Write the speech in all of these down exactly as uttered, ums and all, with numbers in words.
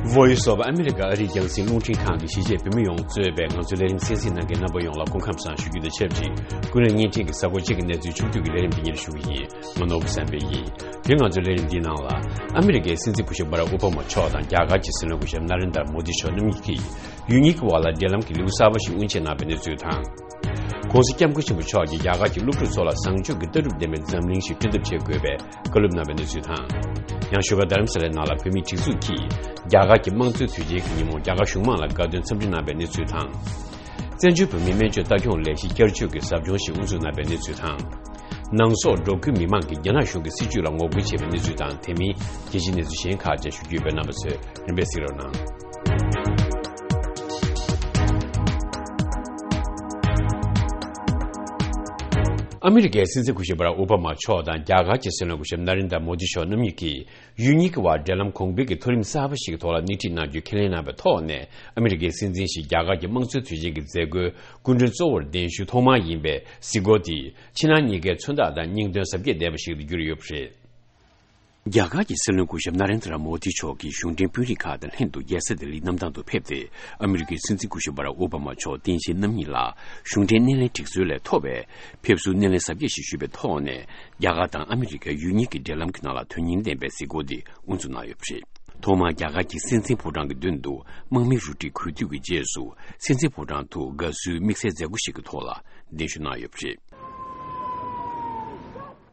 Voice of America ཨ་རིའི་རྒྱང་སྲིང་རླུང་འཕྲིན་ཁང་གིས་གཞིས་བྱེས་བོད་མི་ཡོངས་གཙོས་པའི་ང་ཚོའི་ལས་རིམ་གསན་གཟིགས་གནང་མཁན་རྣམ་པ་ཡོངས་ལ་སྐུ་ཁམས་བཟང་ཞུ་རྒྱུ་དང་ཆབས་ཅིག་ཀུན་གླེང་བརྙན་འཕྲིན་གྱི་གཟའ་འཁོར་གཅིག་གི་གནས་ཚུལ་ཕྱོགས་བསྡུས་ཀྱི་ལས་རིམ་འདི་ཉིད་ཞུ་གི་ཡིན། ང་ནོར་བུ་བསམ་འཕེལ་ཡིན། དེ་ང་ཚོའི་ལས་རིམ་འདིའི་ནང་ལ། ཨ་མི་རི་ཀའི་སྲིད་འཛིན་སྐུ་ཞབས་བྷ་རག་ཨོ་བྷ་མ་མཆོག་དང་རྒྱ་གར་གྱི་སྲིད་བློན་སྐུ་ཞབས་ན་རེན་དར་མོ་དི་མཆོག་རྣམ་གཉིས་ཀྱིས་ཡུལ་གཉིས་ཀྱི་བར་ལ་འབྲེལ་ལམ་གྱི་ལེའུ་གསར་པ་ཞིག་དབུ་འབྱེད་གནང་བའི་གནས་ཚུལ་དང་། ྋགོང་ས་ྋསྐྱབས་མགོན་ཆེན་པོ་མཆོག་གིས་རྒྱ་གར་གྱི་སློབ་ཕྲུག་ཚོ་ལ་བཟང་སྤྱོད་ཀྱི་ལྟ་གྲུབ་ལྡན་པའི་འཛམ་གླིང་ཞིག་སྐྲུན་ཐབས་བྱེད་དགོས་པའི་བཀའ་སློབ་གནང་བའི་གནས་ཚུལ་དང་། ཡང་བཞུགས་སྒར་རྡ་རམ་ས་ལའི་ནང་ལ་བོད་མིའི་སྒྲིག་འཛུགས་ཀྱིས་རྒྱ་གར་གྱི་དམངས་གཙོའི་དུས་ཆེན་གྱི་ཉིན་མོར་རྒྱ་གར་གཞུང་མང་ལ་དགའ་སྟོན་འཚམས་འདྲི་གནང་བའི་གནས་ཚུལ་དང་། བཙན་བྱོལ་བོད་མིའི་སྨན་བཅོས་ལྟ་སྐྱོང་ལས་གཞི་བསྐྱར་བཅོས་ཀྱི་ཟབ་སྦྱོང་ཞིག་དབུ་འཛུགས་གནང་བའི་གནས་ཚུལ་དང་། ནང་སོག་འབྲོག་ཁུལ་མི་མང་གིས་རྒྱ་ནག་གཞུང་གི་སྲིད་བྱུས་ལ་ངོ་རྒོལ་བྱས་པའི་གནས་ཚུལ་དང་། དེ་མིན་རྒྱལ་སྤྱིའི་གནས་ཚུལ་གཞན་ཁག་ཅིག་ཞུ་རྒྱུ་ཡོད་པས། རྣམ་པ་ཚོས་རིམ་པས་གཟིགས་རོགས་གནང་། ཨ་མི་རི་ཀའི་སྲིད་འཛིན་སྐུ་ཞབས་བྷ་རག་ཨོ་བྷ་མ་མཆོག་དང་རྒྱ་གར་གྱི་སྲིད་བློན་སྐུ་ཞབས་ན་རེན་དར་མོ་དི་མཆོག་རྣམ་གཉིས་ཀྱིས། ཡུལ་གཉིས་ཀྱི་བར་འབྲེལ་ལམ་གོང་འཕེལ་གྱི་མཐོ་རིམ་གསར་པ་ཞིག་གི་ཐོག་ལ་སྣེ་ཁྲིད་གནང་རྒྱུའི་ཁས་ལེན་གནང་བའི་ཐོག་ནས། ཨ་མི་རི་ཀའི་སྲིད་འཛིན་ཞིག་རྒྱ་གར་གྱི་དམངས་གཙོའི་དུས་ཆེན་གྱི་མཛད་སྒོའི་སྐུ་མགྲོན་གཙོ་བོར་གདན་ཞུ་ཐོག་མ་ཡིན་པའི་གཟིགས་སྐོར་དེས། ཕྱི་ནང་གཉིས་ཀའི་མཚོན་རྟགས་དང་སྙིང་དོན་གཟབ་རྒྱས་ལྡན་པ་ཞིག་ཏུ་གྱུར་ཡོད་པ་རེད། རྒྱ་གར་གྱི་སྲིད་བློན་སྐུ་ཞབས་ན་རེན་དྲ་མོ་དི་མཆོག་གིས་གཞུང་འབྲེལ་དཔོན་རིགས་ཁག་དང་ལྷན་དུ་རྒྱལ་ས་ལྡི་ལིའི་གནམ་ཐང་དུ་ཕེབས་ཏེ། ཨ་མི་རི་ཀའི་སྲིད་འཛིན་སྐུ་ཞབས་བྷ་རག་ཨོ་བྷ་མ་མཆོག་སྟངས་དཔྱལ་རྣམ་གཉིས་ལ་གཞུང་འབྲེལ་སྣེ་ལེན་སྒྲིག་སྲོལ་ལས་ཐོབ་པའི་ཕེབས་བསུའི་སྣེ་ལེན་གཟབ་རྒྱས་ཤིག་ཞུས་པའི་ཐོག་ནས། རྒྱ་གར་དང་ཨ་མི་རི་ཀ་ཡུལ་གཉིས་ཀྱི་འབྲེལ་ལམ་གྱི་ནང་ལ་དོན་སྙིང་ལྡན་པའི་གཟིགས་སྐོར་འདི་དབུ་འཛུགས་གནང་ཡོད་པ་རེད། ཐོག་མར་རྒྱ་གར་གྱི་སྲིད་འཛིན་ཕོ་བྲང་གི་མདུན་དུ་དམག་མིའི་རུ་ཁྲིད་གུས་འདུད་ཀྱི་རྗེས་སུ། སྲིད་འཛིན་ཕོ་བྲང་དུ་དགའ་བསུའི་དམིགས་བསལ་མཛད་སྒོ་ཞིག་གི་ཐོག་ལ་གདན་ཞུ་གནང་ཡོད་པ་རེད།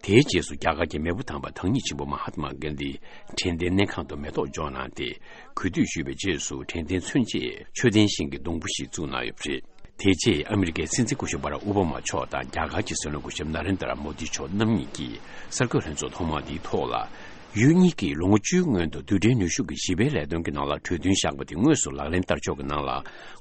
དེའི་རྗེས་སུ་རྒྱ་གར་གྱི་མེས་པོ་དམ་པ་བདག་ཉིད་ཆེན་པོ་མ་ཧཱ་ཏྨ་གྷན་དྷི་དྲན་རྟེན་གནས་ཁང་དུ་མེ་ཏོག་འཇོག་གནང་སྟེ། གུས་འདུད་ཞུས་པའི་རྗེས་སུ། དྲན་རྟེན་མཚོན་ཆེད་མཆོད་རྟེན་ཞིང་གི་སྡོང་པོ་ཞིག་བཙུགས་གནང་ཡོད་པ་རེད། དེ་རྗེས་ཨ་མི་རི་ཀའི་སྲིད་འཛིན་སྐུ་ཞབས་བྷ་རག་ཨོ་བྷ་མ་མཆོག་དང་རྒྱ་གར་གྱི་སྲིད་བློན་སྐུ་ཞབས་ན་རེན་དྲ་མོ་དི་མཆོག་རྣམ་གཉིས་ཀྱིས་གསར་འགོད་ལྷན་ཚོགས་ཐོག་མ་འདིའི་ཐོག་ལ། ཡུལ་གཉིས་ཀྱིས་ལོ་ངོ་བཅུའི་སྔོན་དུ་རྡུལ་ཕྲན་ནུས་ཤུགས་ཀྱི་ཞི་བའི་ལས་དོན་གྱི་ནང་ལ་གྲོས་མཐུན་བཞག་པ་དེ་དངོས་སུ་ལག་ལེན་བསྟར་ཕྱོགས་ཀྱི་ནང་ལ་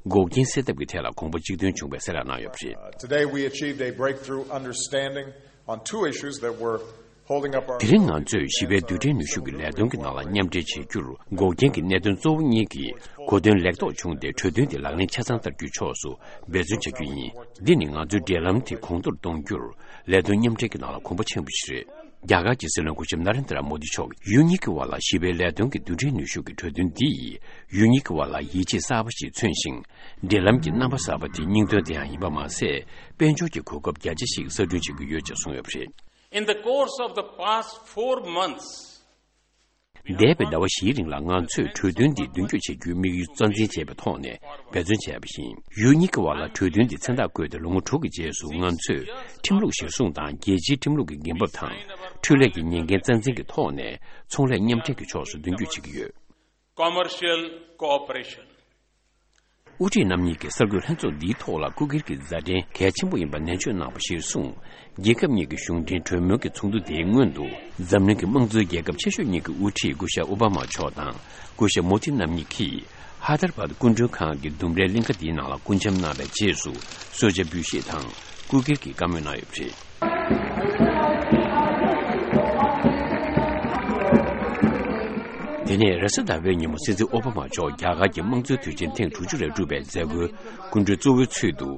འགོག་རྐྱེན་སེལ་ཐབས་ཀྱི་ཐད་ལ་གོམ་པ་གཅིག་མཐུན་བྱུང་བའི་གསལ་བསྒྲགས་གནང་ཡོད་པ་རེད། Today we achieved a breakthrough understanding on two issues that were holding up our དེ་རིང་ང་ཚོས་ཞི་བའི་རྡུལ་ཕྲན་ནུས་ཤུགས་ཀྱི་ལས་དོན་གྱི་ནང་ལ་མཉམ་འབྲེལ་བྱེད་རྒྱུར་འགོག་རྐྱེན་གྱི་གནད་དོན་གཙོ་བོ་གཉིས་ཀྱི་གོ་དོན་ལེགས་རྟོགས་བྱུང་སྟེ། གྲོས་མཐུན་དེ་ལག་ལེན་ཆ་ཚང་བསྟར་རྒྱུའི་ཕྱོགས་སུ་འབད་བརྩོན་བྱ་རྒྱུ་ཡིན། འདི་ནི་ང་ཚོའི་འབྲེལ་ལམ་དེ་གོང་མཐོར་གཏོང་རྒྱུར་ལས་དོན་མཉམ་འབྲེལ་གྱི་ནང་ལ་གོམ་པ་ཆེན་པོ་ཞིག་རེད། རྒྱ་གར་གྱི་སྲིད་བློན་སྐུ་ཞབས་ན་རེན་དྲ་མོ་དི་མཆོག་གིས་ཡུལ་གཉིས་ཀྱི་བར་ལ་ཞི་བའི་ལས་དོན་གྱི་རྡུལ་ཕྲན་ནུས་ཤུགས་ཀྱི་གྲོས་མཐུན་འདིས་ཡུལ་གཉིས་ཀྱི་བར་ལ་ཡིད་ཆེས་གསར་པ་ཞིག་མཚོན་ཞིང་། འབྲེལ་ལམ་གྱི་རྣམ་པ་གསར་པ་དེ་སྙིང་དོན་དེ་ཡང་ཡིན་པ་མ་ཟད། དཔལ་འབྱོར་གྱི་གོ་སྐབས་རྒྱ་ཆེ་ཞིག་གསར་སྐྲུན་བྱེད་ཀྱི་ཡོད་ཅེས་གསུངས་ཡོད་པ་རེད། In the course of the past four months, འདས་པའི་ཟླ་བ་བཞིའི་རིང་ལ་ང་ཚོས་གྲོས་མཐུན་འདི་མདུན་སྐྱོད་བྱེད་རྒྱུའི་དམིགས་ཡུལ་རྩ་འཛིན་བྱས་པའི་ཐོག་ནས་འབད་བརྩོན་བྱས་པ་ཡིན། ཡུལ་གཉིས་ཀྱི་བར་ལ་གྲོས་མཐུན་འདི་མཚན་རྟགས་བཀོད་དེ་ལོ་ངོ་དྲུག་གི་རྗེས་སུ། ང་ཚོས་ཁྲིམས་ལུགས་གཞིར་བཟུང་དང་རྒྱལ་སྤྱིའི་ཁྲིམས་ལུགས་ཀྱི་འགན་བབ་དང་། འཕྲུལ་ལས་ཀྱི་ཉེན་འགན་རྩ་འཛིན་གྱི་ཐོག་ནས་ཚོང་ལས་མཉམ་འབྲེལ་གྱི་ཕྱོགས་སུ་མདུན་སྐྱོད་བྱེད་ཀྱི་ཡོད། Commercial cooperation. དབུ་ཁྲིད་རྣམ་གཉིས་ཀྱིས་གསར་འགོད་ལྷན་ཚོགས་འདིའི་ཐོག་ལ་སྐུ་སྒེར་གྱི་མཛའ་འབྲེལ་གལ་ཆེན་པོ་ཡིན་པ་ནན་བརྗོད་གནང་བ་གཞིར་བཟུང་། རྒྱལ་ཁབ་གཉིས་ཀྱི་གཞུང་འབྲེལ་གྲོས་མོལ་གྱི་ཚོགས་འདུ་དེའི་སྔོན་དུ། འཛམ་གླིང་གི་དམངས་གཙོའི་རྒྱལ་ཁབ་ཆེ་ཤོས་གཉིས་ཀྱི་དབུ་ཁྲིད་སྐུ་ཞབས་ཨོ་བྷ་མ་མཆོག་དང་སྐུ་ཞབས་མོ་དྷི་རྣམ་གཉིས་ཀྱིས་ཧ་དར་བཱད་སྐུ་མགྲོན་ཁང་གི་ལྡུམ་རའི་གླིང་ཁ་འདིའི་ནང་ལ་སྐུ་འཆམ་གནང་བའི་རྗེས་སུ་གསོལ་ཇ་འབུལ་བཞེས་དང་སྐུ་སྒེར་གྱི་བཀའ་མོལ་གནང་ཡོད་པ་རེད། དེ་ནས་རེས་གཟའ་ཟླ་བའི་ཉིན་མོ་སྲིད་འཛིན་ཨོ་བྷ་མ་མཆོག་རྒྱ་གར་གྱི་དམངས་གཙོའི་དུས་ཆེན་ཐེངས་དྲུག་ཅུ་རེ་དྲུག་པའི་མཛད་སྒོའི་སྐུ་མགྲོན་གཙོ་བོའི་ཚུལ་དུ།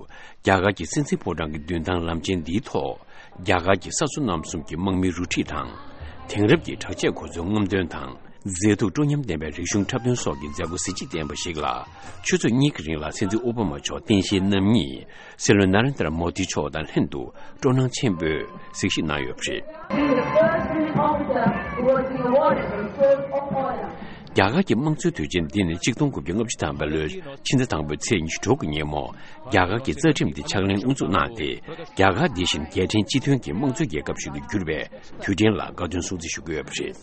རྒྱ་གར་གྱི་སྲིད་འཛིན་ཕོ་བྲང་གི་མདུན་ཐང་ལམ་ཆེན་འདིའི་ཐོག་རྒྱ་གར་གྱི་ས་མཚོ་གནམ་གསུམ་གྱི་དམག་མིའི་རུ་ཁྲིད་དང་། དེང་རབས་ཀྱི་དྲག་ཆས་གོ་མཚོན་རྔམ་སྟོན་དང་། མཛེས་སྡུག་སྤྲོ་ཉམས་ལྡན་པའི་རིག་གཞུང་འཁྲབ་སྟོན་སོགས་ཀྱི་མཛད་སྒོ་གཟི་བརྗིད་ལྡན་པ་ཞིག་ལ། ཆུ་ཚོད་གཉིས་ཀྱི་རིང་ལ་སྲིད་འཛིན་ཨོ་བྷ་མ་མཆོག་རྟེན་གཞིའི་རྣམ་གཉིས། སྲིད་བློན་ན་རེན་དྲ་མོ་དི་མཆོག་དང་ལྷན་དུ་སྤྲོ་སྣང་ཆེན་པོས་གཟིགས་ཞིབ་གནང་ཡོད་པ་རེད། Being the first Indian officer who was rewarded with the Sword of Honor. རྒྱ་གར་གྱི་དམངས་གཙོའི་དུས་ཆེན་འདི་ནི་ཆིག་སྟོང་དགུ་བརྒྱ་ལྔ་བཅུ་ཐམ་པའི་ལོའི་ཕྱི་ཟླ་དང་པོའི་ཚེས་ཉི་ཤུ་དྲུག་གི་ཉིན་མོ། རྒྱ་གར་གྱི་རྩ་ཁྲིམས་འདི་ཕྱག་ལེན་དབུ་འཛུགས་གནང་སྟེ། རྒྱ་གར་འདི་བཞིན་རྒྱལ་ཕྲན་སྤྱི་མཐུན་གྱི་དམངས་གཙོའི་རྒྱལ་ཁབ་ཞིག་ཏུ་གྱུར་པའི་དུས་དྲན་ལ་དགའ་སྟོན་སྲུང་བརྩི་ཞུ་གི་ཡོད་པ་རེད།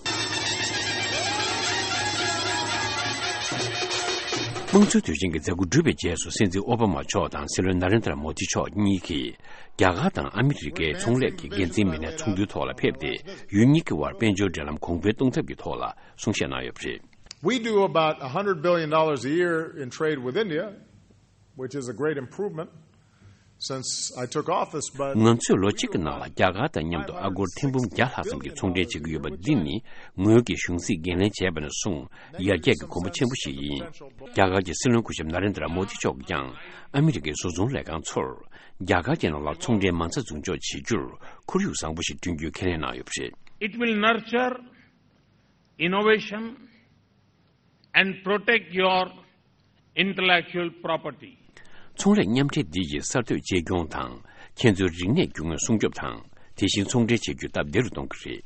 དམངས་གཙོའི་དུས་ཆེན་གྱི་མཛད་སྒོ་གྲུབ་པའི་རྗེས་སུ། སྲིད་འཛིན་ཨོ་བྷ་མ་མཆོག་དང་སྲིད་བློན་ན་རེན་དྲ་མོ་དི་མཆོག་གཉིས་ཀྱིས་རྒྱ་གར་དང་ཨ་མི་རི་ཀའི་ཚོང་ལས་ཀྱི་འགན་འཛིན་མི་སྣའི་ཚོགས་འདུའི་ཐོག་ལ་ཕེབས་ཏེ། ཡུལ་གཉིས་ཀྱི་དབར་དཔལ་འབྱོར་འབྲེལ་ལམ་གོང་འཕེལ་གཏོང་ཐབས་ཀྱི་ཐོག་ལ་གསུང་བཤད་གནང་ཡོད་པ་རེད། We do about a hundred billion dollars a year in trade with India, which is a great improvement since I took office, but ང་ཚོས་ལོ་གཅིག་གི་ནང་ལ་རྒྱ་གར་དང་མཉམ་དུ་ཨ་སྒོར་ཐེར་འབུམ་བརྒྱ་ལྷག་ཙམ་གྱི་ཚོང་འབྲེལ་བྱེད་ཀྱི་ཡོད་པ་འདི་ནི་ངོས་ཀྱིས་གཞུང་སྲིད་འགན་ལེན་བྱས་པ་ནས་བཟུང་ཡར་རྒྱས་ཀྱི་གོམ་པ་ཆེན་པོ་ཞིག་ཡིན། རྒྱ་གར་གྱི་སྲིད་བློན་སྐུ་ཞབས་ན་རེན་དྲ་མོ་དི་མཆོག་གིས་ཀྱང་ཨ་མི་རི་ཀའི་བཟོ་ཚོང་ལས་ཁང་ཚོར་རྒྱ་གར་གྱི་ནང་ལ་ཚོང་འབྲེལ་མང་ཙམ་འཛུགས་འཇོག་བྱེད་རྒྱུར་ཁོར་ཡུག་བཟང་པོ་ཞིག་བསྐྲུན་རྒྱུའི་ཁས་ལེན་གནང་ཡོད་པ་རེད། It will nurture innovation and protect your intellectual property. ཚོང་ལས་མཉམ་འབྲེལ་འདི་ཡིས་གསར་གཏོད་གཅེས་སྐྱོང་དང་། ཁྱེད་ཚོའི་རིག་གནས་རྒྱུ་དངོས་སྲུང་སྐྱོབ་དང་། དེ་བཞིན་ཚོང་འབྲེལ་བྱེད་རྒྱུ་སྟབས་བདེ་རུ་གཏོང་གི་རེད།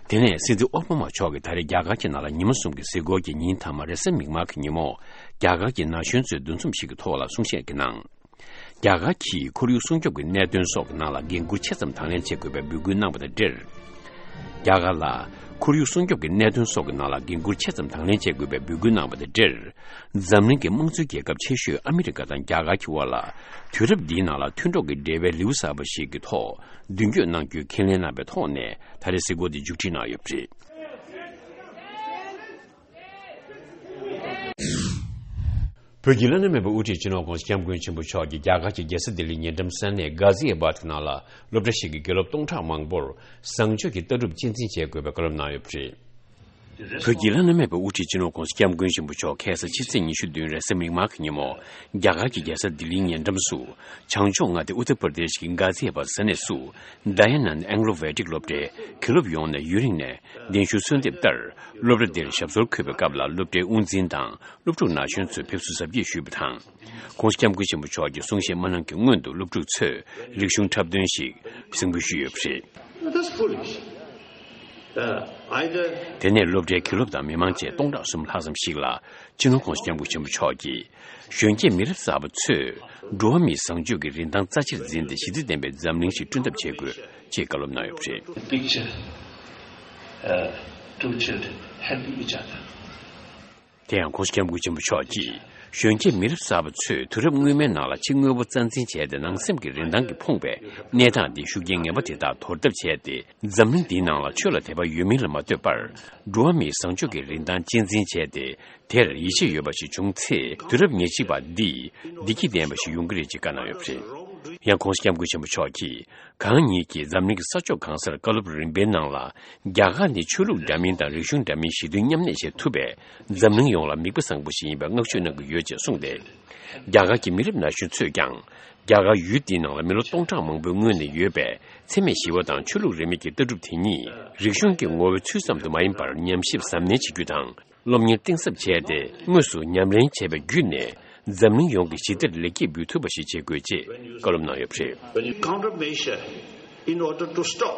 དེ་ནས་སྲིད་འཛིན་ཨོ་བྷ་མ་མཆོག་གིས་ད་རེས་རྒྱ་གར་གྱི་ནང་ལ་ཉི་མ་གསུམ་གྱི་གཟིགས་སྐོར་གྱི་ཉིན་མཐའ་མ་རེས་གཟའ་མིག་དམར་གྱི་ཉིན་མོ། རྒྱ་གར་གྱི་ན་གཞོན་ཚོའི་འདུ་འཛོམས་ཤིག་གི་ཐོག་ལ་གསུང་བཤད་ཀྱི་ནང་། རྒྱ་གར་གྱིས་ཁོར་ཡུག་སྲུང་སྐྱོབ་ཀྱི་གནད་དོན་སོགས་ཀྱི་ནང་ལ་འགན་འཁུར་ཆེ་ཙམ་དང་ལེན་བྱེད་དགོས་པའི་འབོད་སྐུལ་གནང་བ་དང་འབྲེལ། རྒྱ་གར་ལ་ཁོར་ཡུག་སྲུང་སྐྱོབ་ཀྱི་གནད་དོན་སོགས་ཀྱི་ནང་ལ་འགན་འཁུར་ཆེ་ཙམ་དང་ལེན་བྱེད་དགོས་པའི་འབོད་སྐུལ་གནང་བ་དང་འབྲེལ། འཛམ་གླིང་གི་དམངས་གཙོའི་རྒྱལ་ཁབ་ཆེ་ཤོས་ཨ་མི་རི་ཀ་དང་རྒྱ་གར་གྱི་དབར་ལ། དུས་རབས་འདིའི་ནང་ལ་མཐུན་གྲོགས་ཀྱི་འབྲེལ་བའི་ལེའུ་གསར་པ་ཞིག་གི་ཐོག་མདུན་སྐྱོད་གནང་རྒྱུའི་ཁས་ལེན་གནང་པའི་ཐོག་ནས་ད་རེས་གཟིགས་སྐོར་འདི་མཇུག་སྒྲིལ་གནང་ཡོད་པ་རེད། བོད་ཀྱི་བླ་ན་མེད་པའི་དབུ་ཁྲིད་སྤྱི་ནོར་༧གོང་ས་༧སྐྱབས་མགོན་ཆེན་པོ་མཆོག་གིས་རྒྱ་གར་གྱི་རྒྱལ་ས་ལྡི་ལིའི་ཉེ་འགྲམ་ས་གནས་གྷ་ཟི་ཨ་བཱད་ཀྱི་ནང་ལ་སློབ་གྲྭ་ཞིག་གི་དགེ་སློབ་སྟོང་ཕྲག་མང་པོར་བཟང་སྤྱོད་ཀྱི་ལྟ་གྲུབ་གཅེས་འཛིན་བྱེད་དགོས་པའི་བཀའ་སློབ་གནང་ཡོད་པ་རེད། བོད་ཀྱི་བླ་ན་མེད་པའི་དབུ་ཁྲིད་སྤྱི་ནོར་༧གོང་ས་༧སྐྱབས་མགོན་ཆེན་པོ་མཆོག་ཁ་སང་ཕྱི་ཚེས་ཉི་ཤུ་བདུན་རེས་གཟའ་མིག་དམར་གྱི་ཉིན་མོ། རྒྱ་གར་གྱི་རྒྱལ་ས་ལྡི་ལིའི་ཉེ་འགྲམ་སུ། བྱང་ཕྱོགས་མངའ་སྡེ་ཨུ་ཏར་པར་དེཤ་གྱི་གྷ་ཟི་ཨ་བཱད་ས་གནས་སུ། ཌ་ཡ་ནན་ཨེང་ལོ་ཝེ་ཏིག་སློབ་གྲྭའི་དགེ་སློབ་ཡོངས་ནས་ཡུན་རིང་ནས་གདན་ཞུ་གསོལ་འདེབས་ལྟར། སློབ་གྲྭ་འདིར་ཞབས་སོར་འཁོད་པའི་སྐབས་ལ་སློབ་གྲྭའི་དབུ་འཛིན་དང་། སློབ་ཕྲུག་ན་གཞོན་ཚོས་ཕེབས་བསུ་གཟབ་རྒྱས་ཞུས་པ་དང་། ༧གོང་ས་༧སྐྱབས་མགོན་ཆེན་པོ་མཆོག་གི་གསུང་བཤད་མ་གནང་གི་སྔོན་དུ་སློབ་ཕྲུག་ཚོས་རིག་གཞུང་འཁྲབ་སྟོན་ཞིག་གཟིགས་འབུལ་ཞུས་ཡོད་པ་རེད། That's foolish. Uh, either དེ་ནས་སློབ་གྲྭའི་དགེ་སློབ་དང་མི་མང་བཅས་སྟོང་ཕྲག་གསུམ་ལྷག་ཙམ་ཞིག་ལ་སྤྱི་ནོར་༧གོང་ས་༧སྐྱབས་མགོན་ཆེན་པོ་མཆོག་གིས། གཞོན་སྐྱེས་མི་རབས་གསར་པ་ཚོས་འགྲོ་བ་མིའི་བཟང་སྤྱོད་ཀྱི་རིན་ཐང་རྩ་ཆེར་འཛིན་ཏེ་ཞི་བདེ་ལྡན་པའི་འཛམ་གླིང་ཞིག་བསྐྲུན་ཐབས་བྱེད་དགོས། ཅེས་བཀའ་སློབ་གནང་ཡོད་པ་རེད། The picture, uh, two children helping each other. དེ་ཡང་༧གོང་ས་༧སྐྱབས་མགོན་ཆེན་པོ་མཆོག་གིས། གཞོན་སྐྱེས་མི་རབས་གསར་པ་ཚོས་དུས་རབས་སྔོན་མའི་ནང་ལ་ཕྱི་དངོས་པོ་རྩ་འཛིན་བྱས་ཏེ་ནང་སེམས་ཀྱི་རིན་ཐང་གིས་ཕོངས་པའི་གནས་སྟངས་འདི་ཤུགས་རྐྱེན་ངན་པ་དེ་དག་དོར་ཐབས་བྱས་ཏེ། འཛམ་གླིང་འདིའི་ནང་ལ་ཆོས་ལ་དད་པ་ཡོད་མིན་ལ་མ་ལྟོས་པར། འགྲོ་བ་མིའི་བཟང་སྤྱོད་ཀྱི་རིན་ཐང་གཅེས་འཛིན་བྱས་ཏེ། དེར་ཡིད་ཆེས་ཡོད་པ་ཞིག་བྱུང་ཚེ། དུས་རབས་ཉེར་གཅིག་པ་འདི་བདེ་སྐྱིད་ལྡན་པ་ཞིག་ཡོང་གི་རེད་ཅེས་བཀའ་གནང་ཡོད་པ་རེད། ཡང་༧གོང་ས་༧སྐྱབས་མགོན་ཆེན་པོ་མཆོག་གིས། གང་ཉིད་ཀྱིས་འཛམ་གླིང་གི་ས་ཕྱོགས་གང་སར་བཀའ་སློབ་རིམ་པའི་ནང་ལ། རྒྱ་གར་ནི་ཆོས་ལུགས་འདྲ་མིན་དང་རིག་གཞུང་འདྲ་མིན་ཞི་མཐུན་མཉམ་གནས་བྱེད་ཐུབ་པའི་འཛམ་གླིང་ཡོངས་ལ་མིག་དཔེ་བཟང་པོ་ཞིག་ཡིན་པའི་བསྔགས་བརྗོད་གནང་གི་ཡོད་ཅེས་གསུངས་ཏེ། རྒྱ་གར་གྱི་མི་རབས་ན་གཞོན་ཚོས་ཀྱང་། རྒྱ་གར་ཡུལ་འདིའི་ནང་ལ་མི་ལོ་སྟོང་ཕྲག་མང་པོའི་སྔོན་ནས་ཡོད་པའི་འཚེ་མེད་ཞི་བ་དང་ཆོས་ལུགས་རིས་མེད་ཀྱི་ལྟ་གྲུབ་དེ་ཉིད་རིག་གཞུང་གི་ངོ་བོའི་ཚུལ་ཙམ་དུ་མ་ཡིན་པར་ཉམས་ཞིབ་གཟབ་ནན་བྱེད་རྒྱུ་དང་། སློབ་གཉེར་གཏིང་ཟབ་བྱས་ཏེ། དངོས་སུ་ཉམས་ལེན་བྱས་པ་བརྒྱུད་ནས། འཛམ་གླིང་ཡོངས་ཀྱི་ཞི་བདེར་ལེགས་སྐྱེས་འབུལ་ཐུབ་པ་ཞིག་བྱེད་དགོས་ཅེས་བཀའ་སློབ་གནང་ཡོད་པ་རེད། When you countermeasure in order to stop.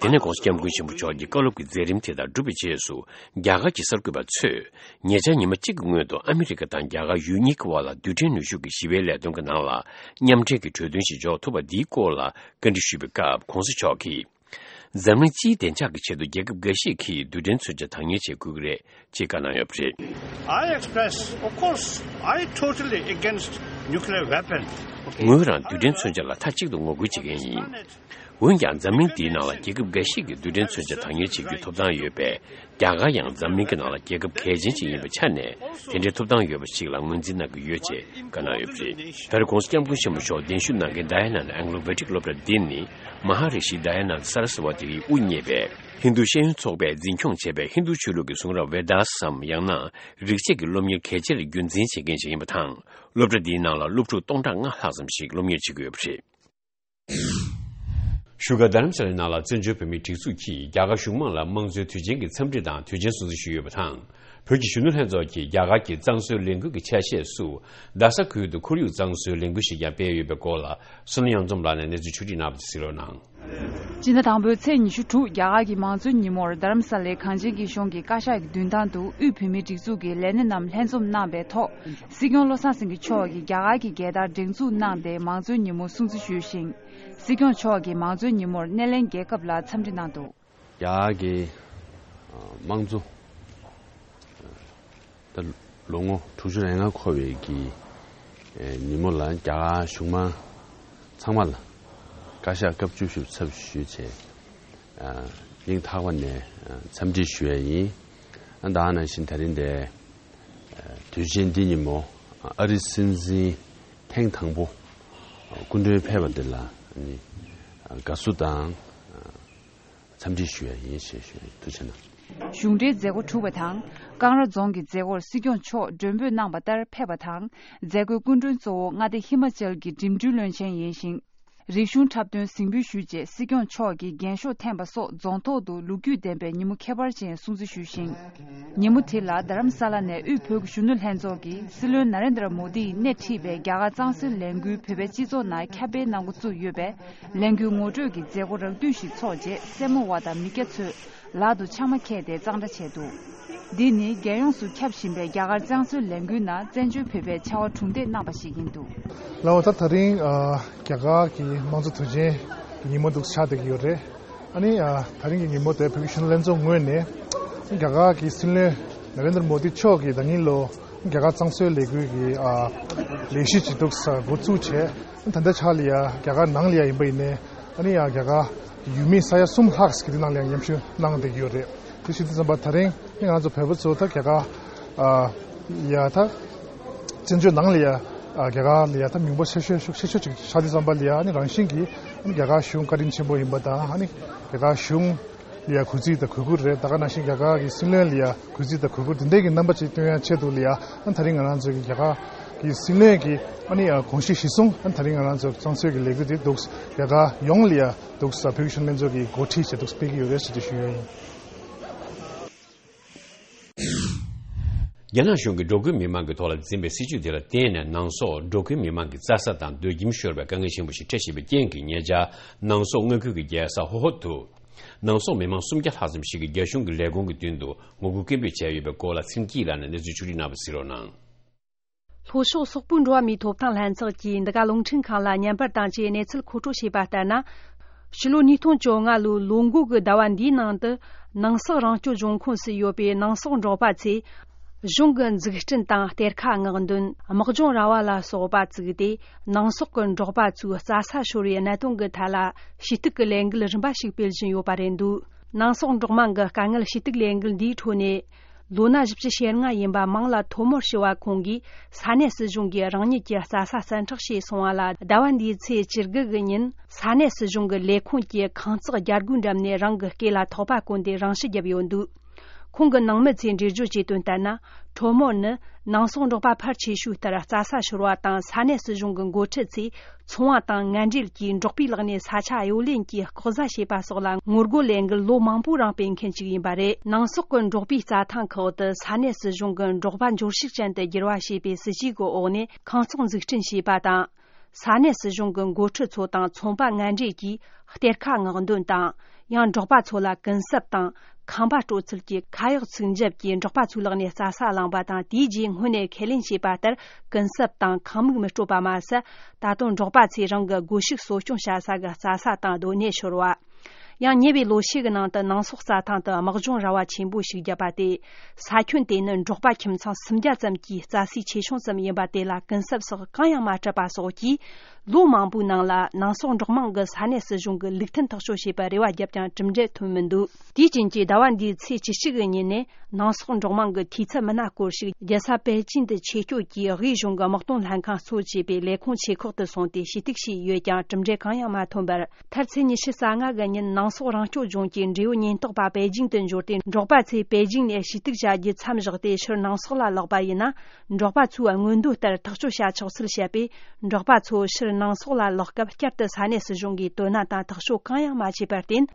དེ་ནས་༧གོང་ས་༧སྐྱབས་མགོན་ཆེན་པོ་མཆོག་གི་བཀའ་སློབ་ཀྱི་མཛད་རིམ་དེ་དག་གྲུབ་པའི་རྗེས་སུ། རྒྱ་གར་གྱི་གསར་འགོད་པ་ཚོས། ཉེ་ཆར་ཉི་མ་གཅིག་གི་སྔོན་དུ་ཨ་མི་རི་ཀ་དང་རྒྱ་གར་ཡུལ་གཉིས་ཀྱི་དབར་ལ་རྡུལ་ཕྲན་ནུས་ཤུགས་ཀྱི་ཞི་བའི་ལས་དོན་གྱི་ནང་ལ། མཉམ་འབྲེལ་གྱི་གྲོས་མཐུན་ཞིག་འཇོག་ཐུབ་པ་འདིའི་སྐོར་ལ་བཀའ་འདྲི་ཞུས་པའི་སྐབས། ༸གོང་ས་མཆོག་གིས། འཛམ་གླིང་སྤྱིའི་བདེ་འཇགས་ཀྱི་ཆེད་དུ་རྒྱལ་ཁབ་འགའ་ཞིག་གིས་རྡུལ་ཕྲན་མཚོན་ཆ་བདག་གཉེར་བྱེད་དགོས་ཀྱི་རེད། ཅེས་བཀའ་གནང་ཡོད་པ་རེད། I express, of course, I totally against nuclear weapon. ངོས་རང་རྡུལ་ཕྲན་མཚོན་ཆ་ལ་མཐའ་གཅིག་ཏུ་ངོ་རྒོལ་བྱེད་མཁན་ཡིན། འོན་ཀྱང་འཛམ་གླིང་འདིའི་ནང་ལ་རྒྱལ་ཁབ་འགའ་ཞིག་གིས་རྡུལ་ཕྲན་མཚོན་ཆ་བདག་གཉེར་བྱེད་རྒྱུའི་ཐོབ་ཐང་ཡོད་པས། རྒྱ་གར་ཡང་འཛམ་གླིང་གི་ནང་ལ་རྒྱལ་ཁབ་གལ་ཆེན་ཞིག་ཡིན་པའི་ཆ་ནས། དེ་འདྲའི་ཐོབ་ཐང་ཡོད་པ་ཞིག་ལ་ངོས་འཛིན་གནང་གི་ཡོད་ཅེས་བཀའ་གནང་ཡོད་པ་རེད། ད་རེས་༸གོང་ས་༸སྐྱབས་མགོན་ཆེན་པོ་མཆོག་གདན་ཞུ་གནང་མཁན་ཌ་ཡ་ན་ན་ཨེང་ལོ་ཝེ་ཏིག་སློབ་གྲྭ་འདི་ནི། མ་ཧཱ་རི་ཤི་ཌ་ཡ་ན་ན་སཱ་ར་སི་ཝ་ཏི་ཡིས་དབུ་བརྙེས་པའི་ཧིན་རྡུ་ཤེས་ཡོན་ཚོགས་པས་འཛིན་སྐྱོང་བྱས་པའི་ཧིན་རྡུ་ཆོས་ལུགས་ཀྱི་གཟུངས་རབ་ཝེ་དཱ་སམ། ཡང་ན། རིག་བྱེད་ཀྱི་སློབ་གཉེར་གལ་ཆེར་རྒྱུན་འཛིན་བྱེད་མཁན་ཞིག་ཡིན་པ་དང་། སློབ་གྲྭ་འདིའི་ནང་ལ་སློབ་ཕྲུག་སྟོང་ཕྲག་ལྔ་ལྷག་ཙམ་ཞིག་སློབ་གཉེར་བྱེད་ཀྱི་ཡོད་པ་རེད། བཞུགས་སྒར་རྡ་རམ་ས་ལའི་ནང་ལ་བཙན་བྱོལ་བོད་མིའི་སྒྲིག་འཛུགས་ཀྱིས་རྒྱ་གར་གཞུང་མང་ལ་དམངས་གཙོའི་དུས་ཆེན་གྱི་འཚམས་འདྲི་དང་དུས་ཆེན་སྲུང་བརྩི་ཞུས་ཡོད་པ་དང་། བོད་ཀྱི་གཞོན་ནུ་ལྷན་ཚོགས་ཀྱིས་རྒྱ་གར་གྱི་གཙང་བཟོའི་ལས་འགུལ་གྱི་ཆ་ཤས་སུ། རྡ་ས་ཁུལ་དུ་ཁོར་ཡུག་གཙང་བཟོའི་ལས་འགུལ་ཞིག་ཀྱང་སྤེལ་ཡོད་པའི་སྐོར་ལ། བསོད་ནམས་གཡུ་འཛོམས་ལགས་ནས་གནས་ཚུལ་ཕྱོགས་སྒྲིག་གནང་བ་དེ་གཟིགས་རོགས་གནང་། སྤྱི་ཟླ་དང་པོའི་ཚེས་ཉི་ཤུ་དྲུག་རྒྱ་གར་གྱི་མང་གཙོའི་ཉིན་མོར་རྡ་རམ་ས་ལའི་གངས་ཅན་སྐྱིད་གཤོངས་ཀྱི་བཀའ་ཤག་གི་མདུན་ཐང་དུ་དབུས་བོད་མིའི་སྒྲིག་འཛུགས་ཀྱི་ལས་སྣེ་རྣམས་ལྷན་འཛོམས་གནང་བའི་ཐོག་སྲིད་སྐྱོང་བློ་བཟང་སེང་གེ་མཆོག་གིས་རྒྱ་གར་གྱི་རྒྱལ་དར་སྒྲེང་འཛུགས་གནང་སྟེ་མང་གཙོའི་ཉིན་མོ་སྲུང་བརྩི་ཞུས་ཤིང་། སྲིད་སྐྱོང་མཆོག་གིས་མང་གཙོའི་ཉིན་མོར་སྣེ་ལེན་རྒྱལ་ཁབ་ལ་འཚམས་འདྲི་གནང་འདུག། རྒྱ་གར་གྱི་དམངས་གཙོ་ད་ལོ་ངོ་དྲུག་ཅུ་རེ་ལྔ་འཁོར་བའི་གི་ཉིན་མོ་ལ་རྒྱ་གར་གཞུང་མང་ཚང་མ་ལ་བཀའ་ཤག་སྐབས་བཅུ་བཞི་པའི་ཚབ་ཞུས་བྱས། སྙིང་ཐག་པ་ནས་འཚམས་འདྲི་ཞུ་ཡ་ཡིན། ཨ་ད་ག་ནང་བཞིན་ད་རིང་འདིར་དུས་ཆེན་འདི་ཉིན་མོ་ཨ་རིའི་སྲིད་འཛིན་ཐེངས་དང་པོ་སྐུ་མགྲོན་ཕེབས་པ་འདི་ལ་ནི་དགའ་བསུ་དང་འཚམས་འདྲི་ཞུ་ཡ་ཡིན་ཞེས་ཞུ་ཡ་ཡིན། ཐུགས་རྗེ་གནང་། གཞུང་འབྲེལ་མཛད་སྒོ་གྲུབ་པ་དང་། ཀང་ར་རྫོང་གི་མཛད་སྒོར་སྲིད་སྐྱོང་མཆོག་མགྲོན་འབོད་གནང་བ་ལྟར་ཕེབས་པ་དང་། མཛད་སྒོའི་སྐུ་མགྲོན་གཙོ་བོ་མངའ་སྡེ་ཧི་མ་ཅལ་གྱི་འགྲིམ་འགྲུལ་བློན་ཆེན་ཡིན་ཞིང་། རིག་གཞུང་འཁྲབ་སྟོན་གཟིགས་འབུལ་ཞུས་རྗེས་སྲིད་སྐྱོང་མཆོག་གིས་རྒྱན་ཤོག་འཐེན་པ་སོགས་རྫོང་ཐོག་ཏུ་ལོ་རྒྱུས་ལྡན་པའི་ཉིན་མོ་ཁྱད་པར་ཅན་སྲུང་བརྩི་ཞུས་ཤིང་། ཉིན་མོ་དེ་ལ་རྡ་རམ་ས་ལ་ནས་དབུས་བོད་ཀྱི་གཞོན་ནུ་ལྷན་ཚོགས་ཀྱིས་སྲིད་བློན་ན་རེན་དྲ་མོ་དི་ཡིས་སྣེ་ཁྲིད་པའི་རྒྱ་གར་གཙང་སེལ་ལས་འགུལ་བོད་པའི་སྤྱི་ཚོགས་ནང་ཁྱབ་སྤེལ་གནང་འགོ་བཙུགས་ཡོད་པས། ལས་འགུལ་ངོ་སྤྲོད་ཀྱི་མཛད་སྒོ་རགས་བསྡུས་ཤིག་འཚོགས་རྗེས་སེར་མོ་བ་དང་མི་སྐྱ་ཚོས་ལག་ཏུ་ཕྱགས་མ་འཁྱེར་ཏེ་གཙང་སྦྲ་བྱས་འདུག་འདི་ནི་རྒྱལ་ཡོངས་སུ་ཁྱབ་བཞིན་པའི་རྒྱ་གར་གཙང་སེལ་ལས་འགུལ་ནང་བཙན་བྱོལ་བོད་པའི་ཕྱར་བ་གྲུ་འདེགས་གནང་པ་ཞིག་ཡིན་འདུག་ལགས་འོ། ད་ད་རིང་ཨ་རྒྱ་གར་གྱི་དམངས་གཙོ་དུས་ཆེན་གྱི་ཉིན་མོ་འདུག་ཆགས་བསྡད་ཀྱི་ཡོད་རེད། ཨ་ནི་ཨ་ད་རིང་གི་ཉིན་མོ་དེ་བོད་ཀྱི་གཞོན་ནུ་ལྷན་ཚོགས་ངོས་ནས་རྒྱ་གར་གྱི་སྲིད་བློན་ན་རེན་དྲ་མོ་དི་མཆོག་གིས་ད་ཉིན་ལོ་རྒྱ་གར་གཙང་སེལ་ལས་འགུལ་གྱི་ཨ་ལས་གཞི་ཅིག་འདུག་ས་འགོ་བཙུགས་བྱས། ད་ལྟའི་ཆར་ལ་ཡ་རྒྱ་གར་ནང་ལ་ཡ་ཡིན་པ་ཡིན་ནའི་ཨ་ནི་ཡ་རྒྱ་གར་ཡུལ་མི་ས་ཡ་གསུམ་ལྷག་ཅིག་དེ་ནང་ལ་ཡ་མཉམ་ཞུགས་གནང་བསྡད་ཀྱི་ཡོད་རེད། དེ་བྱེད་དུས་ཙམ་པ་ད་རིང་ང་ཚོ་བོད་པ་ཚོ་ད་རྒྱ་གར་ཨ་ཡ་ད་བཙན་བྱོལ་ནང་ལ་ཡ་ཨ་རྒྱ་གར་ལ་ཡ་ད་མིང་པོ་ཆེ་ཤོས་ཤུགས་ཆེ་ཤོས་ཅིག་ཆགས་དུས་ཙམ་པ་ལ་ཡ་ཨ་ནི་རང་བཞིན་གྱིས་ཨ་ནི་རྒྱ་གར་གཞུང་བཀའ་དྲིན་ཆེན་པོ་ཡིན་པ་དང་། ཨ་ནི་རྒྱ་གར་གཞུང་ལ་ཡ་གུས་བརྩི་དང་གུས་བཀུར་རེད། ད་ག་ནང་བཞིན་རྒྱ་གར་གྱི་སྲིད་བློན་ལ་ཡ་གུས་བརྩི་དང་གུས་བཀུར་དེ་འདྲའི་གི་རྣམ་པ་ཅིག་སྟོན་ཡ་ཆེད་དུ་ལ་ཡ་ཨ་ད་རིང་ང་རང་ཚོ་གི་རྒྱ་གར་གྱི་སྲིད་བློན་གྱི་ཨ་ནི་ཡ་དགོངས་གཞི་གཞིར་བཟུང་ཨ་ད་རིང་ང་རང་ཚོ་གཙང་སེལ་གྱི་ལས་འགུལ་དེ་འདུག་རྒྱ་གར་ཡོངས་ལ་ཡ་འདུག་ས་བོད་ཀྱི་གཞོན་ནུ་ལྷན་ཚོགས་ཀྱིས་འགོ་ཁྲིད་བྱས་འདུག་སྤེལ་གྱི་ཡོད་རེད་ཟེར་དེ་ཞུ་ཡ་ཡིན། རྒྱ་ནག་གཞུང་གིས་འགྲོ་ཁུལ་མི་མང་གི་ཐོག་ལ་འཛིན་པའི་སྲིད་ཇུས་དེ་ལ་བརྟེན་ནས་ནང་སོག་འགྲོ་ཁུལ་མི་མང་གི་རྩྭ་ས་དང་སྡོད་ཁྱིམ་ཤོར་བའི་དཀའ་ངལ་ཆེན་པོ་ཞིག་འཕྲད་བཞིན་པའི་རྐྱེན་གྱིས་ཉེ་ཆར་ནང་སོག་མངའ་ཁུལ་གྱི་རྒྱལ་ས་ཧོ་ཧོ་དུ་ནང་སོག་མི་མང་སུམ་བརྒྱ་ལྷག་ཙམ་ཞིག་གིས་རྒྱ་གཞུང་གི་ལས་ཁུངས་ཀྱི་མདུན་དུ་ངོ་རྒོལ་སྐད་འབོད་བྱས་ཡོད་པའི་སྐོར་ལ་ཚེ་རིང་སྐྱིད་ལགས་ནས་གནས་ཚུལ་ཕྱོགས་སྒྲིག་གནང་བ་གཟིགས་རོགས་གནང་། ལྷོ་ཕྱོགས་སོག་པོའི་འགྲོ་བ་མིའི་ཐོབ་ཐང་ལྷན་ཚོགས་ཀྱིས་འདི་ག་རླུང་འཕྲིན་ཁང་ལ་བརྙན་པར་བཏང་རྗེས་གནས་ཚུལ་མཁོ་སྤྲོད་བྱས་པ་ལྟར་ན། ཕྱི་ལོ་ཉིས་སྟོང་བཅོ་ལྔ་ལོའི་ལོ་འགོ་གི་ཟླ་བ་འདིའི་ནང་དུ་ནང་སོག་རང་སྐྱོང་ལྗོངས་ཁོངས་སུ་ཡོད་པའི་ནང་སོག་འབྲོག་པ་ཚོས་གཞུང་གི་འཛུགས་སྐྲུན་དང་གཏེར་ཁ་མངགས་འདོན། དམག་སྦྱོང་ར་བ་ལ་སོགས་པ་བཙུགས་ཏེ་ནང་སོག་གི་འབྲོག་པ་ཚོའི་རྩྭ་ས་ཤོར་བའི་གནད་དོན་གྱི་ཐད་ལ་ཞུ་གཏུག་གི་ལས་འགུལ་རིམ་པ་ཞིག་སྤེལ་བཞིན་ཡོད་པ་རེད་འདུག་ནང་སོག་འབྲོག་དམངས་ཀྱི་དཀའ་ངལ་ཞུ་གཏུག་ལས་འགུལ་འདིའི་ཁྲོད་ནས། ལོ་ན་བཞི་བཅུ་ཞེ་ལྔ་ཡིན་པ་མང་ལ་ཐོ་མོར་ཞུ་བ་ཁོང་གིས་ས་གནས་སྲིད་གཞུང་གིས་རང་ཉིད་ཀྱི་རྩྭ་ས་བཙན་འཕྲོག་བྱས་སོང་བ་ལ། ཟླ་བ་འདིའི་ཚེས་བཅུ་དགུ་གི་ཉིན་ས་གནས་སྲིད་གཞུང་གི་ལས་ཁུངས་ཀྱི་ཁང་བརྩེགས་རྒྱ་སྒོའི་འགྲམ་ནས་རང་གི་སྐེ་ལ་ཐག་པ་བསྐོན་ཏེ་རང་ཞུ་བརྒྱབ་ཡོད་འདུག་ཁོང་གི་ནང་མི་ཚོས་འགྲེལ་བརྗོད་བྱས་དོན་ལྟར་ན། ཐོ་མོར་ནི་ནང་སོག་འབྲོག་པ་ཕལ་ཆེ་ཤོས་ལྟར་རྩྭ་ས་ཤོར་བ་དང་ས་གནས་སྲིད་གཞུང་གི་འགོ་ཁྲིད་ཚོས། ཚོང་བ་དང་ངན་འབྲེལ་གྱིས་འབྲོག་པའི་ལག་ནས་ས་ཆ་གཡོ་ལེན་གྱིས་ལྐོག་ཟ་བྱས་པ་སོགས་ལ་ངོ་རྒོལ་ལས་འགུལ་ལོ་མང་པོའི་རིང་སྤེལ་མཁན་ཞིག་ཡིན་པ་རེད། ནང་སོག་གི་འབྲོག་པའི་རྩྭ་ཐང་ཁག་ཏུ་ས་གནས་སྲིད་གཞུང་གིས་འབྲོག་པ་འབྱོར་ཕྱུག་ཅན་དུ་འགྱུར་བ་བྱེད་པའི་སྲིད་ཇུས་ཀྱི་འོག་ནས་ཁང་བརྩེགས་འཛུགས་སྐྲུན་བྱས་པ་དང་། ས་གནས་སྲིད་གཞུང་གི་འགོ་ཁྲིད་ཚོ་དང་ཚོང་པ་ངན་འབྲེལ་གྱིས་གཏེར་ཁ་མངགས་འདོན་དང་། ཡང་འབྲོག་པ་ཚོ་ལ་གུན་གསབ་དང་། ཁང་པ་སྤྲོད་ཚུལ་གྱི་ཁ་གཡོག་ཚུགས་འཇབ་ཀྱིས་འབྲོག་པ་ཚོའི་ལག་ནས་རྩྭ་ས་བླངས་པ་དང་། དེའི་རྗེས་སྔོན་ནས་ཁས་ལེན་བྱས་པ་ལྟར་གུན་གསབ་དང་ཁང་མིག་མི་སྤྲོད་པ་མ་ཟད། ད་དུང་འབྲོག་པ་ཚོས་རང་གི་སྒོ་ཕྱུགས་གསོ་སྐྱོང་བྱ་ས་གི་རྩྭ་ས་དང་སྡོད་གནས་ཤོར་བ། ཡང་ཉེ་བའི་ལོ་ཤས་ཀྱི་ནང་དུ་ནང་སོག་རྩྭ་ཐང་དུ་དམག་སྦྱོང་ར་བ་ཆེན་པོ་ཞིག་བརྒྱབ་པ་སྟེ། ས་ཁྱོན་དེ་ནི་འབྲོག་པ་ཁྱིམ་ཚང་སུམ་བརྒྱ་ཙམ་གྱི་རྩྭ་སའི་ཆེ་ཆུང་ཙམ་ཡིན་པ་དེ་ལ་གུན་གསབ་སོགས་གང་ཡང་མ་སྤྲད་པ་སོགས་ཀྱིས། ལོ་མང་པོའི་ནང་ལ་ནང་སོག་འབྲོག་དམངས་ཀྱིས་ས་གནས་སྲིད་གཞུང་གི་ལུགས་མཐུན་ཐག་གཅོད་བྱས་པར་རེ་བ་བརྒྱབ་ཀྱང་གྲུབ་འབྲས་ཐོན་མི་འདུག་དེའི་རྐྱེན་གྱིས་ཟླ་བ་འདིའི་ཚེས་བཅུ་གཅིག་གི་ཉིན་ནས་ནང་སོག་འབྲོག་དམངས་ཀྱི་འཐུས་ཚབ་མི་སྣ་སྐོར་ཞིག་རྒྱལ་ས་པེ་ཅིང་དུ་ཆེད་བསྐྱོད་ཀྱིས་དབུས་གཞུང་གི་དམག་དོན་ལྷན་ཁང་གཙོ་བྱས་པའི་ལས་ཁུངས་ཆེ་ཁག་ཏུ་སོང་སྟེ་ཞུ་གཏུག་བྱས་ཡོད་ཀྱང་གྲུབ་འབྲས་གང་ཡང་མ་ཐོན་པར། མཐར་ཚེས་ཉི་ཤུ་རྩ་ལྔ་གི་ཉིན་ནང་སོག་རང་སྐྱོང་ལྗོངས་ཀྱི་འབྲེལ་ཡོད་ཉེན་རྟོག་པ་པེ་ཅིང་དུ་འབྱོར་ཏེ། འབྲོག་པ་ཚོས་པེ་ཅིང་ནས་ཞུ་གཏུག་བྱ་རྒྱུ་མཚམས་བཞག་སྟེ་ཕྱིར་ནང་སོག་ལ་ལོག་པ་ཡིན་ན། འབྲོག་པ་ཚོའི་མངོན་འདོད་ལྟར་ཐག་གཅོད་བྱ་ཆོག་ཚུལ་བཤད་པས། འབྲོག་པ་ཚོ་ཕྱིར་ནང་སོག་ལ་ལོག་སྐབས་བསྐྱར་དུ་ས་གནས་སྲིད་གཞུང་གིས་དོ་སྣང་དང་ཐག་གཅོད་གང་ཡང་མ་བྱས་པར་བརྟེན།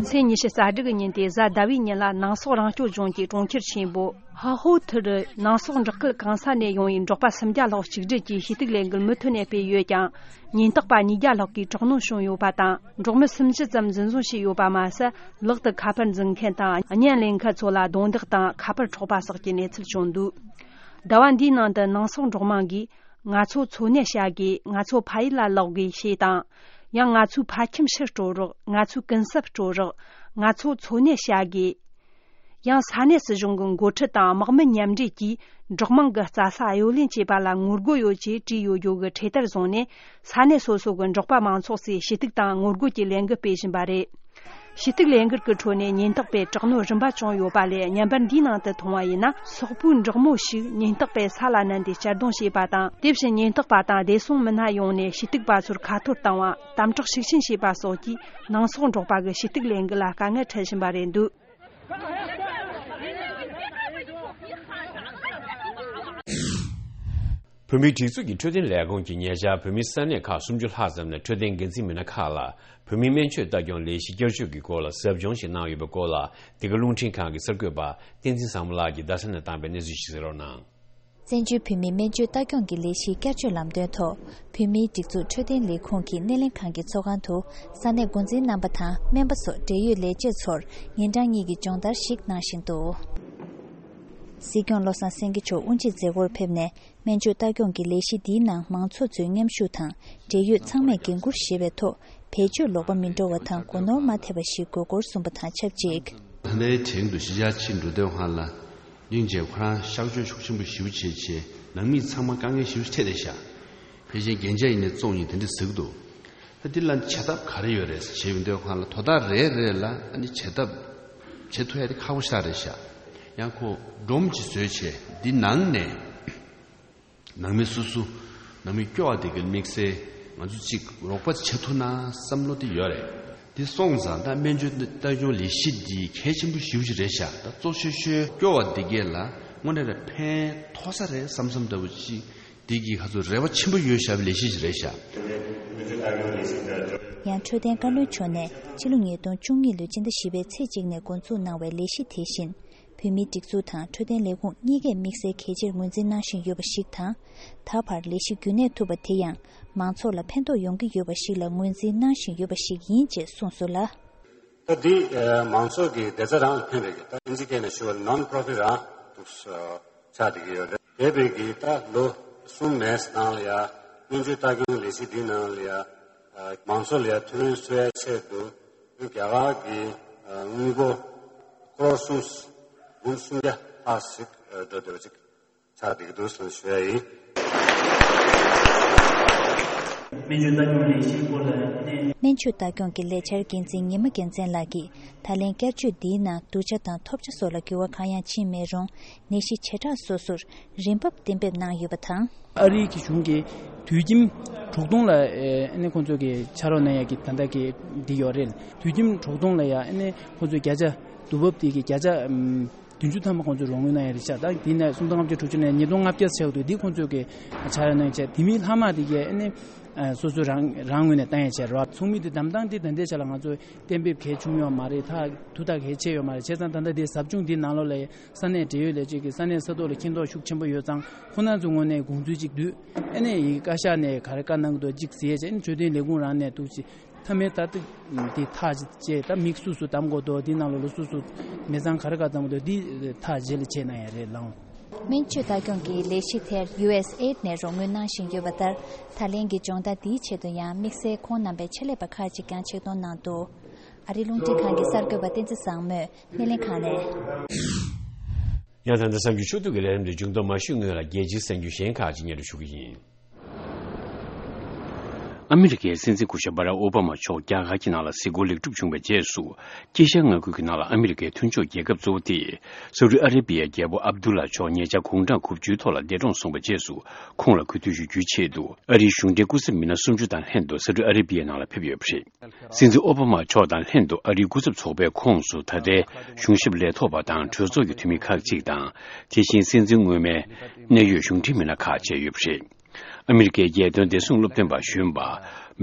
ཚེས་ཉི་ཤུ་རྩ་དྲུག་གི་ཉིན་ཏེ་གཟའ་ཟླ་བའི་ཉིན་ལ་ནང་སོག་རང་སྐྱོང་ལྗོངས་ཀྱི་གྲོང་ཁྱེར་ཆེན་པོ་ཧ་ཧོ་ཐི་རུ་ནང་སོག་འབྲོག་ཁུལ་གང་ས་ནས་ཡོང་བའི་འབྲོག་པ་སུམ་བརྒྱ་ལྷག་གཅིག་སྒྲིལ་གྱིས་ཞུ་གཏུག་ལས་འགུལ་མུ་མཐུད་ནས་སྤེལ་ཡོད་ཀྱང་། ཉེན་རྟོག་པ་ཉིས་བརྒྱ་ལྷག་གིས་དྲག་གནོན་བྱུང་ཡོད་པ་དང་། འབྲོག་མི་སུམ་ཅུ་ཙམ་འཛིན་བཟུང་བྱས་ཡོད་པ་མ་ཟད། ལག་ཏུ་ཁ་པར་འཛིན་མཁན་དང་བརྙན་ལེན་མཁན་ཚོ་ལ་རྡུང་རྡེག་དང་ཁ་པར་འཕྲོག་པ་སོགས་ཀྱི་གནས་ཚུལ་བྱུང་འདུག་ཟླ་བ་འདིའི་ནང་དུ་ནང་སོག་འབྲོག་དམངས་ཀྱིས། ང་ཚོ་འཚོ་གནས་བྱ་དགོས། ང་ཚོ་ཕ་ཡུལ་ལ་ལོག་དགོས་ཞེས་དང་། ཡང་ང་ཚོའི་ཕ་ཁྱིམ་ཕྱིར་སྤྲོད་རོགས། ང་ཚོའི་གུན་གསབ་སྤྲོད་རོགས། ང་ཚོ་འཚོ་གནས་བྱ་དགོས། ཡང་ས་གནས་སྲིད་གཞུང་གི་འགོ་ཁྲིད་དང་དམག་མི་མཉམ་འབྲེལ་གྱིས་འབྲོག་དམངས་ཀྱི་རྩྭ་ས་གཡོ་ལེན་བྱས་པ་ལ་ངོ་རྒོལ་ཡོད་ཅེས་བྲིས་ཡོད་རྒྱུ་གི་འཕྲེད་དར་བཟུང་ནས། ས་གནས་སོ་སོ་གི་འབྲོག་པ་མང་ཚོགས་སུ་ཞུ་གཏུག་དང་ངོ་རྒོལ་གྱི་ལས་འགུལ་སྤེལ་བཞིན་པ་རེད། ཞུ་གཏུག་ལས་འགུལ་གྱི་ཁྲོད་ནས་ཉེན་རྟོག་པས་དྲག་གནོན་རིམ་པ་བྱུང་ཡོད་པ་ལས། བརྙན་པར་འདིའི་ནང་དུ་མཐོང་བ་ཡིན་ན། སོག་པོའི་འབྲོག་མོ་ཞིག་ཉེན་རྟོག་པས་ས་ལ་མནན་ཏེ་གཅར་རྡུང་བྱས་པ་དང་། དེ་བཞིན་ཉེན་རྟོག་པ་དང་བདེ་སྲུང་མི་སྣ་ཡོང་ནས་ཞུ་གཏུག་པ་ཚོར་ཁ་ཐོར་བཏང་བ། དམ་དྲག་ཤུགས་ཆེན་བྱས་པ་སོགས་ཀྱིས་ནང་སོག་འབྲོག་པ་གི་ཞུ་གཏུག་ལས་འགུལ་ལ་དཀའ་ངལ་འཕྲད་བཞིན་པ་རེད་འདུག་བོད་མིའི་སྒྲིག་འཛུགས་ཀྱི་འཕྲོད་བསྟེན་ལས་ཁུངས་ཀྱིས་ཉེ་ཆར་བོད་མིའི་ས་གནས་ཁག་སུམ་ཅུ་ལྷག་ཙམ་ནས་འཕྲོད་བསྟེན་འགན་འཛིན་མི་སྣ་ཁག་ལ་བོད་མིའི་སྨན་བཅོས་ལྟ་སྐྱོང་ལས་གཞི་བསྐྱར་བཅོས་ཀྱི་སྐོར་ལ་ཟབ་སྦྱོང་ཞིག་གནང་ཡོད་པའི་སྐོར་ལ། འདི་ག་རླུང་འཕྲིན་ཁང་གི་གསར་འགོད་པ་བསྟན་འཛིན་བཟང་མོ་ལགས་ཀྱིས་རྡ་ས་ནས་བཏང་པའི་གནས་ཚུལ་ཞིག་གསན་རོགས་གནང་། བཙན་བྱོལ་བོད་མིའི་སྨན་བཅོས་ལྟ་སྐྱོང་གི་ལས་གཞིའི་བསྐྱར་བཅོས་ལམ་སྟོན་ཐོག་བོད་མིའི་སྒྲིག་འཛུགས་འཕྲོད་བསྟེན་ལས་ཁུངས་ཀྱི་སྣེ་ལེན་ཁང་གི་ཚོགས་ཁང་དུ་ས་གནས་འགོ་འཛིན་རྣམ་པ་དང་སྨན་པ་སོགས་འབྲེལ་ཡོད་ལས་བྱེད་ཚོར་ཉིན་གྲངས་གཉིས་ཀྱི་སྦྱོང་བརྡར་ཞིག་གནང་བཞིན་འདུག་སྲིད་སྐྱོང་བློ་བཟང་སེང་གེ་མཆོག་དབུ་འབྱེད་མཛད་སྒོར་ཕེབས་ནས་སྨན་བཅོས་ལྟ་སྐྱོང་གི་ལས་གཞི་འདིའི་ནང་མང་ཚོགས་ཚོའི་མཉམ་ཞུགས་དང་འབྲེལ་ཡོད་ཚང་མས་འགན་འཁུར་བཞེས་པའི་ཐོག་བེད་སྤྱོད་ལོག་པ་མི་འགྲོ་བ་དང་སྒོ་ནོར་མ་ཐེབས་པ་ཞིག་དགོས་སྐོར་གསུངས་པ་དང་ཆབས་ཅིག་ད་ལྟའི་དེང་དུ་གཞིས་ཆགས་ཕྱིར་འགྲོ་དུས་སྒང་ལ་སྙིང་རྗེ་ཁོ་རང་གཤགས་བཅོས་ཤུགས་ཆེན་པོ་ཞེ་པོ་བྱས་བྱས་ནང་མི་ཚང་མ་དཀའ་ངལ་ཞེ་པོ་འཕྲད་བསྡད་ཤག་ཕལ་ཆེར་རྒྱན་ཆ་ཡིན་ནའི་བཙོང་ཡིན་དེ་འདྲ་ཟེར་གི་འདུག་ད་འདི་ལ་བྱེད་ཐབས་ག་རེ་ཡོད་རེད་ཟེར་བྱས་ཡོང་དུས་སྒང་ལ་དོ་བདག་རེ་རེ་ལ་ཨ་ནི་བྱེད་ཐབས་བྱེད་ཐུབ་ཡ་དེ་ཁག་པོ་ཞེ་དྲག་རེད་ཤག་ཡང་ཁོ་སྒྲོམ་གྱིས་བཟོས་བྱས་འདི་ནང་ནས། ནང་མི་སོ་སོ་ནང་མི་སྐྱོ་བ་དེ་གའི་དམིགས་བསལ་ང་ཚོ་གཅིག་རོགས་པ་བྱེད་ཐུབ་ན་བསམ་བློ་དེ་ཡོད་རེད། དེ་སོང་ཙང་ད་སྨན་བཅོས་ལྟ་སྐྱོང་ལས་གཞི་འདི་གལ་ཆེན་པོ་ཞེ་པོ་ཅིག་རེད་ཤག་ད་གཙོ་ཆེ་ཤོས་སྐྱོ་བ་དེ་གས་ལ་དངོས་གནས་རེད་ཕན་ཐོགས་ས་རེད་བསམ་བསམ་ལྟ་བུ་ཅིག་དེ་གི་ཁ་ཚོ་རེ་བ་ཆེན་པོ་ཡོད་ཤག་པའི་ལས་གཞི་ཞིག་རེད་ཤག་ཡང་འཕྲོད་བསྟེན་བཀའ་བློན་མཆོག་ནས་ཕྱི་ལོ་ཉིས་སྟོང་བཅུ་གཉིས་ལོའི་སྤྱི་ཟླ་བཞི་པའི་ཚེས་གཅིག་ནས་འགོ་འཛུགས་གནང་བའི་ལས་གཞི་དེ་བཞིན། བོད་མིའི་སྒྲིག་འཛུགས་དང་འཕྲོད་བསྟེན་ལས་ཁུངས་གཉིས་ཀས་དམིགས་བསལ་གལ་ཆེར་ངོས་འཛིན་གནང་བཞིན་ཡོད་པ་ཞིག་དང་། ད་བར་ལས་གཞི་རྒྱུན་གནས་ཐུབ་པ་དེ་ཡང་མང་ཚོགས་ལ་ཕན་ཐོགས་ཡོང་གི་ཡོད་པ་ཞིག་ལ་ངོས་འཛིན་གནང་བཞིན་ཡོད་པ་ཞིག་ཡིན་ཅེས་གསུངས་སོང་ལ། ད་འདི་མང་ཚོགས་ཀྱི་བདེ་རྩ་རང་ལ་ཕན་པའི་གི་ད་ཨིན་ཇི་སྐད་ནས་ཞུ་བ་ནོན་པོ་རོ་ཕིཊ་རང་འདུག་ཆགས་བསྡད་ཀྱི་ཡོད་རེད། འདས་པའི་གི་ད་ལོ་གསུམ་མན་ཙམ་ནང་ལ་ཡ་སྨན་བཅོས་ལྟ་སྐྱོང་ལས་གཞི་འདིའི་ནང་ལ་ཡ་མང་ཚོགས་ལ་ཡ་ཐུགས་སྣང་གསོ་ཡ་ཆེད་དུ། རྒྱ་གར་གྱི་དངུལ་སྒོར་ཀོ་རོར་གསུམ་འབུམ་སུམ་བརྒྱ་ལྷག་ཞིག་འགྲོ་བསྡད་པ་ཅིག་ཆགས་བསྡད་ཀྱི་འདུག་ཟེར་ཞུ་ཡ་ཡིན། སྨན་བཅོས་ལྟ་སྐྱོང་ལས་གཞིའི་སྐོར་ལ་ནས། སྨན་བཅོས་ལྟ་སྐྱོང་གི་ལས་འཆར་འགན་འཛིན་ཉི་མ་རྒྱལ་མཚན་ལགས་ཀྱིས་ད་ལན་བསྐྱར་བཅོས་འདིའི་ནང་བསྡུར་བྱ་དང་ཐོབ་བྱ་སོགས་ལ་འགྱུར་བ་གང་ཡང་ཕྱིན་མེད་རུང་ནད་གཞི་བྱེ་བྲག་སོ་སོར་རིན་འབབ་གཏན་འབེབས་གནང་ཡོད་པ་དང་། ཨ་རིའི་གི་གཞུང་གིས་དུས་ཁྱིམ་དྲུག་སྟོང་ལ་ཨ་ནི་ཁོང་ཚོ་གི་ཕྱག་རོགས་གནང་ཡ་གི་ད་ལྟ་གི་འདི་ཡོད་རེད། དུས་ཁྱིམ་དྲུག་སྟོང་ལ་ཡ་ཨ་ནི་ཁོང་ཚོ་བརྒྱ་ཆ་དུས་བབ་དེ་གི་བརྒྱ་ཆ་ཨམ་བདུན་ཅུ་ཐམ་པ་ཁོང་ཚོས་རོགས་དངུལ་གནང་ཡ་རེད་ཤག་ད་འདི་ནས་སུམ་སྟོང་ལྔ་བརྒྱ་དྲུག་ཅུ་ནས་ཉིས་སྟོང་ལྔ་བརྒྱ་ཟེར་བ་འདུག་འདི་ཁོང་ཚོས་ཀྱི་ཕྱག་རོགས་གནང་བྱས་དེ་མིན་ལྷག་མ་དེ་གས་ཨ་ནི་ཨ་སོ་སོ་རང་རང་ངོས་ནས་བཏང་ཡ་བྱས་རོགས་ཚོགས་མི་དེ་བདམས་སྟངས་དེ་ད་ལྟའི་ཆ་ལ་ང་ཚོ་གཏན་འབེབས་གལ་ཆུང་ཡོད་མ་རེད། ཐག་དུ་ཐག་གལ་ཆེ་ཡོད་མ་རེད། བྱས་ཙང་ད་ལྟ་དེ་ཟབ་སྦྱོང་འདི་ནང་ལོགས་ལ་ས་གནས་འབྲེལ་ཡོད་ལས་བྱེད་ཀྱི་ས་གནས་ས་ཐོག་ལ་མཁྱེན་རྟོགས་ཤུགས་ཆེན་པོ་ཡོད་ཙང་ཁོ་ན་ཚོའི་ངོས་ནས་དགོངས་ཚུལ་གཅིག་བསྡུས་ཨ་ནི་ཡི་བཀའ་ཤག་ནས་ག་རེ་བཀའ་གནང་གི་འདུག་གཅིག་ཟེར་བྱས་ཨ་ནི་འཕྲོད་བསྟེན་ལས་ཁུངས་རང་ནས་འདུག་ཅིག་མཐའ་མའི་ལྟ་སྟངས་འདི་ཐག་བཅད་ད་མིག་སུ་སུ་བསྡམ་དགོས་འདུག་འདི་ནང་ལོགས་ལ་སུ་སུ་མི་ཚང་ག་རེ་ག་བསྡམ་དགོས་འདུག་འདི་ཐག་རྗེས་ལ་བྱས་གནང་ཡ་རེད་ལགས། སྨན་བཅོས་ལྟ་སྐྱོང་གི་ལས་གཞི་དེར་ཡུ་ཨེས་ཨེ་ཌི་ནས་རོགས་དངུལ་གནང་བཞིན་ཡོད་པ་ལྟར་ད་ལན་གྱི་སྦྱོང་བརྡར་འདིའི་ཆེད་དུ་ཡང་དམིགས་བསལ་ཁོང་རྣམ་པའི་ཆེད་ལས་པ་ཁག་ཅིག་ཀྱང་ཆེད་གཏོང་གནང་འདུག་ཨ་རིའི་རླུང་འཕྲིན་ཁང་གི་གསར་འགོད་པ་བསྟན་འཛིན་བཟང་མོས་སྣེ་ལེན་ཁང་ནས། ཡང་ད་ལྟ་གསར་འགྱུར་ཕྱོགས་བསྡུས་ཀྱི་ལས་རིམ་འདི་མཇུག་བསྡོམས་མ་ཞུས་སྔོན་ལ་རྒྱལ་སྤྱིའི་གསར་འགྱུར་གཞན་ཁག་ཅིག་སྙན་སྒྲོན་ཞུ་གི་ཡིན། ཨ་མི་རི་ཀའི་སྲིད་འཛིན་སྐུ་ཞབས་བྷ་རག་ཨོ་བྷ་མ་མཆོག་རྒྱ་གར་གྱི་ནང་ལ་གཟིགས་སྐོར་ལེགས་གྲུབ་བྱུང་བའི་རྗེས་སུ། དཀྱིལ་ཤར་མངའ་ཁུལ་གྱི་ནང་ལ་ཨ་མི་རི་ཀའི་མཐུན་ཕྱོགས་རྒྱལ་ཁབ་གཙོ་བོ་སྟེ། སའུ་ཏི་ཨ་རེ་བི་ཡའི་རྒྱལ་པོ་ཨབ་དུ་ལ་མཆོག་ཉེ་ཆར་དགུང་གྲངས་དགུ་བཅུའི་ཐོག་ལ་འདས་གྲོངས་སོང་བའི་རྗེས་སུ། ཁོང་ལ་གུས་འདུད་ཞུ་རྒྱུའི་ཆེད་དུ་ཨ་རིའི་གཞུང་འབྲེལ་སྐུ་ཚབ་མི་སྣ་སུམ་ཅུ་དང་ལྷན་དུ་སའུ་ཏི་ཨ་རེ་བི་ཡའི་ནང་ལ་ཕེབས་ཡོད་པ་རེད། སྲིད་འཛིན་ཨོ་བྷ་མ་མཆོག་དང་ལྷན་དུ་ཨ་རིའི་སྐུ་ཚབ་ཚོགས་པའི་ཁོངས་སུ་ད་ལྟའི་གཞུང་ཞབས་ལས་ཐོག་པ་དང་གྲོས་ཚོགས་ཀྱི་འཐུས་མི་ཁག་ཅིག་དང་། དེ་བཞིན་སྲིད་འཛིན་སྔོན་མའི་གནད་ཡོད་གཞུང་འབྲེལ་མི་སྣ་ཁག་བཅས་ཡོད་པ་རེད། ཨ་མི་རི་ཀའི་རྒྱལ་དོན་བདེ་སྲུང་སློབ་སྟོན་པ་གཞོན་པ་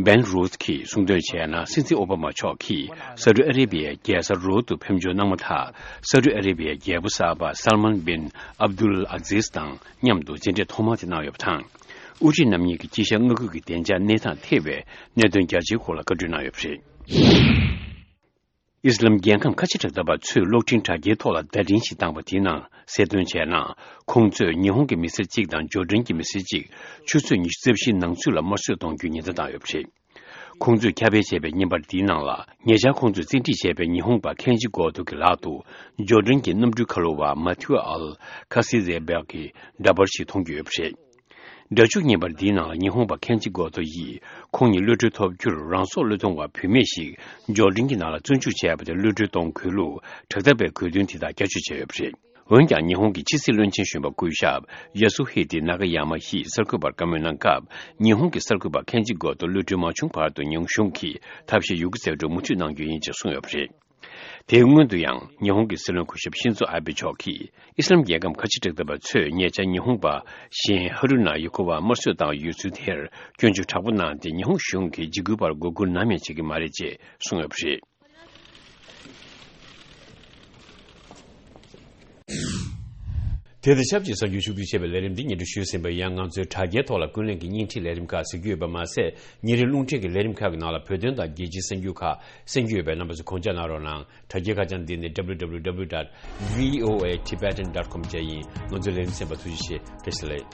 བྷེན་རུད་ཀྱིས་གསུངས་དོན་བྱས་ན། སྲིད་འཛིན་ཨོ་བྷ་མ་མཆོག་གིས་སའུ་ཏི་ཨ་རེ་བི་ཡའི་རྒྱལ་ས་རོལ་དུ་ཕེབས་འབྱོར་གནང་མ་ཐག་སའུ་ཏི་ཨ་རེ་བི་ཡའི་རྒྱལ་པོ་གསར་པ་སལ་མན་བིན་ཨབ་དུལ་ཨ་ཛིས་དང་མཉམ་དུ་མཇལ་འཕྲད་ཐོག་མ་དེ་གནང་ཡོད་པ་དང་། དབུ་ཁྲིད་རྣམ་གཉིས་ཀྱིས་དཀྱིལ་ཤར་མངའ་ཁུལ་གྱི་བདེ་འཇགས་གནས་སྟངས་ཐེ་བའི་གནད་དོན་རྒྱ་ཆེའི་སྐོར་ལ་བཀའ་འཁྲོལ་གནང་ཡོད་པ་རེད། ཨི་སི་ལམ་རྒྱལ་ཁམས་ཁ་ཆེ་དྲག་ལྟ་བ་ཚོས་གློག་འཕྲིན་དྲ་རྒྱའི་ཐོག་ལ་བརྡ་འཕྲིན་ཞིག་བཏང་བ་དེའི་ནང་གསལ་སྟོན་བྱས་ན། ཁོང་ཚོས་ཉི་ཧོང་གི་མི་སེར་གཅིག་དང་ཇོར་ཌན་གྱི་མི་སེར་གཅིག་ཆུ་ཚོད་ཉི་ཤུ་རྩ་བཞིའི་ནང་ཚུད་ལ་དམར་གསོད་གཏོང་རྒྱུའི་ཉེན་བརྡ་བཏང་ཡོད་པ་རེད། ཁོང་ཚོས་ཁྱབ་སྤེལ་བྱས་པའི་བརྙན་པར་འདིའི་ནང་ལ། ཉེ་ཆར་ཁོང་ཚོས་བཙན་ཁྲིད་བྱས་པའི་ཉི་ཧོང་པ་ཁེན་ཇི་གོ་ཏོ་གི་ལག་ཏུ་ཇོར་ཌན་གྱི་གནམ་གྲུའི་ཁ་ལོ་བ་མ་ཐིའུ་ཨལ་ཁ་སི་ཛེ་བེག་གི་འདྲ་པར་ཞིག་མཐོང་རྒྱུ་ཡོད་པ་རེད། སྒྲ་འཇུག་བརྙན་པར་འདིའི་ནང་ལ་ཉི་ཧོང་པ་ཁེན་ཇི་གོ་ཏོ་ཡིས་ཁོང་ཉིད་གློད་གྲོལ་ཐོབ་རྒྱུར་རང་སྲོག་བློས་གཏོང་བ་བུད་མེད་ཞིག་ཇོར་ཌན་གྱི་ནང་ལ་བཙོན་འཇུག་བྱས་པ་དེ་གློད་གྲོལ་གཏོང་དགོས་ལུགས་དྲག་འཐབ་པའི་དགོས་འདུན་དེ་དག་བསྐྱར་བཅོས་བྱས་ཡོད་པ་རེད། འོན་ཀྱང་ཉི་ཧོང་གི་ཕྱི་སྲིད་བློན་ཆེན་གཞོན་པ་སྐུ་ཞབས་ཡ་སུ་ཧི་ཏི་ན་ག་ཡ་མ་ཡིས་གསར་འགོད་པར་བཀའ་མོལ་གནང་སྐབས། ཉི་ཧོང་གི་གསར་འགོད་པ་ཁེན་ཇི་གོ་ཏོ་གློད་གྲོལ་མ་བྱུང་བར་དུ་ཉི་ཧོང་གཞུང་གིས་ཐབས་ཤེས་ཡོད་རྒུ་རྩལ་སྤྲུགས་མུ་མཐུད་གནང་རྒྱུ་ཡིན་ཅེས་གསུངས་ཡོད་པ་རེད། དེའི་སྔོན་དུ་ཡང་ཉི་ཧོང་གི་སྲིད་བློན་སྐུ་ཞབས་ཤིན་ཛོ་ཨ་བྷེ་མཆོག་གིས་ཨི་སི་ལམ་རྒྱལ་ཁམས་ཁ་ཆེ་དྲག་ལྡན་པ་ཚོས་ཉེ་ཆར་ཉི་ཧོང་པ་གཞན་ཧ་རུ་ན་ཡུ་ཁོ་བ་དམར་གསོད་བཏང་ཡོད་ཚུལ་དེར་སྐྱོན་བརྗོད་དྲག་པོ་གནང་སྟེ། ཉི་ཧོང་གཞུང་གིས་འཇིགས་སྐུལ་པར་མགོ་སྒུར་ནམ་ཡང་བྱེད་ཀྱི་མ་རེད་ཅེས་གསུངས་ཡོད་པ་རེད། དེ་དང་ཆབས་ཅིག་གསར་འགྱུར་ཕྱོགས་བསྡུས་བྱས་པའི་ལས་རིམ་འདི་སྙན་སྒྲོན་ཞུས་ཟིན་པ་ཡིན། ང་ཚོའི་དྲ་རྒྱའི་ཐོག་ལ་ཀུན་གླེང་གི་བརྙན་འཕྲིན་ལས་རིམ་ཁག་གཟིགས་རྒྱུ་ཡོད་པ་མ་ཟད། ཉིན་རེའི་རླུང་འཕྲིན་གྱི་ལས་རིམ་ཁག་གི་ནང་ལ་བོད་དོན་དང་རྒྱལ་སྤྱིའི་གསར་འགྱུར་ཁག་གསན་རྒྱུ་ཡོད་པས། རྣམ་པ་ཚོས་དགོངས་འཇགས་གནང་རོགས་གནང་། དྲ་རྒྱའི་ཁ་བྱང་འདི་ནི་W W W dot V O A Tibetan dot com བཅས་ཡིན། ང་ཚོའི་ལས་རིམ་གསན་པར་ཐུགས་རྗེ་ཆེ། བཀྲ་ཤིས་བདེ་ལེགས།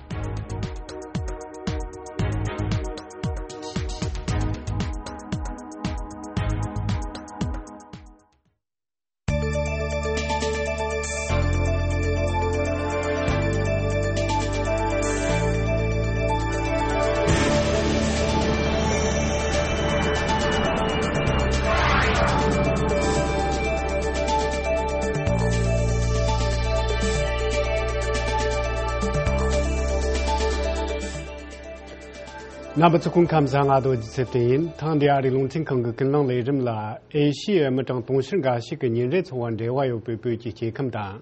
རྣམ་པ་ཚོ་སྐུ་ཁམས་བཟང་། ང་རྡོ་རྗེ་ཚེ་བརྟན་ཡིན། ཐེངས་འདིའི་ཨ་རིའི་རླུང་འཕྲིན་ཁང་གི་ཀུན་གླེང་ལས་རིམ་ལ། ཨེ་ཤི་ཡའི་མི་གྲངས་དུང་ཕྱུར་འགའ་ཞིག་གི་ཉིན་རེའི་འཚོ་བ་འབྲེལ་བ་ཡོད་པའི་བོད་ཀྱི་སྐྱེ་ཁམས་དང་།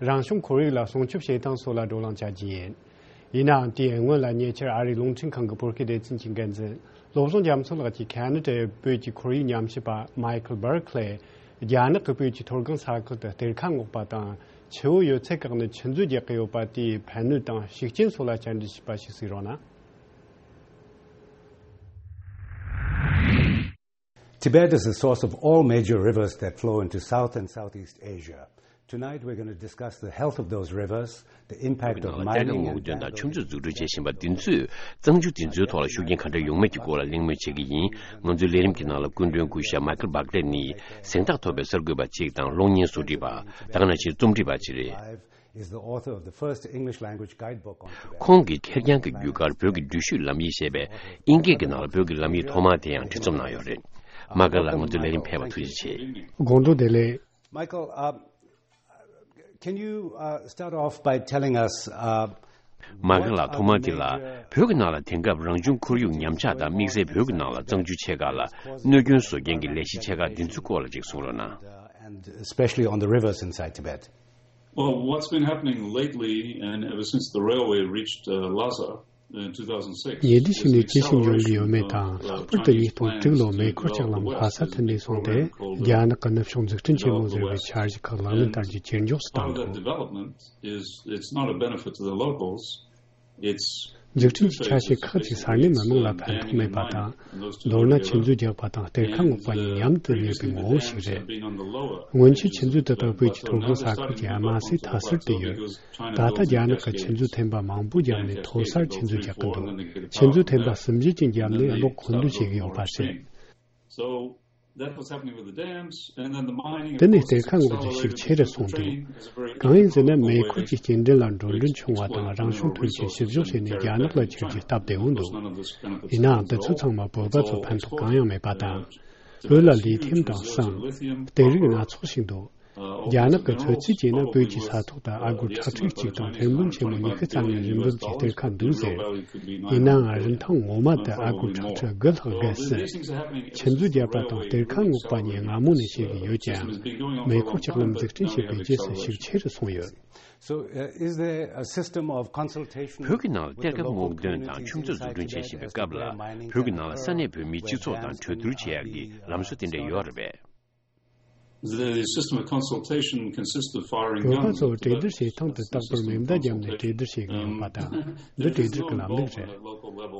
རང་བྱུང་ཁོར་ཡུག་ལ་སྲུང་སྐྱོབ་བྱེད་སྟངས་སོགས་ལ་བགྲོ་གླེང་བྱ་རྒྱུ་ཡིན། ཡིན་ནའང་། དེའི་སྔོན་ལ་ཉེ་ཆར་ཨ་རིའི་རླུང་འཕྲིན་ཁང་གི་བོད་སྐད་སྡེ་ཚན་གྱི་འགན་འཛིན་བློ་བཟང་རྒྱ་མཚོ་ལགས་ཀྱིས་ཁ་ན་ཌའི་བོད་ཀྱི་ཁོར་ཡུག་ཉམས་ཞིབ་པ་མའི་ཁལ་བྷར་ཁ་ལས། རྒྱ་ནག་གིས་བོད་ཀྱི་མཐོ་སྒང་ས་ཁུལ་དུ་གཏེར་ཁ་སྔོག་པ་དང་། ཆུ་བོ་ཡོད་ཚད་བཀག་ནས་ཆུ་མཛོད་རྒྱག་གི་ཡོད་པ་དེའི་ཕན་གནོད་དང་ཤུགས་རྐྱེན་སོགས་ལ་བཅར་འདྲི་བྱས་པ་ཞིག་གཟིགས་རོགས་གནང་། Tibet is the source of all major rivers that flow into South and Southeast Asia. Tonight, we're going to discuss the health of those rivers, the impact of mining and vandalism. བོད་ཀྱི་ནང་ལ་གཏེར་ཁ་སྔོག་འདོན་དང་ཆུ་མཛོད་འཛུགས་སྐྲུན་བྱེད་བཞིན་པ་འདི་ཚོས་གཙང་ཆུ་འདི་ཚོའི་ཐོག་ལ་ཤུགས་རྐྱེན་ག་འདྲ་ཡོང་མིན་གྱི་སྐོར་ལ་གླེང་མོལ་བྱེད་ཀྱི་ཡིན། ང་ཚོའི་ལས་རིམ་གྱི་ནང་ལ་སྐུ་མགྲོན་སྐུ་ཞབས་མའི་ཁལ་བྷར་ཁ་ལས་ནི་གཟེངས་རྟགས་ཐོབ་པའི་གསར་འགོད་པ་གཅིག་དང་གློག་བརྙན་བཟོ་སྒྲིག་པ། ད་ག་ནང་བཞིན་རྩོམ་སྒྲིག་པ་གཅིག་རེད། Is the author of the first English language guidebook on Tibet. ཁོང་གིས་ཁེར་རྐྱང་གི་བརྒྱུད་སྐར་བོད་ཀྱི་འགྲུལ་བཞུད་ལམ་ཡིག་ཞེས་པའི་དབྱིན་སྐད་ཀྱི་ནང་ལ་བོད་ཀྱི་ལམ་ཡིག་ཐོག་མ་དེ་ཡང་འབྲི་རྩོམ་གནང་ཡོད་རེད། མ་ཀར་ལགས། ང་ཚོའི་ལས་རིམ་ཕེབས་པར་ཐུགས་རྗེ་ཆེ། དགོང་དྲོ་བདེ་ལེགས། Michael, uh, can you, uh, start off by telling us, uh, མ་ཀར་ལགས། ཐོག་མར་དེ་ལ་བོད་ཀྱི་ནང་ལ་དེང་སྐབས་རང་བྱུང་ཁོར་ཡུག་ཉམས་ཆག་དང་། དམིགས་བསལ་བོད་ཀྱི་ནང་ལ་གཙང་ཆུ་ཆེ་ཁག་ལ་གནོད་སྐྱོན་བཟོ་མཁན་གྱི་ལས་གཞི་ཆེ་ཁག་འདི་ཚོའི་སྐོར་ལ་ཅིག་གསུང་རོགས་གནང་། And especially on the rivers inside Tibet. Well, what's been happening lately, and ever since the railway reached, uh, Lhasa in two thousand six, ཉེ་དུས་ཤིག་ནས་ཅི་ཞིག་འབྱུང་གི་ཡོད་མེད་དང་། ལྷག་པར་དུ་ཉིས་སྟོང་དྲུག་ལོར་མེ་འཁོར་ལྕགས་ལམ་ལྷ་ས་ཐོན་ནས་བཟུང་སྟེ། རྒྱ་ནག་གི་ནུབ་ཕྱོགས་འཛུགས་སྐྲུན་ཆེན་མོ་ཟེར་བའི་འཆར་གཞི་ཁག་ལག་ལེན་བསྟར་རྒྱུ་ཇེ་མགྱོགས་སུ་བཏང་འདུག Part of that development is, it's not a benefit to the locals. འཛུགས་སྐྲུན་གྱི་ཆ་ཤས་ཁག་ཅིག་ས་གནས་མི་མང་ལ་ཕན་ཐོགས་མེད་པ་དང་། མདོར་ན་ཆུ་མཛོད་རྒྱག་པ་དང་གཏེར་ཁ་སྔོག་པ་གཉིས་མཉམ་དུ་གནས་པའི་ངོ་བོ་ཞིག་རེད། སྔོན་ཆད་ཆུ་མཛོད་དེ་དག་བོད་ཀྱི་མཐོ་སྒང་ས་ཁུལ་གྱི་དམའ་སའི་མཐའ་སར་དུ་ཡོད། ད་ལྟ་རྒྱ་ནག་གིས་ཆུ་མཛོད་ཐེམ་པ་མང་པོ་བརྒྱབ་ནས་མཐོ་སར་ཆུ་མཛོད་རྒྱག་གི་འདུག་ཆུ་མཛོད་ཐེམ་པ་གསུམ་བཞི་ཅན་བརྒྱབ་ནས་གློག་མཁོ་འདོན་བྱེད་ཀྱི་ཡོད་པ་རེད། That was happening with the dams, and then the mining, of course, accelerated. དེ་ནས་གཏེར་ཁ་སྔོག་རྒྱུ་ཤུགས་ཆེ་རུ་སོང་དུས། གང་ཡིན་ཟེར་ན། མེ་འཁོར་གྱི་སྐྱེལ་འདྲེན་ལ་འགྲོ་གྲོན་ཆུང་བ་དང་། རང་བྱུང་ཐོན་སྐྱེད་བཤུ་གཞོག་བྱས་ནས་རྒྱ་ནག་ལ་ཁྱེར་རྒྱུའི་སྟབས་བདེ་བོ་འདུག་ཡིན་ནའང་། འདི་ཚོ་ཚང་མ་བོད་པ་ཚོར་ཕན་ཐོགས་གང་ཡང་མེད་པ་དང་། བོད་ལ་ལི་ཐིམ་དང་ཟངས། གཏེར་རིགས་སྣ་ཚོགས་ཤིག་འདུག་རྒྱ་ནག་གི་ཚོད་རྩིས་བྱས་ན། བོད་ཀྱི་ས་ཐོག་ཏུ་ཨ་སྒོར་ཁྲག་ཁྲིག་གཅིག་དང་ཐེར་འབུམ་ཆེན་མོ་ཉི་ཤུ་རྩ་ལྔའི་རིན་འབབ་ཀྱི་གཏེར་ཁ་འདུག་ཟེར། ཡིན་ནའང་། རིན་ཐང་ངོ་མ་དེ་ཨ་སྒོར་ཁྲག་ཁྲིག་དགུ་ལྷག་བརྒལ་སྲིད། ཆུ་མཛོད་བརྒྱབ་པ་དང་གཏེར་ཁ་སྔོག་པ་གཉིས་སྔ་མོ་ནས་བྱེད་ཀྱི་ཡོད་ཀྱང་། མེ་འཁོར་ལྕགས་ལམ་འཛུགས་སྐྲུན་བྱས་པའི་རྗེས་སུ་ཤུགས་ཆེ་རུ་སོང་ཡོད། So, uh, is there a system of consultation? བོད་ཀྱི་ནང་ལ་གཏེར་ཁ་སྔོག་འདོན་དང་ཆུ་མཛོད་འཛུགས་སྐྲུན་བྱེད་བཞིན་པའི་སྐབས་ལ། བོད་ཀྱི་ནང་ལ་ས་གནས་བོད་མིའི་སྤྱི་ཚོགས་དང་གྲོས་བསྡུར་བྱེད་ཡག་གི་ལམ་སྲོལ་དེ་འདྲ་ཡོད་རེད་པས། The system of consultation consists of firing guns. བོད་པ་ཚོ་གྲོས་བསྡུར་བྱེད་སྟངས་དེ་རྟག་པར་མེ་མདའ་བརྒྱབ་ནས་གྲོས་བསྡུར་བྱེད་ཀྱི་ཡོད་པ་དང་། འདི་གྲོས་བསྡུར་གྱི་ལམ་ལུགས་རེད།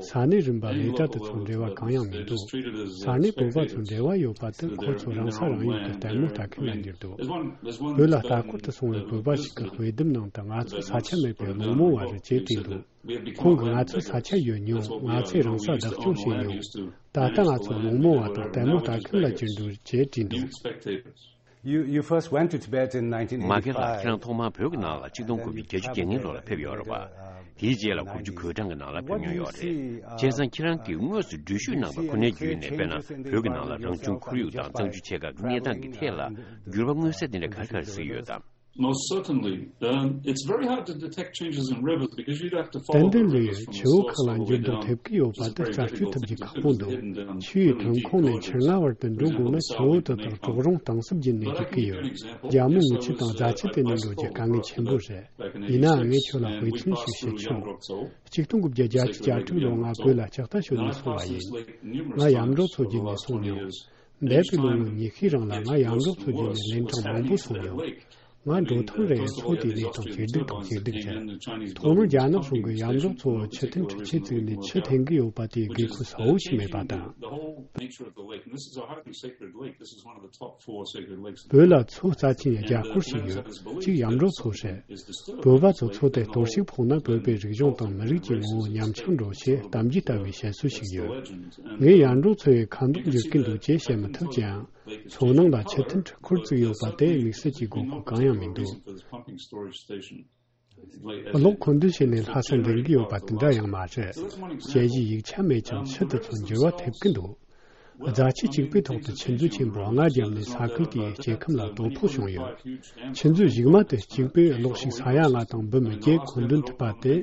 ས་གནས་རིམ་པ་ལས་གྲྭ་དེ་ཚོ་འབྲེལ་བ་གང་ཡང་མི་འདུག་ས་གནས་བོད་པ་ཚོ་འབྲེལ་བ་ཡོད་པ་དེ་ཁོ་ཚོ་རང་ས་རང་ཡུལ་གྱི་ལྟད་མོ་ལྟ་མཁན་ལ་འགྱུར་འདུག་བོད་ལ་ལྟ་སྐོར་དུ་སོང་བའི་བོད་པ་ཞིག་གི་དཔེ་དེབ་ནང་དུ་ང་ཚོ་ས་ཆ་མེད་པའི་བླུན་རྨོངས་པ་རེད་ཅེས་བྲིས་འདུག་ཁོང་གིས་ང་ཚོའི་ས་ཆ་ཡོད་མྱོང་། ང་ཚོས་རང་ས་བདག་སྐྱོང་བྱས་མྱོང་། ད་ལྟ་ང་ཚོ་བླུན་རྨོངས་པ་དང་ལྟད་མོ་ལྟ་མཁན་ལ་གྱུར་འདུག་ཅེས་བྲིས་འདུག You, you first went to Tibet in nineteen eighty-five. མ་ཀེར་ལགས། ཁྱེད་རང་ཐོག་མར་བོད་ཀྱི་ནང་ལ་ཆིག་སྟོང་དགུ་བརྒྱ་བརྒྱད་ཅུ་གྱ་ལྔ་ལོ་ལ་ཕེབས་ཡོད་རེད་པ། དེའི་རྗེས་ལ་དགུ་བཅུ་གོ་གྲངས་ཀྱི་ནང་ལ་ཕེབས་མྱོང་ཡོད་རེད། བྱས་ཙང་ཁྱེད་རང་གིས་དངོས་སུ་འགྲུལ་བཞུད་གནང་བ་ཁོ་ནའི་བརྒྱུད་ནས། དཔེར་ན། བོད་ཀྱི་ནང་ལ་རང་བྱུང་ཁོར་ཡུག་དང་གཙང་ཆུ་ཆེ་ཁག་གི་གནས་སྟངས་ཀྱི་ཐད་ལ་འགྱུར་བ་མངོན་གསལ་དེ་འདྲ་ག་རེ་ག་རེ་གཟིགས་ཡོད་དམ། Most certainly. Um, it's very hard to detect changes in rivers because you'd have to follow the rivers from the source all the way down. ཏན་ཏན་ལས་ཆུ་བོ་ཁག་ལ་འགྱུར་ལྡོག་ཐེབས་ཀྱི་ཡོད་པ་དེ་རྩད་གཅོད་ཐུབ་རྒྱུ་ཁག་པོ་འདུག་ཆུ་ཡི་ཐོན་ཁུངས་ནས་ཆུ་མངའ་བར་དུ་འགྲོ་དགོས་ན་ཆུ་བོ་དེ་དག་གྲོག་རོང་གཏིང་ཟབ་བརྒྱུད་ནས་རྒྱུག་གི་ཡོད། རྒྱ་མོ་ངོས་ཆུ་དང་རྫ་ཆུ་དེ་ནས་འགྲོ་རྒྱུ་དཀའ་ངལ་ཆེན་པོ་རེད། ཡིན་ནའང་ངས་ཁྱོད་ལ་དཔེ་མཚོན་ཞིག་བཤད་ཆོག་ཆིག་སྟོང་དགུ་བརྒྱ་བརྒྱད་ཅུ་གྱ་དྲུག་ལོར་ང་བོད་ལ་ལྕགས་རྟ་ཞོན་ནས་སོང་བ་ཡིན། ང་ཡམ་རོག་མཚོ་བརྒྱུད་ནས་སོང་མྱོང་། འདས་པའི་ལོ་ངོ་ཉི་ཤུའི་རིང་ལ་ང་ཡམ་རོག་མཚོ་བརྒྱུད་ནས་ལན་གྲངས་མང་པོ་སོང་མྱོང་། ང་འགྲོ་ཐེངས་རེར་མཚོ་དེའི་གནས་སྟངས་ཇེ་སྡུག་དང་ཇེ་སྡུག་ཆགས། ཐོག་མར་རྒྱ་ནག་གཞུང་གིས་ཡམ་རོག་མཚོ་བོར་ཆུ་ཐན་འཕྲུལ་ཆས་བཙུགས་ནས་ཆུ་འཐེན་གྱི་ཡོད་པ་དེའི་དགོས་མཁོ་གསལ་བོ་ཞིག་མེད་པ་དང་། བོད་ལ་མཚོ་རྩ་ཆེན་རྒྱ་སྐོར་ཞིག་ཡོད། གཅིག་ཡམ་རོག་མཚོ་རེད། བོད་པ་ཚོས་མཚོ་དེར་གཏོར་བཤིག་ཕོག་ན་བོད་པའི་རིག་གཞུང་དང་མི་རིགས་ཀྱི་ངོ་བོ་ཉམས་ཆག་འགྲོ་ཞེས་གཏམ་རྒྱུད་ལྟ་བུའི་བཤད་སྲོལ་ཞིག་ཡོད། ངས་ཡམ་རོག་མཚོ་ཡི་ཁ་མདོག་འགྱུར་གྱི་འདུག་ཅེས་བཤད་མི་ཐུབ་ཀྱང་། མཚོ་ནང་ལ་ཆུ་ཐན་འཕྲུལ་འཁོར་བཙུགས་ཡོད་པ་དེ་དམིགས་བསལ་གྱི་དགོས་མཁོ་གང་ཡང་མི་འདུག་གློག་མཁོ་འདོན་བྱས་ནས་ལྷ་ས་འདྲེན་གྱི་ཡོད་པ་དེ་འདྲ་ཡང་མ་རེད། དཔྱད་གཞིའི་ཡིག་ཆ་མེད་ཀྱང་ཆུ་དེ་ཚོ་འགྱུར་བ་ཐེབས་ཀྱི་འདུག་རྫ་ཆུ་གཅིག་པུའི་ཐོག་ཏུ་ཆུ་མཛོད་ཆེན་པོ་ལྔ་བརྒྱབ་ནས་ས་ཁུལ་དེའི་སྐྱེ་ཁམས་ལ་དོ་ཕོག་བྱུང་ཡོད། ཆུ་མཛོད་གཞུག་མ་དེ་གཅིག་པུས་གློག་ཤུགས་ས་ཡ་ལྔ་དང་འབུམ་བརྒྱད་མཁོ་འདོན་ཐུབ་པ་དེ།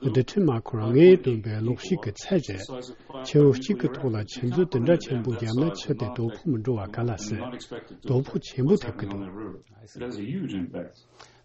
རྡུལ་ཕྲན་མ་འཁོར་ལྔས་བཏོན་པའི་གློག་ཤུགས་ཀྱི་ཚད་རེད། ཆུ་བོ་གཅིག་གི་ཐོག་ལ་ཆུ་མཛོད་དེ་འདྲ་ཆེན་པོ་བརྒྱབ་ན་ཆུ་དེ་དོ་ཕོག་མི་འགྲོ་བ་ག་ལ་སྲིད། དོ་ཕོག་ཆེན་པོ་ཐེབས་ཀྱི་འདུག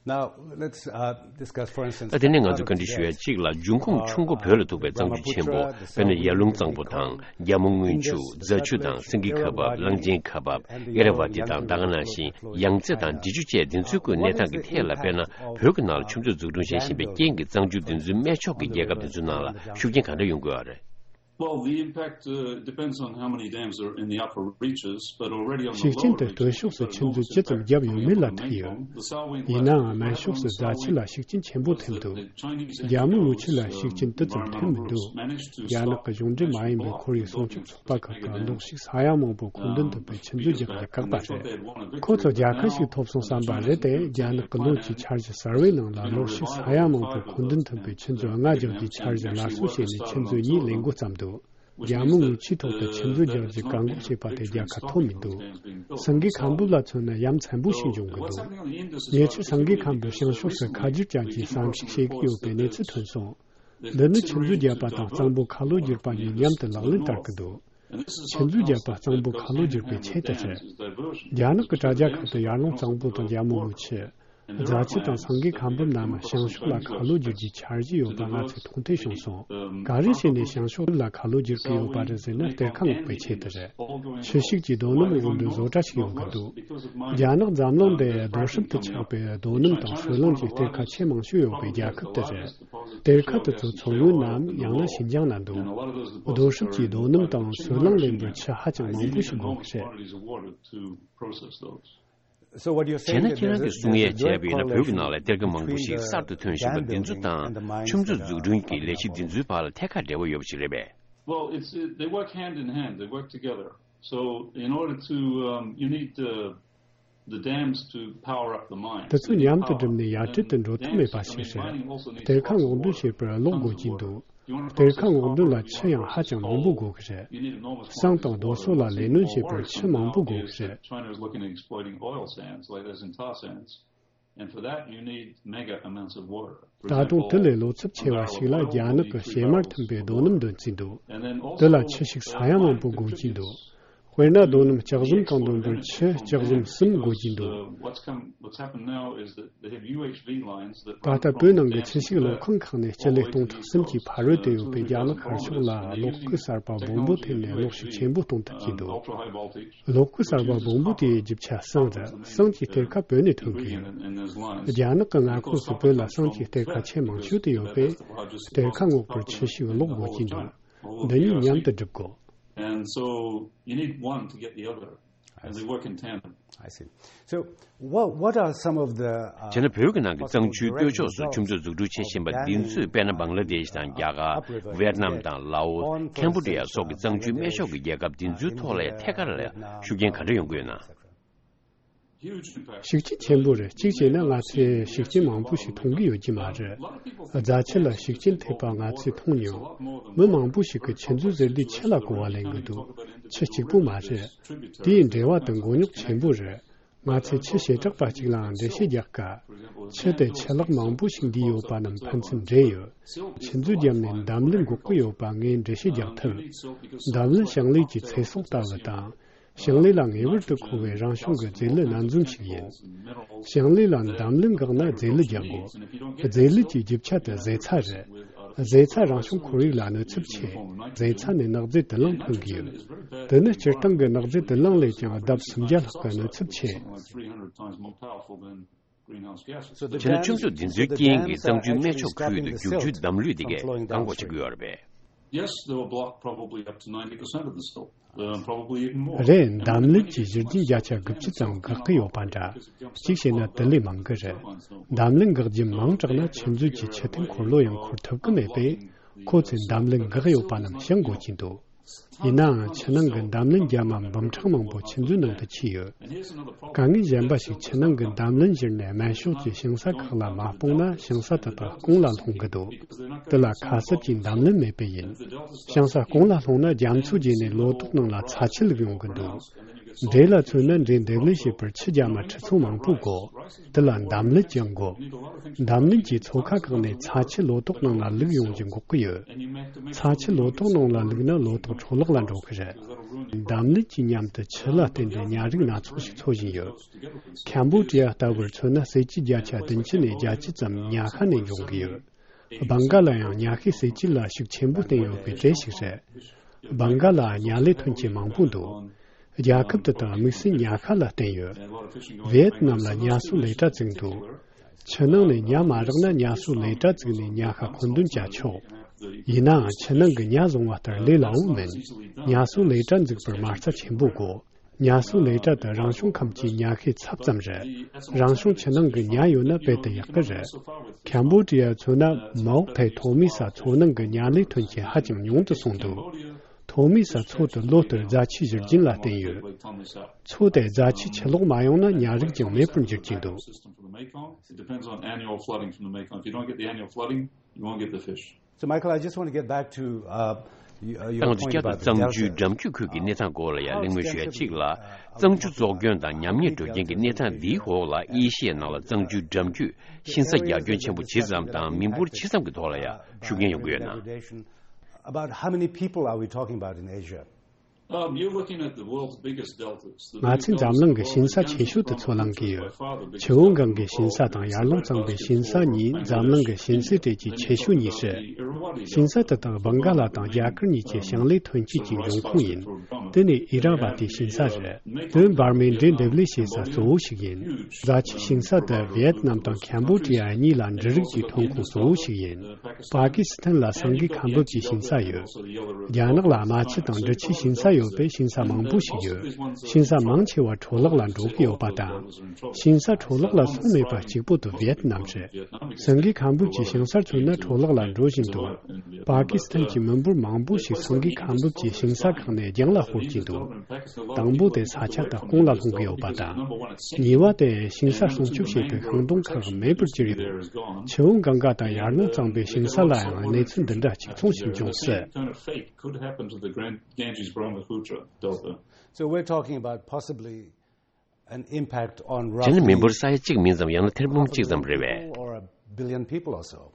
Now, let's, uh, discuss, for instance, ད་དེ་ནས་ང་ཚོས་བཀའ་འདྲི་ཞུ་ཡ་གཅིག་ལ། འབྱུང་ཁུངས་ཆུ་མགོ་བོད་ལ་ཐུག་པའི་གཙང་ཆུ་ཆེན་པོ། དཔེར་ན་ཡར་ཀླུང་གཙང་པོ་དང་རྒྱ་མོ་སྔོན་ཆུ། རྫ་ཆུ་དང་སེང་གེ་ཁ་འབབ། གླང་ཆེན་ཁ་འབབ། ཨེ་ར་བ་ཏི་དང་ད་ག་ནང་བཞིན་ཡང་རྩེ་དང་འབྲི་ཆུ་བཅས་འདི་ཚོའི་སྐོར་གནས་སྟངས་ཀྱི་ཐད་ལ། དཔེར་ན་བོད་ཀྱི་ནང་ལ་ཆུ་མཛོད་འཛུགས་སྐྲུན་བྱེད་བཞིན་པའི་རྐྱེན་གྱིས་གཙང་ཆུ་འདི་ཚོའི་སྨད་ཕྱོགས་ཀྱི་རྒྱལ་ཁབ་འདི་ཚོའི་ནང་ལ་ཤུགས་རྐྱེན་ག་འདྲ་ཡོང་གི་ཡོད་རེད། Well, the impact, uh, depends on how many dams are in the upper reaches, but already on the lower reaches, ཤུགས་རྐྱེན་དེ་སྟོད་ཕྱོགས་སུ་ཆུ་མཛོད་ཇི་ཙམ་བརྒྱབ་ཡོད་མེད་ལ་ཐུག་ཡོད། ཡིན་ནའང་སྨད་ཕྱོགས་སུ་རྫ་ཆུ་ལ་ཤུགས་རྐྱེན་ཆེན་པོ་ཐེབས་འདུག་རྒྱ་མོ་སྔོན་ཆུ་ལ་ཤུགས་རྐྱེན་དེ་ཙམ་ཐེབས་མི་འདུག་རྒྱ་ནག་གི་གཞུང་འབྲེལ་མ་ཡིན་པའི་ཁོར་ཡུག་སྲུང་སྐྱོབ་ཚོགས་པ་ཁག་གིས་གློག་ཤུགས་ས་ཡ་མང་པོ་མཁོ་འདོན་ཐུབ་པའི་ཆུ་མཛོད་རྒྱག་རྒྱུ་བཀག་པ་རེད། ཁོ་ཚོ་རྒྱལ་ཁ་ཞིག་ཐོབ་སོང་བསམ་པ་རེད་དེ། རྒྱ་ནག་གི་ལོ་གཅིག་འཆར་གཞི་གསར་བའི་ནང་ལ་གློག་ཤུགས་ས་ཡ་མང་པོ་མཁོ་འདོན་ཐུབ་པའི་ཆུ་མཛོད་ལྔ་རྒྱག་རྒྱུའི་འཆར་གཞི་སླར་གསོ་བྱས་ནས་ཆུ་མཛོད་གཉིས་ལས་འགོ་བརྩམས་འདུག་རྒྱ་མོ་སྔོན་ཆུའི་ཐོག་ཏུ་ཆུ་མཛོད་རྒྱག་རྒྱུ་བཀག་འགོག་བྱས་པ་དེ་རྒྱལ་ཁ་ཐོབ་མི་འདུག་སེང་གེ་ཁ་འབབ་ལ་མཚོན་ན་ཡ་མཚན་པོ་ཞིག་འབྱུང་གི་འདུག་ཉེ་ཆར་སེང་གེ་ཁ་འབབ་བྱང་ཕྱོགས་སུ་ཁ་བསྒྱུར་ཅན་གྱི་ཟམ་ཞིག་བྱེད་ཀྱི་ཡོད་པའི་གནས་ཚུལ་ཐོན་སོང་། འདི་ནི་ཆུ་མཛོད་བརྒྱབ་པ་དང་གཙང་པོ་ཁ་ལོ་བསྒྱུར་པ་གཉིས་མཉམ་དུ་ལག་ལེན་བསྟར་གྱི་འདུག་ཆུ་མཛོད་བརྒྱབ་པ་གཙང་པོ་ཁ་ལོ་བསྒྱུར་པའི་ཆེད་དུ་རེད། རྒྱ་ནག་གི་དྲ་རྒྱ་ཁག་ཏུ་ཡར་ཀླུང་གཙང་པོ་དང་རྒྱ་མོ་སྔོན་ཆུ། རྫ་ཆུ་དང་སེང་གེ་ཁ་འབབ་རྣམས་བྱང་ཕྱོགས་ལ་ཁ་ལོ་བསྒྱུར་རྒྱུའི་འཆར་གཞི་ཡོད་པ་ང་ཚོས་མཐོང་ཐོས་བྱུང་སོང་། ག་རེ་བྱས་ནས་བྱང་ཕྱོགས་ལ་ཁ་ལོ་བསྒྱུར་གྱི་ཡོད་པ་རེད་ཟེར་ན་གཏེར་ཁ་སྔོག་པའི་ཆེད་དུ་རེད། ཆུ་ཤུགས་ཀྱི་རྡོ་སྣུམ་དབོར་འདྲེན་བཟོ་གྲྭ་ཞིག་ཡོང་གི་འདུག་རྒྱ་ནག་འཛམ་གླིང་འདིར་རྡོ་ཧྲིལ་དུ་ཆགས་པའི་རྡོ་སྣུམ་དང་སོལ་རླངས་ཀྱི་གཏེར་ཁ་ཆེས་མང་ཤོས་ཡོད་པའི་རྒྱལ་ཁབ་དེ་རེད། གཏེར་ཁ་དེ་ཚོ་མཚོ་སྔོན་ནམ་ཡང་ན་ཤིན་ཅང་ན་འདུག་རྡོ་ཧྲིལ་གྱི་རྡོ་སྣུམ་དང་སོལ་རླངས་ལེན་པར་ཆུ་ཧ་ཅང་མང་པོ་ཞིག་དགོས་ཀྱི་རེད། So what you're བྱས་ན་saying is that ཁྱེད་རང་གིས་གསུང་ཡས་བྱས་པ་ཡིན་ན་བོད་ཀྱི་ནང་ལ་གཏེར་ཁ་མང་པོ་ཞིག་གསར་དུ་ཐོན་བཞིན་པ་འདི་ཚོ་དང་ཆུ་མཛོད་འཛུགས་སྐྲུན་གྱི་ལས་གཞི་འདི་ཚོའི་བར་ལ་ཐད་ཀར་འབྲེལ་བ་ཡོད་པ་ཞིག་རེད་པས། Well, it's, uh, they work hand in hand. They work together. So in order to, um, you need the, the dams to power up the mines. དེ་ཚོ་མཉམ་དུ་བསྒྲིམས་ནས་ཡར་ཁྲིད་དུ་འགྲོ་ཐབས་མེད་པ་ཞིག་རེད། གཏེར་ཁ་སྔོག་འདོན་བྱེད་པར་གློག་དགོས་ཀྱི་འདུག་གཏེར་ཁ་སྔོག་འདོན་ལ་ཆུ་ཡང་ཧ་ཅང་མང་པོ་དགོས་ཀྱི་རེད། ཟངས་དང་རྡོ་སོལ་ལ་ལས་སྣོན་བྱེད་པར་ཆུ་མང་པོ་དགོས་ཀྱི་རེད། China is looking at exploiting oil sands like there's in tar sands. And for that, you need mega amounts of water. ད་དུང་དེ་ལས་ལོ་ཚབས་ཆེ་བ་ཞིག་ལ་རྒྱ་ནག་གི་བྱེ་མར་ཐིམ་པའི་རྡོ་སྣུམ་འདོན་རྩིས་འདུག་དེ་ལ་ཆུ་ཤུགས་ས་ཡ་མང་པོ་དགོས་ཀྱི་འདུག་དཔེར་ན་རྡོ་སྣུམ་ལྕགས་ཟམ་གང་འདོན་པར་ཆུ་ལྕགས་ཟམ་གསུམ་དགོས་ཀྱི་འདུག་ད་ལྟ་བོད་ནང་གི་ཆུ་ཤུགས་གློག་ཁང་ཁག་ནས་སྤྱི་ལེ་སྟོང་ཕྲག་གསུམ་གྱིས་ཕ་རོལ་ཏུ་ཡོད་པའི་རྒྱ་ནག་ཤར་ཕྱོགས་ལ་གློག་སྐུད་གསར་པ་སྦོམ་པོ་ཐེབས་ནས་གློག་ཤུགས་ཆེན་པོ་གཏོང་ཐུབ་ཀྱི་འདུག་གློག་སྐུད་གསར་པ་སྦོམ་པོ་དེའི་རྒྱུ་ཆ་ཟངས་རེད། ཟངས་ཀྱི་གཏེར་ཁ་བོད་ནས་ཐོན་གྱི་ཡོད། རྒྱ་ནག་གི་མངའ་ཁོངས་སུ་བོད་ལ་ཟངས་ཀྱི་གཏེར་ཁ་ཆེས་མང་ཤོས་དེ་ཡོད་པས། གཏེར་ཁ་སྔོག་པར་ཆུ་ཤུགས་གློག་དགོས་ཀྱི་འདུག་འདི་གཉིས་མཉམ་དུ་སྒྲུབ་དགོས། And so you need one to get the other. And they work in tandem. I see. So what, what are some of the, uh, བྱས་ན་བོད་ཀྱི་ནང་གི་གཙང་ཆུའི་སྟོད་ཕྱོགས་སུ་ཆུ་མཛོད་འཛུགས་སྐྲུན་བྱེད་བཞིན་པ་འདི་ཚོས་དཔེར་ན་བང་ལ་དེཤ་དང་རྒྱ་གར། ཝེད་ནམ་དང་ལའོ། ཁེམ་བྷོ་ཌི་ཡ་སོགས་ཀྱི་གཙང་ཆུའི་སྨད་ཕྱོགས་ཀྱི་རྒྱལ་ཁབ་འདི་ཚོའི་ཐོག་ལ་ཐད་ཀར་ལ་ཤུགས་རྐྱེན་ག་འདྲ་ཡོང་གི་ཡོད་ན། ཤུགས་རྐྱེན་ཆེན་པོ་རེད། གཅིག་བྱས་ན་ང་ཚོས་ཤུགས་རྐྱེན་མང་པོ་ཞིག་མཐོང་གི་ཡོད་ཀྱི་མ་རེད། རྫ་ཆུ་ལ་ཤུགས་རྐྱེན་ཐེབས་པ་ང་ཚོས་མཐོང་མྱོང་། མི་མང་པོ་ཞིག་གིས་ཆུ་མཛོད་ཟེར་དུས་ཆུ་ལ་གོ་བ་ལེན་གི་འདུག་ཆུ་གཅིག་པུ་མ་རེད། དེའི་འབྲེལ་བ་དེ་མགོ་རྙོག་ཆེན་པོ་རེད། ང་ཚོས་ཆུ་བྱེ་བྲག་པ་གཅིག་ལའང་འགྲེལ་བཤད་རྒྱག་དཀའ། ཆུ་དེ་ཆུ་ལྷག་མང་པོ་ཞིག་འདུས་ཡོད་པ་རྣམས་ཕན་ཚུན་འདྲེས་ཡོད། ཆུ་མཛོད་བརྒྱབ་ནས་འདམ་ལུད་འགོག་གི་ཡོད་པ་ངས་འགྲེལ་བཤད་རྒྱག་ཐུབ། འདམ་ལུད་ཞིང་ལས་ཀྱི་ཚེ་སྲོག་ལྟ་བུ་དང་། ཞིང་ལས་ལ་ངེས་པར་དུ་མཁོ་བའི་རང་བྱུང་གི་རྫས་ལུད་སྣ་འཛོམས་ཤིག་ཡིན། ཞིང་ལས་ལ་འདམ་ལུད་འགག་ན་རྫས་ལུད་རྒྱག་དགོས། རྫས་ལུད་ཀྱི་རྒྱུ་ཆ་དེ་ཟོས་ཚྭ་རེད། ཟོས་ཚྭ་རང་བྱུང་ཁོར་ཡུག་ལ་གནོད་ཚབས་ཆེ། ཟོས་ཚྭ་ནས་ནག་རྫས་དུག་རླངས་ཐོན་གྱི་ཡོད། དེ་ནི་སྤྱིར་བཏང་གི་ནག་རྫས་དུག་རླངས་ལས་ཀྱང་ལྡབ་སུམ་བརྒྱ་ལྷག་གི་གནོད་ཚབས་ཆེ། So the ཆེ་ན་ཆུ་མཛོད་འདི་ཚོའི་རྐྱེན་གྱིས་གཙང་ཆུའི་སྨད་ཕྱོགས་ཁུལ་དུ་རྒྱུག་ཆུའི་འདམ་ལུད་དེ་གས་གང་གོ་ཆགས་ཀྱི་ཡོད་རེད་པས། Yes, they were blocked probably up to ninety percent of the stope, uh, probably even more. རེད། འདམ་ལུད་ཀྱི་བཞུར་རྒྱུན་བརྒྱ་ཆ་དགུ་བཅུ་ཙམ་འགག་གི་ཡོད་པ་འདྲ། གཅིག་བྱས་ན་དེ་ལས་མང་གི་རེད། འདམ་ལུད་འགག་རྒྱུ་མང་དྲགས་ན་ཆུ་མཛོད་ཀྱི་ཆུ་ཐིགས་འཁོར་ལོ་ཡང་འཁོར་ཐུབ་ཀྱི་མེད་པས། ཁོ་ཚོས་འདམ་ལུད་འགག་ཡོད་པ་རྣམས་བཤང་དགོས་ཀྱི་འདུག། ཡིན་ནའང་ཆུ་ནང་གི་འདམ་ལུད་རྒྱ་མ་འབུམ་ཕྲག་མང་པོ་ཆུ་མཛོད་ནང་དུ་ཆུད་ཡོད། དཀའ་ངལ་གཞན་པ་ཞིག་ཆུ་ནང་གི་འདམ་ལུད་བཞུར་ནས་སྨད་ཕྱོགས་ཀྱི་ཞིང་ས་ཁག་ལ་མ་སྤུངས་ན་ཞིང་ས་དེ་དག་གོང་ལ་ལྷུང་གི་འདུག། དེ་ལ་ཁ་གསབ་ཀྱི་འདམ་ལུད་མེད་པས་ཡིན། ཞིང་ས་གོང་ལ་ལྷུང་ན་རྒྱ་མཚོ་བརྒྱུད་ནས་ལོ་ཏོག་ནང་ལ་ཚྭ་ཆུ་བླུགས་ཡོང་གི་འདུག། འབྲས་ལ་མཚོན་ན་འབྲས་འདེབས་ལས་བྱེད་པར་ཆུ་རྒྱ་མ་ཁྲི་ཚོ་མང་པོ་དགོས། དེ་ལ་འདམ་ལུད་ཀྱང་དགོས། འདམ་ལུད་ཀྱིས་མཚོ་ཁ་བཀག་ནས་ཚྭ་ཆུ་ལོ་ཏོག་ནང་ལ་བླུགས་ཡོང་རྒྱུ་འགོག་གི་ཡོད། ཚྭ་ཆུ་ལོ་ཏོག་ནང་ལ་བླུགས་ན་ལོ་ཏོག་འཕྲོ་བརླག་ལ་འགྲོ་གི་རེད། འདམ་ལུད་ཀྱི་མཉམ་དུ་ཆུ་ལ་བརྟེན་ཏེ་ཉ་རིགས་སྣ་ཚོགས་ཤིག་འཚོ་བཞིན་ཡོད། ཁམ་བོ་ཌི་ཡ་ལྟ་བུར་མཚོན་ན་ཟས་བཅུད་བརྒྱ་ཆ་བདུན་ཅུ་ནས་བརྒྱད་ཅུ་ཙམ་ཉ་ཤ་ནས་འབྱུང་གི་ཡོད། སྦང་ག་ལ་ཡང་ཉ་ཤས་ཟས་བཅུད་ལ་ཤུགས་ཆེན་པོ་བརྟེན་ཡོད་པའི་གྲས་ཤིག་རེད། སྦང་ག་ལ་ཉ་ལས་ཐོན་སྐྱེད་མང་པོ་འདུག། རྒྱལ་ཁབ་དེ་དག་དམིགས་བསལ་ཉ་ཤ་ལ་བརྟེན་ཡོད། ཝི་ཡེད་ནམ་ལ་ཉ་གསོ་ལས་གྲྭ་བཙུགས་འདུག། ཆུ་ནང་ནས་ཉ་མ་རག་ན་ཉ་གསོ་ལས་གྲྭ་བཙུགས་ནས་ཉ་ཤ་མཁོ་འདོན་བྱ་ཆོག། ཡིན་ནའང་ཆུ་ནང་གི་ཉ་བཟུང་བ་ལྟར་ལས་སླ་བོ་མིན། ཉ་གསོ་ལས་གྲྭ་འཛུགས་པར་མ་རྩ་ཆེན་པོ་དགོས། ཉ་གསོ་ལས་གྲྭ་དེ་རང་བྱུང་ཁམས་ཀྱི་ཉ་ཤས་ཚབ་ཙམ་རེད། རང་བྱུང་ཆུ་ནང་གི་ཉ་ཡོད་ན་དཔེ་དེ་ཡག་གི་རེད། ཁམ་བོ་ཌི་ཡ་མཚོན་ན་མའོ་ཐའི་ཐོག་མའི་ས་མཚོ་ནང་གི་ཉ་ལས་ཐོན་སྐྱེད་ཧ་ཅང་ཉུང་དུ་སོང་འདུག། ཐོག་མའི་ས་མཚོ་དེ་ལོ་ལྟར་རྫ་ཆུའི་བཞུར་རྒྱུན་ལ་བརྟེན་ཡོད། མཚོ་དེ་རྫ་ཆུ་ཆུ་ལོག་མ་ཡོང་ན་ཉ་རིགས་ཀྱང་མེད་པར་འགྱུར་གྱི་འདུག། It depends on annual flooding from the Mekong. If you don't get the annual flooding, you won't get the fish. So, Michael, I just want to get back to, uh, y- uh, your ཏང་ཙུའུ་point བསྐྱར་དུ་about the གཙང་ཆུའི་delta. འགྲམ་རྒྱུད་ཁུལ་གྱི་གནས་སྟངས་སྐོར་ལ་ཡང་གླེང་མོལ་ཞུ་ཡ་གཅིག་ལ། གཙང་ཆུ་བཙོག་སྐྱོན་དང་ཉམས་ཉེས་འགྲོ་རྐྱེན་གྱི་གནས་སྟངས་འདིའི་འོག་ལ་ཨེ་ཤི་ཡའི་ནང་ལ་གཙང་ཆུའི་འགྲམ་རྒྱུད་ཤིང་ཚ་རྒྱ་ཁྱོན་ཆེན་པོ་ཇི་ཙམ་དང་མི་འབོར་ཇི་ཙམ་གྱི་ཐོག་ལ་ཡང་ཤུགས་རྐྱེན་ཡོང་གི་ཡོད་ན། About how many people are we talking about in Asia? Um, you're looking at the world's biggest deltas. The ང་ཚོས་འཛམ་གླིང་གི་ཞིང་ས་ཆེ་ཤོས་དེ་ཚོ་གླེང་གི་ཡོད། ཆུ་བོ་གངྒཱའི་ཞིང་ས་དང་ཡར་ཀླུང་གཙང་པོའི་ཞིང་ས་གཉིས་འཛམ་གླིང་གི་ཞིང་སའི་གྲས་ཀྱི་ཆེ་ཤོས་གཉིས་རེད། ཞིང་ས་དེ་དག་སྦང་ག་ལ་དང་རྒྱ་གར་གཉིས་ཀྱི་ཞིང་ལས་ཐོན་སྐྱེད་ཀྱི་འབྱུང་ཁུངས་ཡིན། དེ་ནི་ཨི་ར་བ་ཏི་ཞིང་ས་རེད། དེ་འབར་མའི་འབྲས་འདེབས་ལས་བྱེད་ས་གཙོ་བོ་ཞིག་ཡིན། རྫ་ཆུའི་ཞིང་ས་དེ་ཝི་ཡེད་ནམ་དང་ཁམ་བོ་ཌི་ཡ་གཉིས་ལ་འབྲུ་རིགས་ཀྱི་ཐོན་ཁུངས་གཙོ་བོ་ཞིག་ཡིན། པ་ཀི་སི་ཐན་ལ་སེང་གེ་ཁ་འབབ་ཀྱི་ཞིང་ས་ཡོད། རྒྱ་ནག་ལ་རྨ་ཆུ་དང་འབྲི་ཆུའི་ཞིང་ས་ཡོད་པས་ཞིང་ས་མང་པོ་ཞིག་ཡོད། ཞིང་ས་མང་ཆེ་བ་འཕྲོ་བརླག་ལ་འགྲོ་གི་ཡོད་པ་དང་། ཞིང་ས་འཕྲོ་བརླག་ལ་སོང་མེད་པ་གཅིག་པོ་དེ་ཝི་ཡེད་ནམ་རེད། སེང་གེ་ཁ་འབབ་ཀྱི་ཞིང་སར་མཚོན་ན་འཕྲོ་བརླག་ལ་འགྲོ་བཞིན་འདུག། པ་ཀི་སི་ཐན་གྱི་མི་འབོར་མང་པོ་ཞིག་སེང་གེ་ཁ་འབབ་ཀྱི་ཞིང་ས་ཁག་ནས་རྒྱང་ལ་ཤོར་གྱིན་འདུག། དང་པོ་དེ་ས་ཆ་དག་གོང་ལ་ལྷུང་གི་ཡོད་པ་དང་། གཉིས་པ་དེ་ཞིང་ས་སྲུང་སྐྱོབ་བྱེད་པའི་ཤིང་སྡོང་ཁག་མེད་པར་གྱུར་ཡོད། ཆུ་བོ་གངྒཱ་དང་ཡར་ཀླུང་གཙང་པོའི་ཞིང་ས་ལ་ཡང་གནས་ཚུལ་འདི་འདྲ་གཅིག་མཚུངས་ཤིག་འབྱུང་སྲིད། Kind of fate could happen to the Grand- Ganges Brahmaputra Delta. So we're talking about possibly an impact on དེ་ནི་མི་འབོར་ས་ཡ་གཅིག་མིན་ཙམ་ཡང་ན་ཐེར་འབུམ་གཅིག་ཙམ་རེད་པས། Or a billion people or so.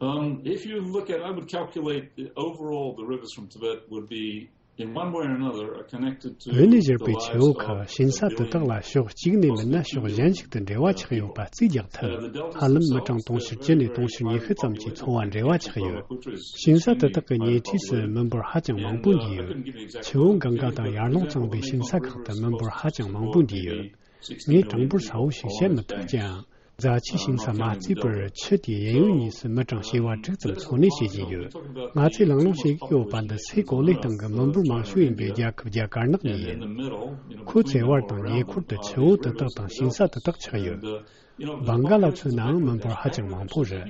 Um, if you look at, I would calculate the overall the rivers from Tibet would be, in one way or another, are connected to བོད་ནས་བཞུར་བའི་ཆུ་བོ་ཁག་ཞིང་ས་དེ་དག་ལ་ཕྱོགས་གཅིག་ནས་མིན་ན་ཕྱོགས་གཞན་ཞིག་ཏུ་འབྲེལ་བ་ཆགས་ཡོད་པ་རྩིས་རྒྱག་ཐུབ། ཧ་ལམ་མི་གྲངས་དུང་ཕྱུར་བཅུ་ནས་དུང་ཕྱུར་ཉི་ཤུ་ཙམ་གྱི་འཚོ་བ་འབྲེལ་བ་ཆགས་ཡོད། ཞིང་ས་དེ་དག་གི་ཉེ་འཁྲིས་སུ་མི་འབོར་ཧ་ཅང་མང་པོ་འདུས་ཡོད། ཆུ་བོ་གངྒཱ་དང་ཡར་ཀླུང་གཙང་པོའི་ཞིང་ས་ཁག་ཏུ་མི་འབོར་ཧ་ཅང་མང་པོ་འདུས་ཡོད། ངས་གྲངས་འབོར་གསལ་བོ་ཞིག་བཤད་མི་ཐུབ་ཀྱང་། རྫ་ཆུའི་ཞིང་ས་མ་བརྩིས་པར་ཆུ་དེའི་གཡས་གཡོན་གཉིས་སུ་མི་གྲངས་བྱེ་བ་དྲུག་ཙམ་འཚོ་གནས་བྱེད་བཞིན་ཡོད། ང་ཚོས་གླེང་སློང་བྱེད་ཀྱི་ཡོད་པ་འདི་སའི་གོ་ལའི་སྟེང་གི་མི་འབོར་མང་ཤོས་ཡིན་པའི་རྒྱལ་ཁབ་རྒྱ་གར་ནག་གཉིས་ཡིན། ཁོ་ཚོའི་བར་དང་ཉེ་འཁོར་དུ་ཆུ་བོ་དེ་དག་དང་ཞིང་ས་དེ་དག་ཆགས་ཡོད། སྦང་ག་ལ་མཚོན་ནའང་མི་འབོར་ཧ་ཅང་མང་པོ་རེད།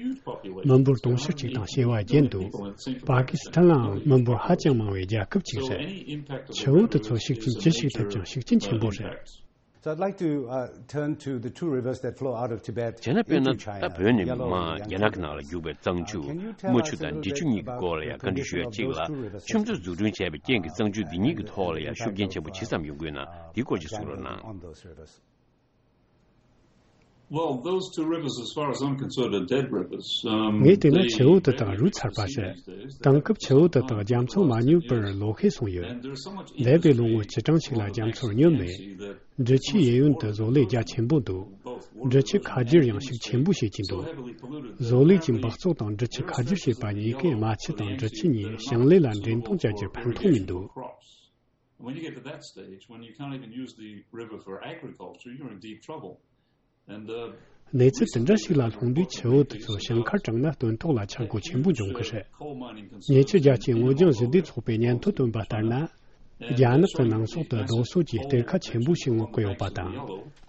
མི་འབོར་དུང་ཕྱུར་གཅིག་དང་བྱེ་བ་བརྒྱད་འདུག། པ་ཀི་སི་ཐན་ལའང་མི་འབོར་ཧ་ཅང་མང་བའི་རྒྱལ་ཁབ་ཅིག་རེད། ཆུ་བོ་དེ་ཚོ་ཤུགས་རྐྱེན་ཅི་ཞིག་ཐེབས་ཀྱང་ཤུགས་རྐྱེན་ཆེན་པོ་རེད། So I'd like to uh, turn to the two rivers that flow out of Tibet. བྱས་ན་དཔེར་ན་ད་བོད་ནས་མར་རྒྱ་ནག་གི་ནང་ལ་རྒྱུག་པའི་གཙང་ཆུ་རྨ་ཆུ་དང་འབྲི་ཆུ་གཉིས་ཀྱི་སྐོར་ལ་ཡང་བཀའ་འདྲི་ཞུ་ཡ་གཅིག་ལ། ཁྱིམ་ཚང་འཛུགས་སྐྲུན་བྱས་པའི་རྐྱེན་གྱིས་གཙང་ཆུ་འདི་གཉིས་ཀྱི་ཐོག་ལ་ཡང་ཤུགས་རྐྱེན་ཆེན་པོ་ཇི་ཙམ་ཡོང་གི་ཡོད་ན་འདིའི་སྐོར་ཅིག་གསུང་རོགས་གནང་། Well, those two rivers, as far as I'm concerned, are dead rivers. Um, ངས་བལྟས་ན་ཆུ་བོ་དེ་དག་རུལ་ཚར་པ་རེད། དེང་སྐབས་ཆུ་བོ་དེ་དག་རྒྱ་མཚོ་མ་སྙོམས་པར་ལོག་ཤེས་སོང་ཡོད། འདས་པའི་ལོ་ངོ་བཅུ་གྲངས་ཤིག་ལ་རྒྱ་མཚོར་སྙོམས་མེད། འབྲི་ཆུའི་གཡས་གཡོན་དུ་བཟོ་ལས་རྒྱ་ཆེན་པོ་འདུག་འབྲི་ཆུ་ཁ་སྒྱུར་ཡང་ཤུགས་ཆེན་པོ་བྱེད་ཀྱི་འདུག་བཟོ་ལས་ཀྱི་འབག་བཙོག་དང་འབྲི་ཆུ་ཁ་སྒྱུར་བྱེད་པ་གཉིས་ཀས་རྨ་ཆུ་དང་འབྲི་ཆུ་གཉིས་ཞིང་ལས་ལ་འདྲེན་གཏོང་བྱ་རྒྱུར་ཕན་ཐོགས་མི་འདུག When you get to that stage, when you can't even use the river for agriculture, you're in deep trouble. And, uh, གནས་ཚུལ་དེ་འདྲ་ཞིག་ལ་ལྷུང་དུས་ཆུ་བོ་དེ་ཚོ་ཞིང་ཁར་དྲངས་ན་སྟོན་ཐོག་ལ་ཆག་སྒོ་ཆེན་པོ་འབྱུང་གི་རེད། ཉེ་ཆར་རྒྱལ་སྤྱིའི་སྔོ་ལྗང་ཞི་བདེ་ཚོགས་པས་སྙན་ཐོ་བཏོན་པ་ལྟར་ན། རྒྱ་ནག་གི་ནང་སོག་ཏུ་རྡོ་སོལ་གྱི་གཏེར་ཁ་ཆེན་པོ་ཞིག་སྔོག་གི་ཡོད་པ་དང་།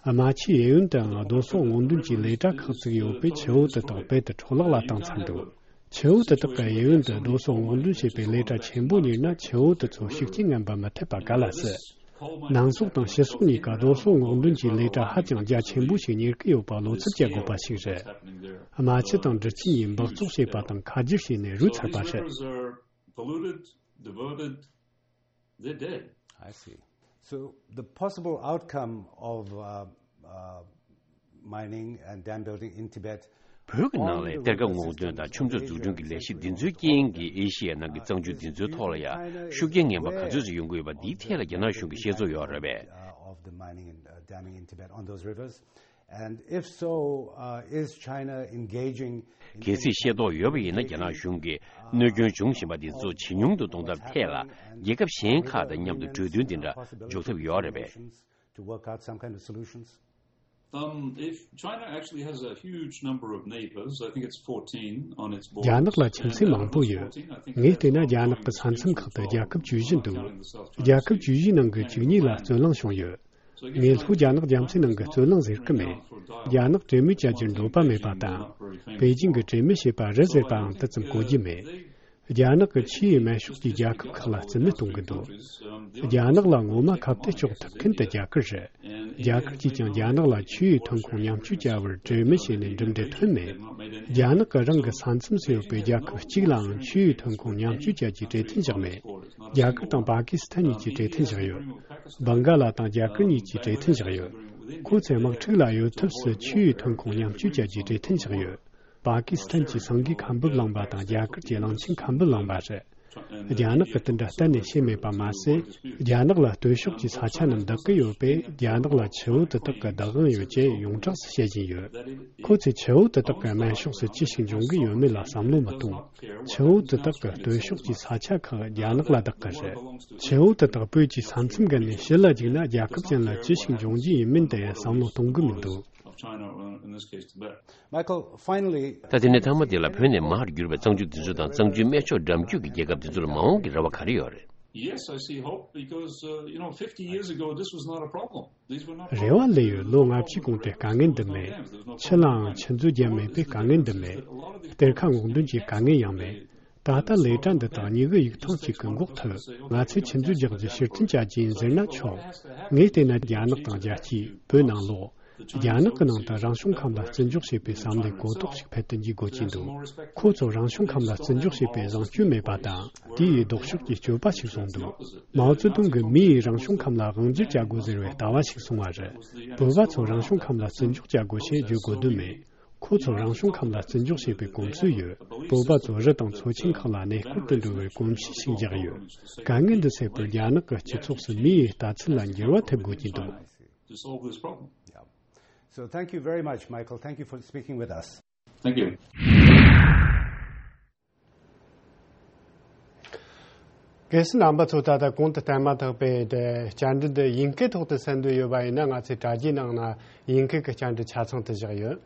རྨ་ཆུའི་གཡས་གཡོན་དུའང་རྡོ་སོལ་སྔོག་འདོན་གྱི་ལས་གྲྭ་ཁག་བཙུགས་ཡོད་པས་ཆུ་བོ་དེ་དག་རྦད་དེ་འཕྲོ་བརླག་ལ་བཏང་ཚར་འདུག་ཆུ་བོ་དེ་དག་གི་གཡས་གཡོན་དུ་རྡོ་སོལ་སྔོག་འདོན་བྱེད་པའི་ལས་གྲྭ་ཆེན་པོ་གཉེར་ན་ཆུ་བོ་དེ་ཚོ་ཤུགས་རྐྱེན་ངན་པ་མི་ཐེབས་པ་ག་ལ་སྲིད། ནང་སོག་དང་ཕྱི་སོག་གཉིས་ཀ་རྡོ་སོལ་སྔོག་འདོན་གྱི་ལས་གྲྭ་ཧ་ཅང་རྒྱ་ཆེན་པོ་ཞིག་གཉེར་གྱི་ཡོད་པ་བློ་འཚབ་བྱ་དགོས་པ་ཞིག་རེད། རྨ་ཆུ་དང་འབྲི་ཆུ་གཉིས་འབག་བཙོག་བྱས་པ་དང་ཁ་སྒྱུར་བྱས་ནས་རུལ་ཚར་པ་རེད། They're dead. I see. So the possible outcome of uh, uh, mining and dam building in Tibet. བོད་ཀྱི་ནང་ལ་གཏེར་ཁ་སྔོག་འདོན་དང་ཆུ་མཛོད་འཛུགས་སྐྲུན་གྱི་ལས་གཞི་འདི་ཚོའི་རྐྱེན་གྱིས་ཨེ་ཤི་ཡའི་ནང་གི་གཙང་ཆུ་འདི་ཚོའི་ཐོག་ལ་ཡང་ཤུགས་རྐྱེན་ངན་པ་ག་ཚོད་ཙམ་ཡོང་གི་ཡོད་པ་འདིའི་ཐད་ལ་རྒྱ་ནག་གཞུང་གི་ཤེས་ཚོར་ཡོད་རེད་པས། Uh, of the mining and uh, damming in Tibet on those rivers. And if so, uh, is China engaging in གལ་སྲིད་ཤེས་རྟོགས་ཡོད་པ་ཡིན་ན་རྒྱ་ནག་གཞུང་གིས་གནོད་སྐྱོན་བྱུང་བཞིན་པ་འདི་ཚོ་ཇེ་ཉུང་དུ་གཏོང་ཐབས་ཐད་ལ་རྒྱལ་ཁབ་གཞན་ཁག་དང་མཉམ་དུ་གྲོས་མཐུན་འདི་འདྲ་འཇོག་ཐབས་ཡོད་རེད་པས། To work out some kind of solutions? Um, if China actually has a huge number of neighbors, I think it's fourteen on its border. རྒྱ་ནག་ལ་ཁྱིམ་མཚེས་མང་པོ་ཡོད། ངས་བལྟས་ན་རྒྱ་ནག་གི་ས་མཚམས་ཁག་ཏུ་རྒྱལ་ཁབ་བཅུ་བཞི་འདུག་རྒྱལ་ཁབ་བཅུ་བཞིའི་ནང་གི་བཅུ་གཉིས་ལ་རྩོད་གླེང་བྱུང་ཡོད། ངས་ལྷོ་རྒྱ་ནག་རྒྱ་མཚོའི་ནང་གི་རྩོད་གླེང་ཟེར་གི་མེད། རྒྱ་ནག་གྲོས་མོལ་བྱ་རྒྱུར་འདོད་པ་མེད་པ་དང་། པེ་ཅིང་གིས་གྲོས་མོལ་བྱས་པ་རེད་ཟེར་པའང་དེ་ཙམ་གོ་རྒྱུ་མེད། རྒྱ་ནག་གིས་ཆུའི་སྨན་ཤོག་གི་རྒྱལ་ཁབ་ཁག་ལ་རྩིས་མེད་གཏོང་གི་འདུག་རྒྱ་ནག་ལ་ངོ་མ་ཁ་གཏད་གཅོག་ཐུབ་མཁན་དེ་རྒྱ་གར་རེད། རྒྱ་གར་གྱིས་ཀྱང་རྒྱ་ནག་ལ་ཆུའི་ཐོན་ཁུངས་མཉམ་སྤྱོད་བྱ་བར་གྲོས་མོལ་བྱས་ནས་གྲུབ་འབྲས་ཐོན་མེད། རྒྱ་ནག་གིས་རང་གི་ས་མཚམས་སུ་ཡོད་པའི་རྒྱལ་ཁབ་གཅིག་ལའང་ཆུའི་ཐོན་ཁུངས་མཉམ་སྤྱོད་བྱ་རྒྱུའི་གྲོས་མཐུན་བཞག་མེད། རྒྱ་གར་དང་པ་ཀི་སི་ཐན་གཉིས་ཀྱིས་གྲོས་མཐུན་བཞག་ཡོད། བྷང་ག་ལ་དང་རྒྱ་གར་གཉིས་ཀྱིས་གྲོས་མཐུན་བཞག་ཡོད། ཁོ་ཚོས་དམག་འཁྲུག་ལ་གཡོལ་ཐབས་སུ་ཆུའི་ཐོན་ཁུངས་མཉམ་སྤྱོད་བྱ་རྒྱུའི་གྲོས་མཐུན་བཞག་ཡོད། པ་ཀི་སི་ཐན་གྱིས་སེང་གེ་ཁ་འབུབ་བླངས་པ་དང་རྒྱ་གར་གྱིས་གླང་ཆེན་ཁ་འབུབ་བླངས་པ་རེད། རྒྱ་ནག་གིས་དེ་འདྲ་གཏན་ནས་བྱས་མེད་པ་མ་ཟད། རྒྱ་ནག་ལ་སྟོད་ཕྱོགས་ཀྱི་ས་ཆ་རྣམས་བདག་གི་ཡོད་པས་རྒྱ་ནག་ལ་ཆུ་བོ་དེ་དག་གི་བདག་དབང་ཡོད་ཅེས་ཡོངས་གྲགས་སུ་བཤད་བཞིན་ཡོད། ཁོ་ཚོས་ཆུ་བོ་དེ་དག་གི་སྨན་ཕྱོགས་སུ་ཅི་ཞིག་འབྱུང་གི་ཡོད་མེད་ལ་བསམ་བློ་མི་གཏོང་། ཆུ་བོ་དེ་དག་གི་སྟོད་ཕྱོགས་ཀྱི་ས་ཆ་ཁག་རྒྱ་ནག་ལ་བདག་གི་རེད། ཆུ་བོ་དེ་དག་བོད་ཀྱི་ས་མཚམས་བརྒལ་ནས་ཕྱི་ལ་རྒྱུག་ན་རྒྱལ་ཁབ་གཞན་ལ་ཅི་ཞིག་འབྱུང་རྒྱུ་ཡིན་མིན་དེ་བསམ་བློ་གཏོང་གི་མི་འདུག Of China, or in this case, Tibet. Michael, finally, ད་དེ་ནས་མཐའ་མ་དེ་ལ་བོད་ནས་མར་གྱུར་པའི་གཙང་ཆུ་འདི་ཚོ་དང་གཙང་ཆུའི་སྨད་ཕྱོགས་འགྲམ་རྒྱུད་ཀྱི་རྒྱལ་ཁབ་འདི་ཚོ་ལ་མ་འོངས་ཀྱི་རེ་བ་ག་རེ་ཡོད་རེད། Yes, I see hope because, uh, you know, fifty years ago, this was not a problem. These were not problems. རེ་བ་སླེབས་ཡོད། ལོ་ལྔ་བཅུའི་གོང་དེ་དཀའ་ངལ་འདི་མེད། ཆུ་ལའང་ཆུ་མཛོད་བརྒྱབ་མེད་པས་དཀའ་ངལ་འདི་མེད། གཏེར་ཁ་སྔོག་འདོན་གྱི་དཀའ་ངལ་ཡང་མེད། ད་ལྟ་ལས་གྲྭ་འདི་དག་གཉིས་ཀྱི་ཡིག་ཐང་གཅིག་གི་འགོག་ཐུབ། ང་ཚོས་ཆུ་མཛོད་རྒྱག་རྒྱུ་ཕྱིར་འཐེན་བྱ་རྒྱུ་ཡིན་ཟེར་ན་ཆོག་ངས་བལྟས་ན་རྒྱ་ནག་དང་རྒྱལ་སྤྱིས་བོད་ནང་ལོག་རྒྱ་ནག་གི་ནང་དུ་རང་བྱུང་ཁམས་ལ་བརྩི་འཇོག་བྱེད་པའི་བསམ་བློའི་གོ་རྟོགས་ཤིག་འཕེལ་དུ་འཇུག་དགོས་ཀྱི་འདུག་ཁོ་ཚོ་རང་བྱུང་ཁམས་ལ་བརྩི་འཇོག་བྱེད་པའི་བཟང་སྤྱོད་མེད་པ་དང་དེ་ཡི་ལྡོག་ཕྱོགས་ཀྱི་སྤྱོད་པ་ཞིག་བཟུང་འདུག་མའོ་ཙེ་ཏུང་གིས་མི་ཡིས་རང་བྱུང་ཁམས་ལ་དབང་སྒྱུར་བྱ་དགོས་ཟེར་བའི་ལྟ་བ་ཞིག་གསུངས་པ་རེད། བོད་པ་ཚོ་རང་བྱུང་ཁམས་ལ་བརྩི་འཇོག་བྱ་དགོས་ཞེས་བརྗོད་དགོས་དོན་མེད། ཁོ་ཚོ་རང་བྱུང་ཁམས་ལ་བརྩི་འཇོག་བྱེད་པའི་གོམས་སྲོལ་ཡོད། བོད་པ་ཚོ་རི་དང་མཚོ་ཆེན་ཁག་ལ་གནས་སྐོར་དུ་འགྲོ་བའི་གོམས་གཤིས་ཤིག་འཇགས་ཡོད། དཀའ་ངལ་འདི་སེལ་བར་རྒྱ་ནག་གི་སྤྱི་ཚོགས་སུ་མིའི་ལྟ་ཚུལ་ལ་འགྱུར་བ་ཐེབས་དགོས་ཀྱི་འདུག To solve this problem. Yeah. So thank you very much, Michael. Thank you for speaking with us. Thank you. གལ་སྲིད་རྣམ་པ་ཚོ་ད་ལྟ་གོང་དུ་བསྟན་མ་ཐག་པའི་དེ་བཅར་འདྲི་འདི་དབྱིན་སྐད་ཐོག་ཏུ་གསན་འདོད་ཡོད་པ་ཡིན་ན་ང་ཚོའི་དྲ་རྒྱའི་ནང་ན་དབྱིན་སྐད་ཀྱི་བཅར་འདྲི་ཆ་ཚང་དུ་བཞག་ཡོད།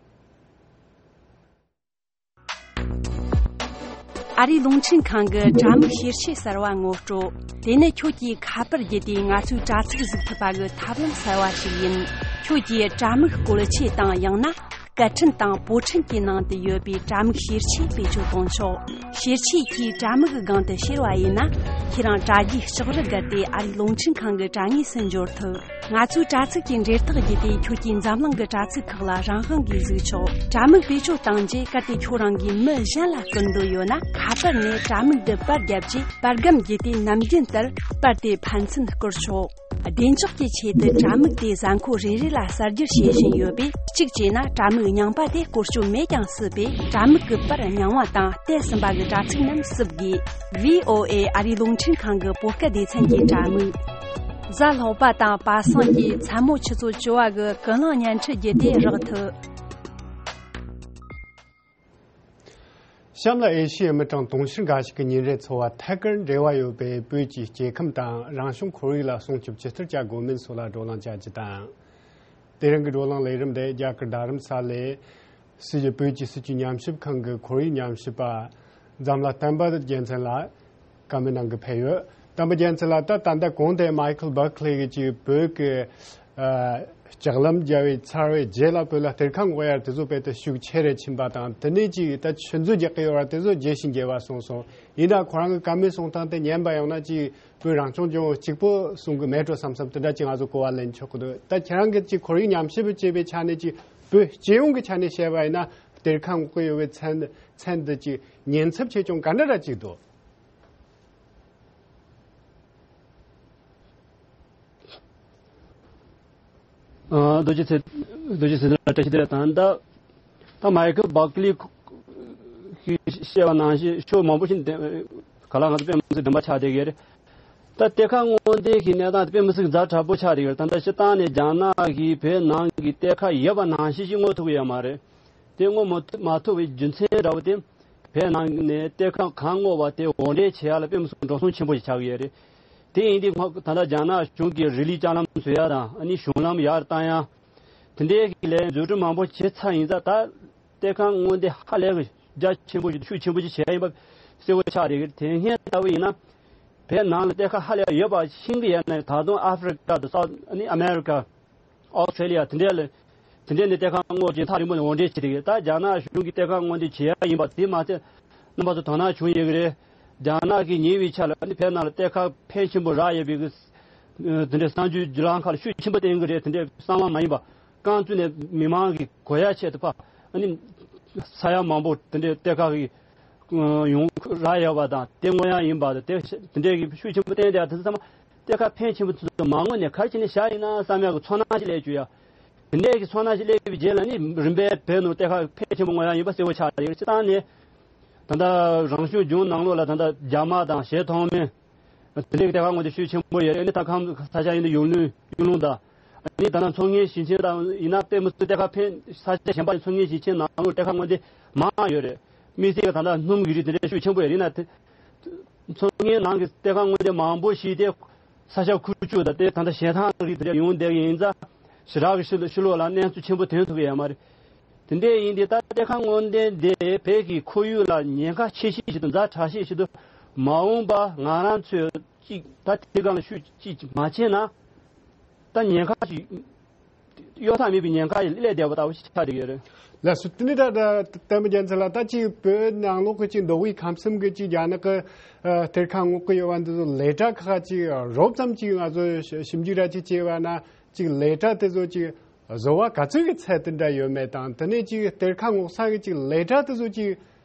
ཨ་རིའི་རླུང་འཕྲིན་ཁང་གི་དྲ་མིག་ཤེར་ཕྱེད་གསར་བ་ངོ་སྤྲོད། དེ་ནི་ཁྱོད་ཀྱིས་ཁ་པར་བརྒྱུད་དེ་ང་ཚོའི་དྲ་ཚིགས་གཟིགས་ཐུབ་པ་གི་ཐབས་ལམ་གསར་བ་ཞིག་ཡིན། ཁྱོད་ཀྱིས་དྲ་མིག་བཀོལ་ཆས་དང་ཡང་ན། པད་ཕྲན་དང་པོ་ཕྲན་གྱི་ནང་དུ་ཡོད་པའི་དྲ་མིག་བཤེར་ཆས་བེད་སྤྱོད་གཏོང་ཆོག་བཤེར་ཆས་ཀྱིས་དྲ་མིག་གི་སྒང་དུ་བཤེར་བ་ཡིན་ན། ཁྱེད་རང་དྲ་རྒྱའི་ལྕགས་རི་བརྒལ་ཏེ་ཨ་རིའི་རླུང་འཕྲིན་ཁང་གི་དྲ་ངོས་སུ་འབྱོར་ཐུབ། ང་ཚོའི་དྲ་ཚིགས་ཀྱི་འབྲེལ་ཐག་བརྒྱུད་དེ་ཁྱོད་ཀྱིས་འཛམ་གླིང་གི་དྲ་ཚིགས་ཁག་ལ་རང་དབང་གིས་གཟིགས་ཆོག་དྲ་མིག་བེད་སྤྱོད་བཏང་རྗེས་གལ་ཏེ་ཁྱོད་རང་གིས་མི་གཞན་ལ་སྐུར་འདོད་ཡོད་ན། ཁ་པར་ནས་དྲ་མིག་འདི་པར་བརྒྱབ་རྗེས་པར་སྒམ་བརྒྱུད་དེ་ནམ་རྒྱུན་ལྟར་པར་དེ་ཕན་ཚུན་བསྐུར་ཆོག་བདེ་འཇགས་ཀྱི་ཆེད་དུ་དྲ་མིག་དེ་གཟའ་འཁོར་རེ་རེ་ལ་གསར་བསྒྱུར་བྱེད་བཞིན་ཡོད་པས། གཅིག་བྱས་ན་དྲ་མིག་རྙིང་པ་དེ་བཀོལ་སྤྱོད་མེད་ཀྱང་སྲིད་པས། དྲ་མིག་གི་པར་རྙིང་བ་དང་བལྟས་ཟིན་པ་གི་དྲ་ཚིགས་རྣམས་བསུབ་དགོས། ཝི་ཨོ་ཨེ་ཨ་རིའི་རླུང་འཕྲིན་ཁང་གི་བོད་སྐད་སྡེ་ཚན་གྱི་དྲ་མིག་གཟའ་ལྷག་པ་དང་པ་སངས་ཀྱིས་མཚན་མོ་ཆུ་ཚོད་བཅུ་པ་གི་ཀུན་གླེང་བརྙན་འཕྲིན་བརྒྱུད་དེ་རག་ཐུབ། གཤམ་ལ་ཨེ་ཤི་ཡའི་མི་གྲངས་དུང་ཕྱུར་འགའ་ཞིག་གི་ཉིན་རེའི་འཚོ་བ་ཐད་ཀར་འབྲེལ་བ་ཡོད་པའི་བོད་ཀྱི་སྐྱེ་ཁམས་དང་རང་བྱུང་ཁོར་ཡུག་ལ་སྲུང་སྐྱོབ་ཇི་ལྟར་བྱ་དགོས་མིན་སོགས་ལ་བགྲོ་གླེང་བྱ་རྒྱུ་དང་། དེ་རིང་གི་བགྲོ་གླེང་ལས་རིམ་དེ་རྒྱ་གར་རྡ་རམ་ས་ལའི་སྲིད་ཀྱི་བོད་ཀྱི་སྲིད་ཀྱི་ཉམས་ཞིབ་ཁང་གི་ཁོར་ཡུག་ཉམས་ཞིབ་པ་འཛམ་ལྷ་བསྟན་པ་རྒྱལ་མཚན་ལགས་བཀའ་མོལ་གནང་གི་ཕེབས་ཡོད། བསྟན་པ་རྒྱལ་མཚན་ལགས། ད་ད་ལྟ་གོང་དེ་མའི་ཁལ་བྷར་ཁི་ལི་གིས་ཅིག་བོད་ཀྱི་ཨ་ལྕགས་ལམ་རྒྱག་པའི་ཚར་བའི་རྗེས་ལ་བོད་ལ་གཏེར་ཁ་སྔོག་ཡ་དེ་ཚོ་དཔེ་དེ་ཤུགས་ཆེ་རུ་ཕྱིན་པ་དང་། དེ་ནས་ཅིག་ད་ཆུ་མཛོད་རྒྱག་གི་ཡོད་པ་དེ་ཚོ་རྒྱས་ཤིང་རྒྱས་པ་སོང་སོང་། ཡིན་ན་ཁོ་རང་གི་བཀའ་མོལ་གསུང་སྟངས་དེ་ཉན་པ་ཡོང་ན་ཅིག་བོད་རང་སྐྱོང་ལྗོངས་གཅིག་པོ་གསུང་གི་མེད་འགྲོ་བསམ་བསམ་དེ་འདྲ་ཅིག་ང་ཚོ་གོ་བ་ལེན་ཆོག་གི་འདུག་ད་ཁྱེད་རང་གིས་ཅིག་ཁོར་ཡུག་ཉམས་ཞིབ་བྱེད་པའི་ཆ་ནས་ཅིག་བོད་སྤྱི་ཡོངས་ཀྱི་ཆ་ནས་བཤད་པ་ཡིན་ན་གཏེར་ཁ་སྔོག་གི་ཡོད་པའི་མཚན་མཚན་འདི་ཅིག་ཉེན་ཚབས་ཆེ་ཆུང་ག་འདྲ་འདྲ་ཅིག་འདུག་ཨ། རྡོ་རྗེ་ཚེ། རྡོ་རྗེ་ཚེ་རིང་ལགས་བཀྲ་ཤིས་བདེ་ལེགས་དང་། ད་ད་མའི་ཁལ་བྷར་ཁི་ལི་གིས་བཤད་པ་ནང་བཞིན་ཕྱོགས་མང་པོ་ཞིག་ནས་ག་ལ་ང་ཚོ་དཔེ་མི་སྲིད་བདེན་པ་ཆགས་བསྡད་ཀྱི་རེད། ད་གཏེར་ཁ་སྔོག་འདོན་གྱི་གནས་སྟངས་དཔེ་མི་སྲིད་ཛ་དྲག་པོ་ཆགས་བསྡད་ཀྱི་རེད། ད་ལྟ་སྤྱིར་བཏང་ནས་རྒྱ་ནག་གིས་བོད་ནང་གི་གཏེར་ཁ་ཡོད་པ་ནང་བཞིན་ཞིག་སྔོག་ཐུབ་ཀྱི་ཡོད་མ་རེད། དེ་སྔོག་མ་ཐུབ་མ་ཐུབ་པའི་རྒྱུ་མཚན་འདྲ་བོ་དེ། བོད་ནང་ནས་གཏེར་ཁ་གང་སྔོག་པ་དེ་དབོར་འདྲེན་བྱེད་ཡ་ལ་དཔེ་མི་སྲིད་འགྲོ་སོང་ཆེན་པོ་ཞིག་ཆགས་ཀྱི་ཡོད་རེད། དེ་ཡིན་དུས་ད་ལྟ་རྒྱ་ནག་གཞུང་གིས་རི་ལི་ལྕགས་ལམ་བཟོ་ཡ་དང་། ཨ་ནི་གཞུང་ལམ་ཡར་བཏང་ཡ། དེ་འདྲའི་གི་ལས་འཛུགས་སྐྲུན་མང་པོ་བྱས་ཚར་ཡིན་ཙང་། ད་གཏེར་ཁ་སྔོག་འདོན་ཧ་ལས་རྒྱ་ཆེན་པོ་ཞིག་ཤུགས་ཆེན་པོ་ཞིག་བྱས་ཡིན་པ་གསལ་པོ་ཆགས་རེད། དེ་སྔོན་ལྟ་བུ་ཡིན་ན་བོད་ནང་ལ་གཏེར་ཁ་ཧ་ལས་ཡོད་པ་ཤེས་ཀྱི་ཡོད་ན། ད་དུང་ཨ་ཧྥེ་རི་ཀ་དང་སའུ་ཨ་ནི་ཨ་མེ་རི་ཀ། ཨོ་སི་ཁྲེ་ལི་ཡ་དེ་འདྲ་ལ། དེ་འདྲ་ནས་གཏེར་ཁ་སྔོག་བྱས་ཐག་རིང་པོ་ནས་དབོར་འདྲེན་བྱེད་ཀྱི་རེད། ད་རྒྱ་ནག་གཞུང་གིས་གཏེར་ཁ་སྔོག་འདོན་བྱེད་ཡ་ཡིན་པ་དེ་མ་ཚད་རྣམ་པ་ཚོ་དོ་སྣང་བྱུང་ཡོད་ཀྱི་རེད། རྒྱ་ནག་གིས་ཉེ་བའི་ཆར་ལ་ཨ་ནི་བོད་ནང་ལ་གཏེར་ཁ་ཕོན་ཆེན་པོ་རག་ཡོད་པའི་གི་དེ་འདྲའི་གསར་འགྱུར་བརྒྱུད་ལམ་ཁག་ལ་ཤུགས་ཆེན་པོ་བསྟན་གྱི་རེད། དེ་འདྲའི་གསང་བ་མ་ཡིན་པ། རྐང་བཙུགས་ནས་མི་མང་གི་གོ་ཡ་ཆེད་དུ་ཕར་ཨ་ནི་ས་ཡ་མང་པོ་དེ་འདྲའི་གཏེར་ཁ་གི་ཡོང་རག་ཡོད་པ་དང་། དེ་སྔོག་ཡ་ཡིན་པ་དང་། དེ་དེ་འདྲའི་གི་ཤུགས་ཆེན་པོ་བསྟན་བསྡད་ཡ་དེ་ཚོ་ཚང་མ་གཏེར་ཁ་ཕོན་ཆེན་པོ་ཚོ་མ་སྔོག་ནས་ག་རེ་བྱས་ནས་བཞག་ཡིན་ན་བསམ་ཡག་གི་ཚོར་སྣང་ཞིག་སླེབས་བཅུག་ཡ། དེ་འདྲའི་གི་ཚོར་སྣང་ཞིག་སླེབས་པའི་རྗེས་ལ་ནི་རིམ་པས་བོད་ནང་གཏེར་ཁ་ཕོན་ཆེན་པོ་སྔོག་ཡ་ཡིན་པ་གསལ་པོ་ཆགས་ཡོད། སྤྱིར་བཏང་ནས་ད་ལྟ་རང་སྐྱོང་ལྗོངས་ནང་ལོགས་ལ་ད་ལྟ་རྒྱ་དམག་དང་གཞས་མཐོང་མེད། དེ་འདྲའི་གཏེར་ཁ་སྔོག་འདོན་ཤུགས་ཆེན་པོ་ཡོད་རེད། ཨ་ནི་ད་ཁམས་ས་ཆ་ཡིན་ན་ཡུལ་ལུང་ཡུལ་ལུང་དང་། ཨ་ནི་ད་ལྟ་མཚོ་སྔོན་ཞིང་ཆེན་དང་ཡིན་ན་དཔེ་མི་སྲིད་གཏེར་ཁ་ཕོན། ས་ཆ་གཞན་པ་མཚོ་སྔོན་ཞིང་ཆེན་ནང་ལོགས་གཏེར་ཁ་སྔོག་འདོན་མང་ཡོད་རེད། དམིགས་བསལ་གྱི་ད་ལྟ་སྣུམ་གྱི་རིགས་དེ་འདྲ་ཤུགས་ཆེན་པོ་ཡོད་རེད། ཡིན་ན་དེ་མཚོ་སྔོན་ནང་གི་གཏེར་ཁ་སྔོག་འདོན་མང་པོ་ཞིག་དེ་ས་ཆ་ཁུག་ཀྱོག་དང་། དེ་ད་ལྟ་གཞན་དག་རིགས་དེ་འདྲ་ཡོང་བསྡད་ཀྱི་ཡིན་ཙང་། ཞེ་དྲག་གི་ཕྱི་ཕྱི་ལོགས་ལ་གནས་ཚུལ་ཆེན་པོ་ཐོན་ཐུབ་ཀྱི་ཡོད་མ་རེད། དེ་འདྲ་ཡིན་དུས་ད་གཏེར་ཁ་སྔོག་འདོན་དེ་བོད་ཀྱི་ཁོར་ཡུག་ལ་ཉེན་ཁ་ཆེ་ཤོས་ཤིག་དང་ཛ་དྲག་ཤོས་ཤིག་འདུག་མ་འོངས་པ་ང་རང་ཚོས་ཅིག་ད་དེ་སྒང་ལ་ཤུགས་ཅིག་མ་བྱས་ན། ད་ཉེན་ཁ་ཅིག་གཡོལ་ཐབས་མེད་པའི་ཉེན་ཁ་ཞིག་སླེབས་བསྡད་པ་ལྟ་བུ་ཞིག་ཆགས་བསྡད་ཡོད་རེད། ལགས་སོ། དེ་ནས་ད་ད་བསྟན་པ་རྒྱལ་མཚན་ལགས། ད་ཅིག་བོད་ནང་ལོགས་ཀྱི་ཅིག་མདོ་དབུས་ཁམས་གསུམ་གྱི་ཅིག་རྒྱ་ནག་གི་ཨ་གཏེར་ཁ་སྔོག་གི་ཡོད་པ་འདི་ཚོ་ལས་གྲྭ་ཁག་ཅིག་རོབ་ཙམ་ཅིག་ང་ཚོས་ཞིབ་འཇུག་ར་ཅིག་བྱས་པ་ན། ཅིག་ལས་གྲྭ་དེ་ཚོ་ཅིག་བཟོ་བ་ག་ཚོད་ཀྱི་ཚད་དེ་འདྲ་ཡོད་མེད་དང་། དེ་ནས་ཅིག་གཏེར་ཁ་སྔོག་ས་གི་ཅིག་ལས་གྲྭ་དེ་ཚོ་ཅིག་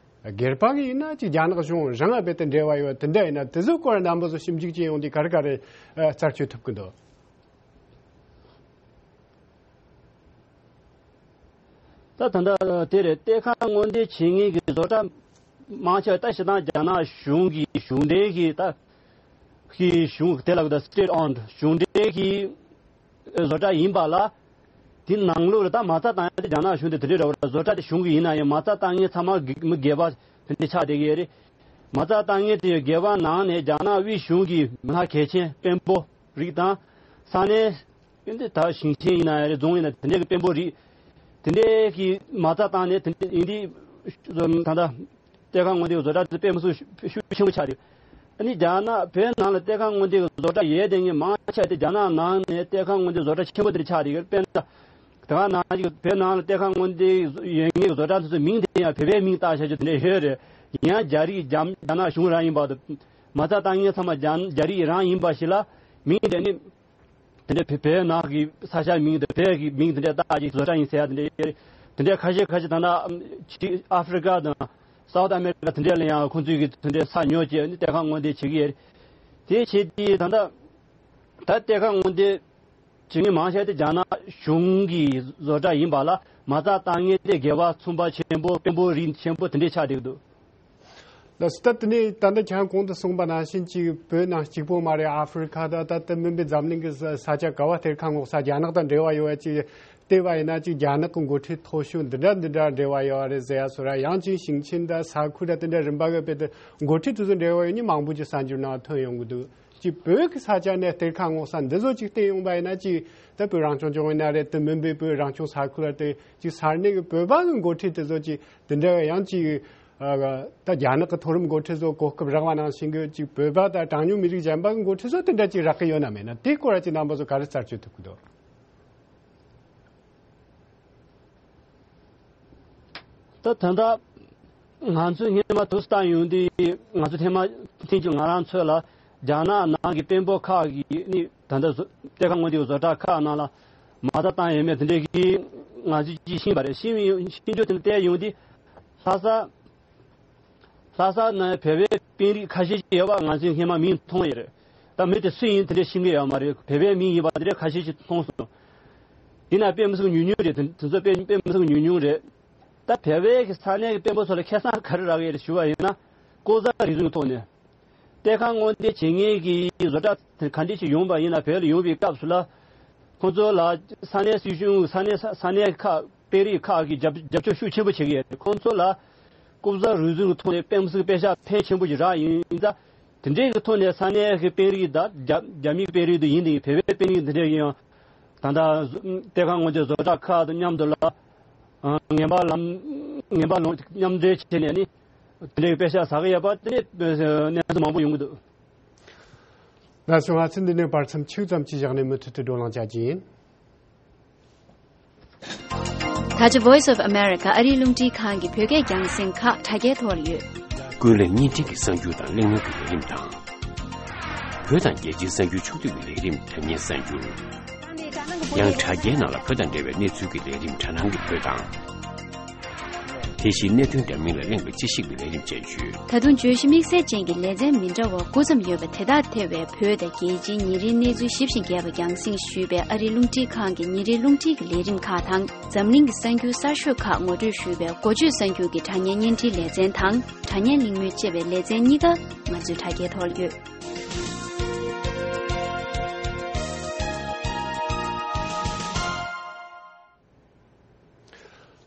སྒེར་པ་གི་ཡིན་ན་ཅིག་རྒྱ་ནག་གཞུང་རང་ལ་རྦད་དེ་འབྲེལ་བ་ཡོད་དེ་འདྲ་ཡིན་ན། དེ་ཚོའི་སྐོར་རྣམ་པ་ཚོ་ཞིབ་འཇུག་བྱེད་ཡོང་དུས་ག་རེ་ག་རེ་ཨ་རྩད་གཅོད་ཐུབ་ཀྱི་འདུག་ད་ད་ལྟ་དེ་རེད། གཏེར་ཁ་སྔོག་འདོན་བྱེད་མཁན་གྱི་བཟོ་གྲྭ་མང་ཆེ་བ་ད་སྤྱིར་བཏང་རྒྱ་ནག་གཞུང་གི་གཞུང་འབྲེལ་གྱི་ད་གི་གཞུང་དེ་ལ་ད་state owned གཞུང་འབྲེལ་གྱི་བཟོ་གྲྭ་ཡིན་པ་ལ། དེ་ནང་ལོགས་ལ་ད་མ་རྩ་བཏང་ཡ་དེ་རྒྱ་ནག་གཞུང་དེ་དེ་འདྲའི་རེད་བ། བཟོ་གྲྭ་དེ་གཞུང་གི་ཡིན་ན་ཡང་མ་རྩ་བཏང་མཁན་ཚང་མ་སྒེ་མི་སྒེར་པ་དེ་འདྲ་ཆགས་བསྡད་ཀྱི་ཡོད་རེད། མ་རྩ་བཏང་མཁན་དེ་སྒེར་པ་ནང་ནས་རྒྱ་ནག་དབུས་གཞུང་གི་མི་སྣ་གལ་ཆེན་དཔོན་པོ་རིགས་དང་། ས་གནས་ཨིན་དེ་ད་ཞིང་ཆེན་ཡིན་ན་ཡང་རེད། རྫོང་ཡིན་ན། དེ་འདྲའི་གི་དཔོན་པོ་རིགས་དེ་འདྲའི་གི་མ་རྩ་བཏང་ནས་དེ་འདྲའི་ཡིན་དེ། ད་ལྟ་གཏེར་ཁ་སྔོག་འདོན་བཟོ་གྲྭ་དེ་དཔེ་མི་སྲིད་ཤུགས་ཆེན་པོ་ཆགས་རེད། ཨ་ནི་རྒྱ་ནག་བོད་ནང་ལ་གཏེར་ཁ་སྔོག་འདོན་གྱི་བཟོ་གྲྭ་ཡོད་དེ་ངས་མང་ཆེ་དེ་རྒྱ་ནག་ནང་ནས་གཏེར་ཁ་སྔོག་འདོན་བཟོ་གྲྭ་ཆེན་པོ་དེ་འདྲ་ཆགས་རེད། དཔེར་ན་ དེ་ག་ནང་བཞིན་བོད་ནང་ལ་གཏེར་ཁ་སྔོག་འདོན་ཡོད་མཁན་གྱི་བཟོ་གྲྭ་དེ་ཚོའི་མིང་དེ་ཡང་བོད་པའི་མིང་བཏགས་བཞག་རྒྱུ་དེ་འདྲ་ཡོད་རེད། ཡང་རྒྱ་རིགས་རྒྱ་རྒྱ་ནག་གཞུང་རང་ཡིན་པ་དང་། མ་རྩ་བཏང་མཁན་ཚང་མ་རྒྱ་རྒྱ་རིགས་རང་ཡིན་པ་ཞིག་ལ་མིང་དེ་ནི། དེ་འདྲ་བོད་བོད་ནང་གི་ས་ཆ་མིང་དང་བོད་ཀྱི་མིང་དེ་འདྲ་བཏགས་ཀྱི་བཟོ་གྲྭ་ཡིན་ཟེར་ཡ་དེ་འདྲ་ཡོད་རེད། དེ་འདྲ་ཁ་ཤས་ཁ་ཤས་ད་ལྟ་ཕྱི་ཨ་ཧྥེ་རི་ཀ་དང་སའུ་ཐི་ཨ་མེ་རི་ཀ་དེ་འདྲ་ལ་ཡང་ཁོང་ཚོས་ཀྱི་དེ་འདྲ་ས་ཉོ་བྱས་ནས་གཏེར་ཁ་སྔོག་འདོན་བྱེད་ཀྱི་ཡོད་རེད། དེ་བྱས་དུས་ད་ལྟ་ད་གཏེར་ཁ་སྔོག་འདོན་བྱེད་མཁན་མང་ཆེ་དེ་རྒྱ་ནག་གཞུང་གི་བཟོ་གྲྭ་ཡིན་པ་ལ་མ་རྩ་བཏང་མཁན་དེ་དགེ་བ་ཚོང་པ་ཆེན་པོ་དཔོན་པོ་རིགས་ཆེན་པོ་དེ་འདྲ་ཆགས་བསྡད་ཀྱི་འདུག་ལགས་སོ། ད་དེ་ནས་ད་ལྟ་ཁྱེད་རང་གོང་དུ་གསུངས་པ་ནང་བཞིན་གཅིག་བོད་ནང་གཅིག་པོ་མ་རེད། ཨ་ཧྥེ་རི་ཁ་དང་ད་ལྟ་མིན་པའི་འཛམ་གླིང་གི་ས་ས་ཆ་ག་བ་གཏེར་ཁ་སྔོག་ས་རྒྱ་ནག་དང་འབྲེལ་བ་ཡོད་པ་ཅིག་བལྟས་པ་ཡིན་ན་ཅིག་རྒྱ་ནག་གི་འགོ་ཁྲིད་མཐོ་ཤོས་འདི་འདྲ་འདི་འདྲ་འབྲེལ་བ་ཡོད་རེད་ཟེར་ཡ་སོགས་ར། ཡང་ཅིག་ཞིང་ཆེན་དང་ས་ཁུལ་དང་དེ་འདྲ་རིམ་པ་གི་དཔེ་དེ་འགོ་ཁྲིད་དེ་ཚོ་འབྲེལ་བ་ཡོད་མཁན་མང་པོ་ཅིག་གསར་འགྱུར་ནང་ཐོན་ཡོང་གི་འདུག་ཅིག་བོད་ཀྱི་ས་ཆ་ནས་གཏེར་ཁ་སྔོག་ས་འདི་ཚོ་ཅིག་བལྟས་ཡོང་པ་ཡིན་ན་ཅིག་ད་བོད་རང་སྐྱོང་ལྗོངས་ཡིན་ན་རེད། དེ་མིན་པའི་བོད་རང་སྐྱོང་ས་ཁུལ་ལ་དེ་ཅིག་ས་གནས་ཀྱི་བོད་པ་གི་འགོ་ཁྲིད་དེ་ཚོ་ཅིག་དེ་འདྲ་ཡང་ཅིག་ཨ། ད་རྒྱ་ནག་གི་མཐོ་རིམ་འགོ་ཁྲིད་ཚོ་གོ་སྐབས་རག་པ་ནང་བཞིན་གྱི་ཅིག་བོད་པ་དང་གྲངས་ཉུང་མི་རིགས་གཞན་པ་གི་འགོ་ཁྲིད་ཚོ་དེ་འདྲ་ཅིག་རག་གི་ཡོད་ན་མེད་ན། དེའི་སྐོར་ཅིག་རྣམ་པ་ཚོ་ག་རེ་རྩད་གཅོད་ཐུབ་ཀྱི་འདུག་ད་ད་ལྟ་ང་ཚོས་སྔོན་མ་དུས་སུ་བལྟས་ཡོང་དུས། ང་ཚོ་ཐེངས་མ་ཐེངས་གཅིག་ང་རང་ཚོ་ལ་རྒྱ་ནག་ནང་གི་དཔོན་པོ་ཁག་གིས་ནི་ད་ལྟ་བཟོ་གཏེར་ཁ་སྔོག་འདོན་བཟོ་གྲྭ་ཁག་ནང་ལ་མ་རྩ་བཏང་ཡོད་མེད་དེ་འདྲའི་གི་ང་ཚོས་ཅིག་ཤེས་པ་རེད། ཤེས་ཡོང་ཤེས་རྒྱུ་དེ་ལ་བལྟས་ཡོང་དུས། ལྷ་ས། ལྷ་ས་ནང་བོད་པའི་དཔོན་རིགས་ཁ་ཤས་ཅིག་ཡོད་པ་ང་ཚོས་སྔོན་མ་མིང་མཐོང་ཡོད་རེད། ད་མི་དེ་སུ་ཡིན་དེ་འདྲ་ཤེས་ཀྱི་ཡོད་མ་རེད། བོད་པའི་མིང་ཡིན་པ་དེ་འདྲ་ཁ་ཤས་ཤིག་མཐོང་སོང་། ཡིན་ན་དཔེ་མི་སྲིད་ཉུང་ཉུང་རེད། དེ་དེ་ཚོ་དཔེ་དཔེ་མི་སྲིད་ཉུང་ཉུང་རེད། ད་བོད་པའི་གི་ས་གནས་ཀྱི་དཔོན་པོ་ཚོ་ལ་ཁེ་བཟང་ག་རེ་རག་གི་རེད་ཞུ་བ་ཡིན་ན། ལྐོག་ཟ་རུལ་སུངས་ཐོག་ནས། གཏེར་ཁ་སྔོག་འདོན་བྱེད་མཁན་གྱི་བཟོ་གྲྭ་ག་འདྲ་ཞིག་ཡོང་པ་ཡིན་ན། བོད་ལ་ཡོང་བའི་སྐབས་སུ་ལ། ཁོང་ཚོ་ལ་ས་གནས་སྲིད་གཞུང་། ས་གནས་ས་ས་གནས་ཁག་དཔོན་རིགས་ཁག་གིས་རྒྱབ་རྒྱབ་སྐྱོར་ཤུགས་ཆེན་པོ་བྱེད་ཀྱི་ཡོད་རེད། ཁོང་ཚོ་ལ་ལྐོག་ཟ་རུལ་སུངས་ཀྱི་ཐོག་ནས་དཔེ་མི་སྲིད་པེ་ཤག་ཕོན་ཆེན་པོ་ཞིག་རག་ཡིན་ཙང་། དེ་འདྲའི་གི་ཐོག་ནས་ས་གནས་ཀྱི་དཔོན་རིགས་དང་རྒྱ་རྒྱ་མིའི་དཔོན་རིགས་དེ་ཡིན་དེ། བོད་པའི་དཔོན་རིགས་འདི་འདྲས་ཀྱིས་ཡང་ད་ལྟ་གཏེར་ཁ་སྔོག་འདོན་བཟོ་གྲྭ་ཁག་དང་མཉམ་དུ་ལ་ངན་པ་ལམ་ངན་པ་ལམ་མཉམ་འབྲེལ་བྱས་ནས་ནི་དེ་འདྲའི་པེ་ཤག་ཟ་གི་ཡོད་པ་དེ་འདྲའི་གནས་ཚུལ་མང་པོ་ཡོང་གི་འདུག་ལགས་སོ། ང་ཚོས་འདི་ནས་བར་མཚམས་ཆུང་ཙམ་ཅིག་བཞག་ནས་མུ་མཐུད་དུ་བགྲོ་གླེང་བྱ་རྒྱུ་ཡིན། ད་ཆ་Voice of America ཨ་རིའི་རླུང་འཕྲིན་ཁང་གི་བོད་སྐད་རྒྱང་སྲིང་ཁག་དྲ་རྒྱའི་ཐོག་ལ་ཡོད། ཀུན་གླེང་བརྙན་འཕྲིན་གྱི་གསར་འགྱུར་དང་གླེང་མོལ་གྱི་ལས་རིམ་དང་། བོད་དང་རྒྱལ་སྤྱིའི་གསར་འགྱུར་ཕྱོགས་བསྡུས་ཀྱི་ལས་རིམ་དྲ་བརྙན་གསར་འགྱུར། ཡང་དྲ་རྒྱའི་ནང་ལ་བོད་དང་འབྲེལ་བའི་གནས་ཚུལ་གྱི་ལས་རིམ་དྲ་སྣང་གི་བོད་དང་། དེ་བཞིན་གནད་དོན་འདྲ་མིན་ལ་གླེང་བའི་དཔྱད་ཞིབ་ཀྱི་ལས་རིམ་བཅས་ཡོད། ད་དུང་བརྗོད་གཞི་དམིགས་བསལ་ཅན་གྱི་ལེ་ཚན་མི་འདྲ་བ་དགུ་ཙམ་ཡོད་པ་དེ་དག་ཐེ་བའི་བོད་དང་རྒྱལ་སྤྱིའི་ཉིན་རེའི་གནས་ཚུལ་ཞིབ་ཅིང་རྒྱས་པ་རྒྱང་སྲིང་ཞུས་པའི་ཨ་རིའི་རླུང་འཕྲིན་ཁང་གི་ཉིན་རེའི་རླུང་འཕྲིན་གྱི་ལས་རིམ་ཁག་དང་། འཛམ་གླིང་གི་གསར་འགྱུར་གསར་ཤོས་ཁག་ངོ་སྤྲོད་ཞུས་པའི་འགོ་བརྗོད་གསར་འགྱུར་གྱི་དྲ་བརྙན་བརྙན་འཕྲིན་ལེ་ཚན་དང་། དྲ་བརྙན་གླེང་མོལ་ཅེས་པའི་ལེ་ཚན་གཉིས་ཀ་ང་ཚོའི་དྲ་རྒྱའི་ཐོག་ཡོད།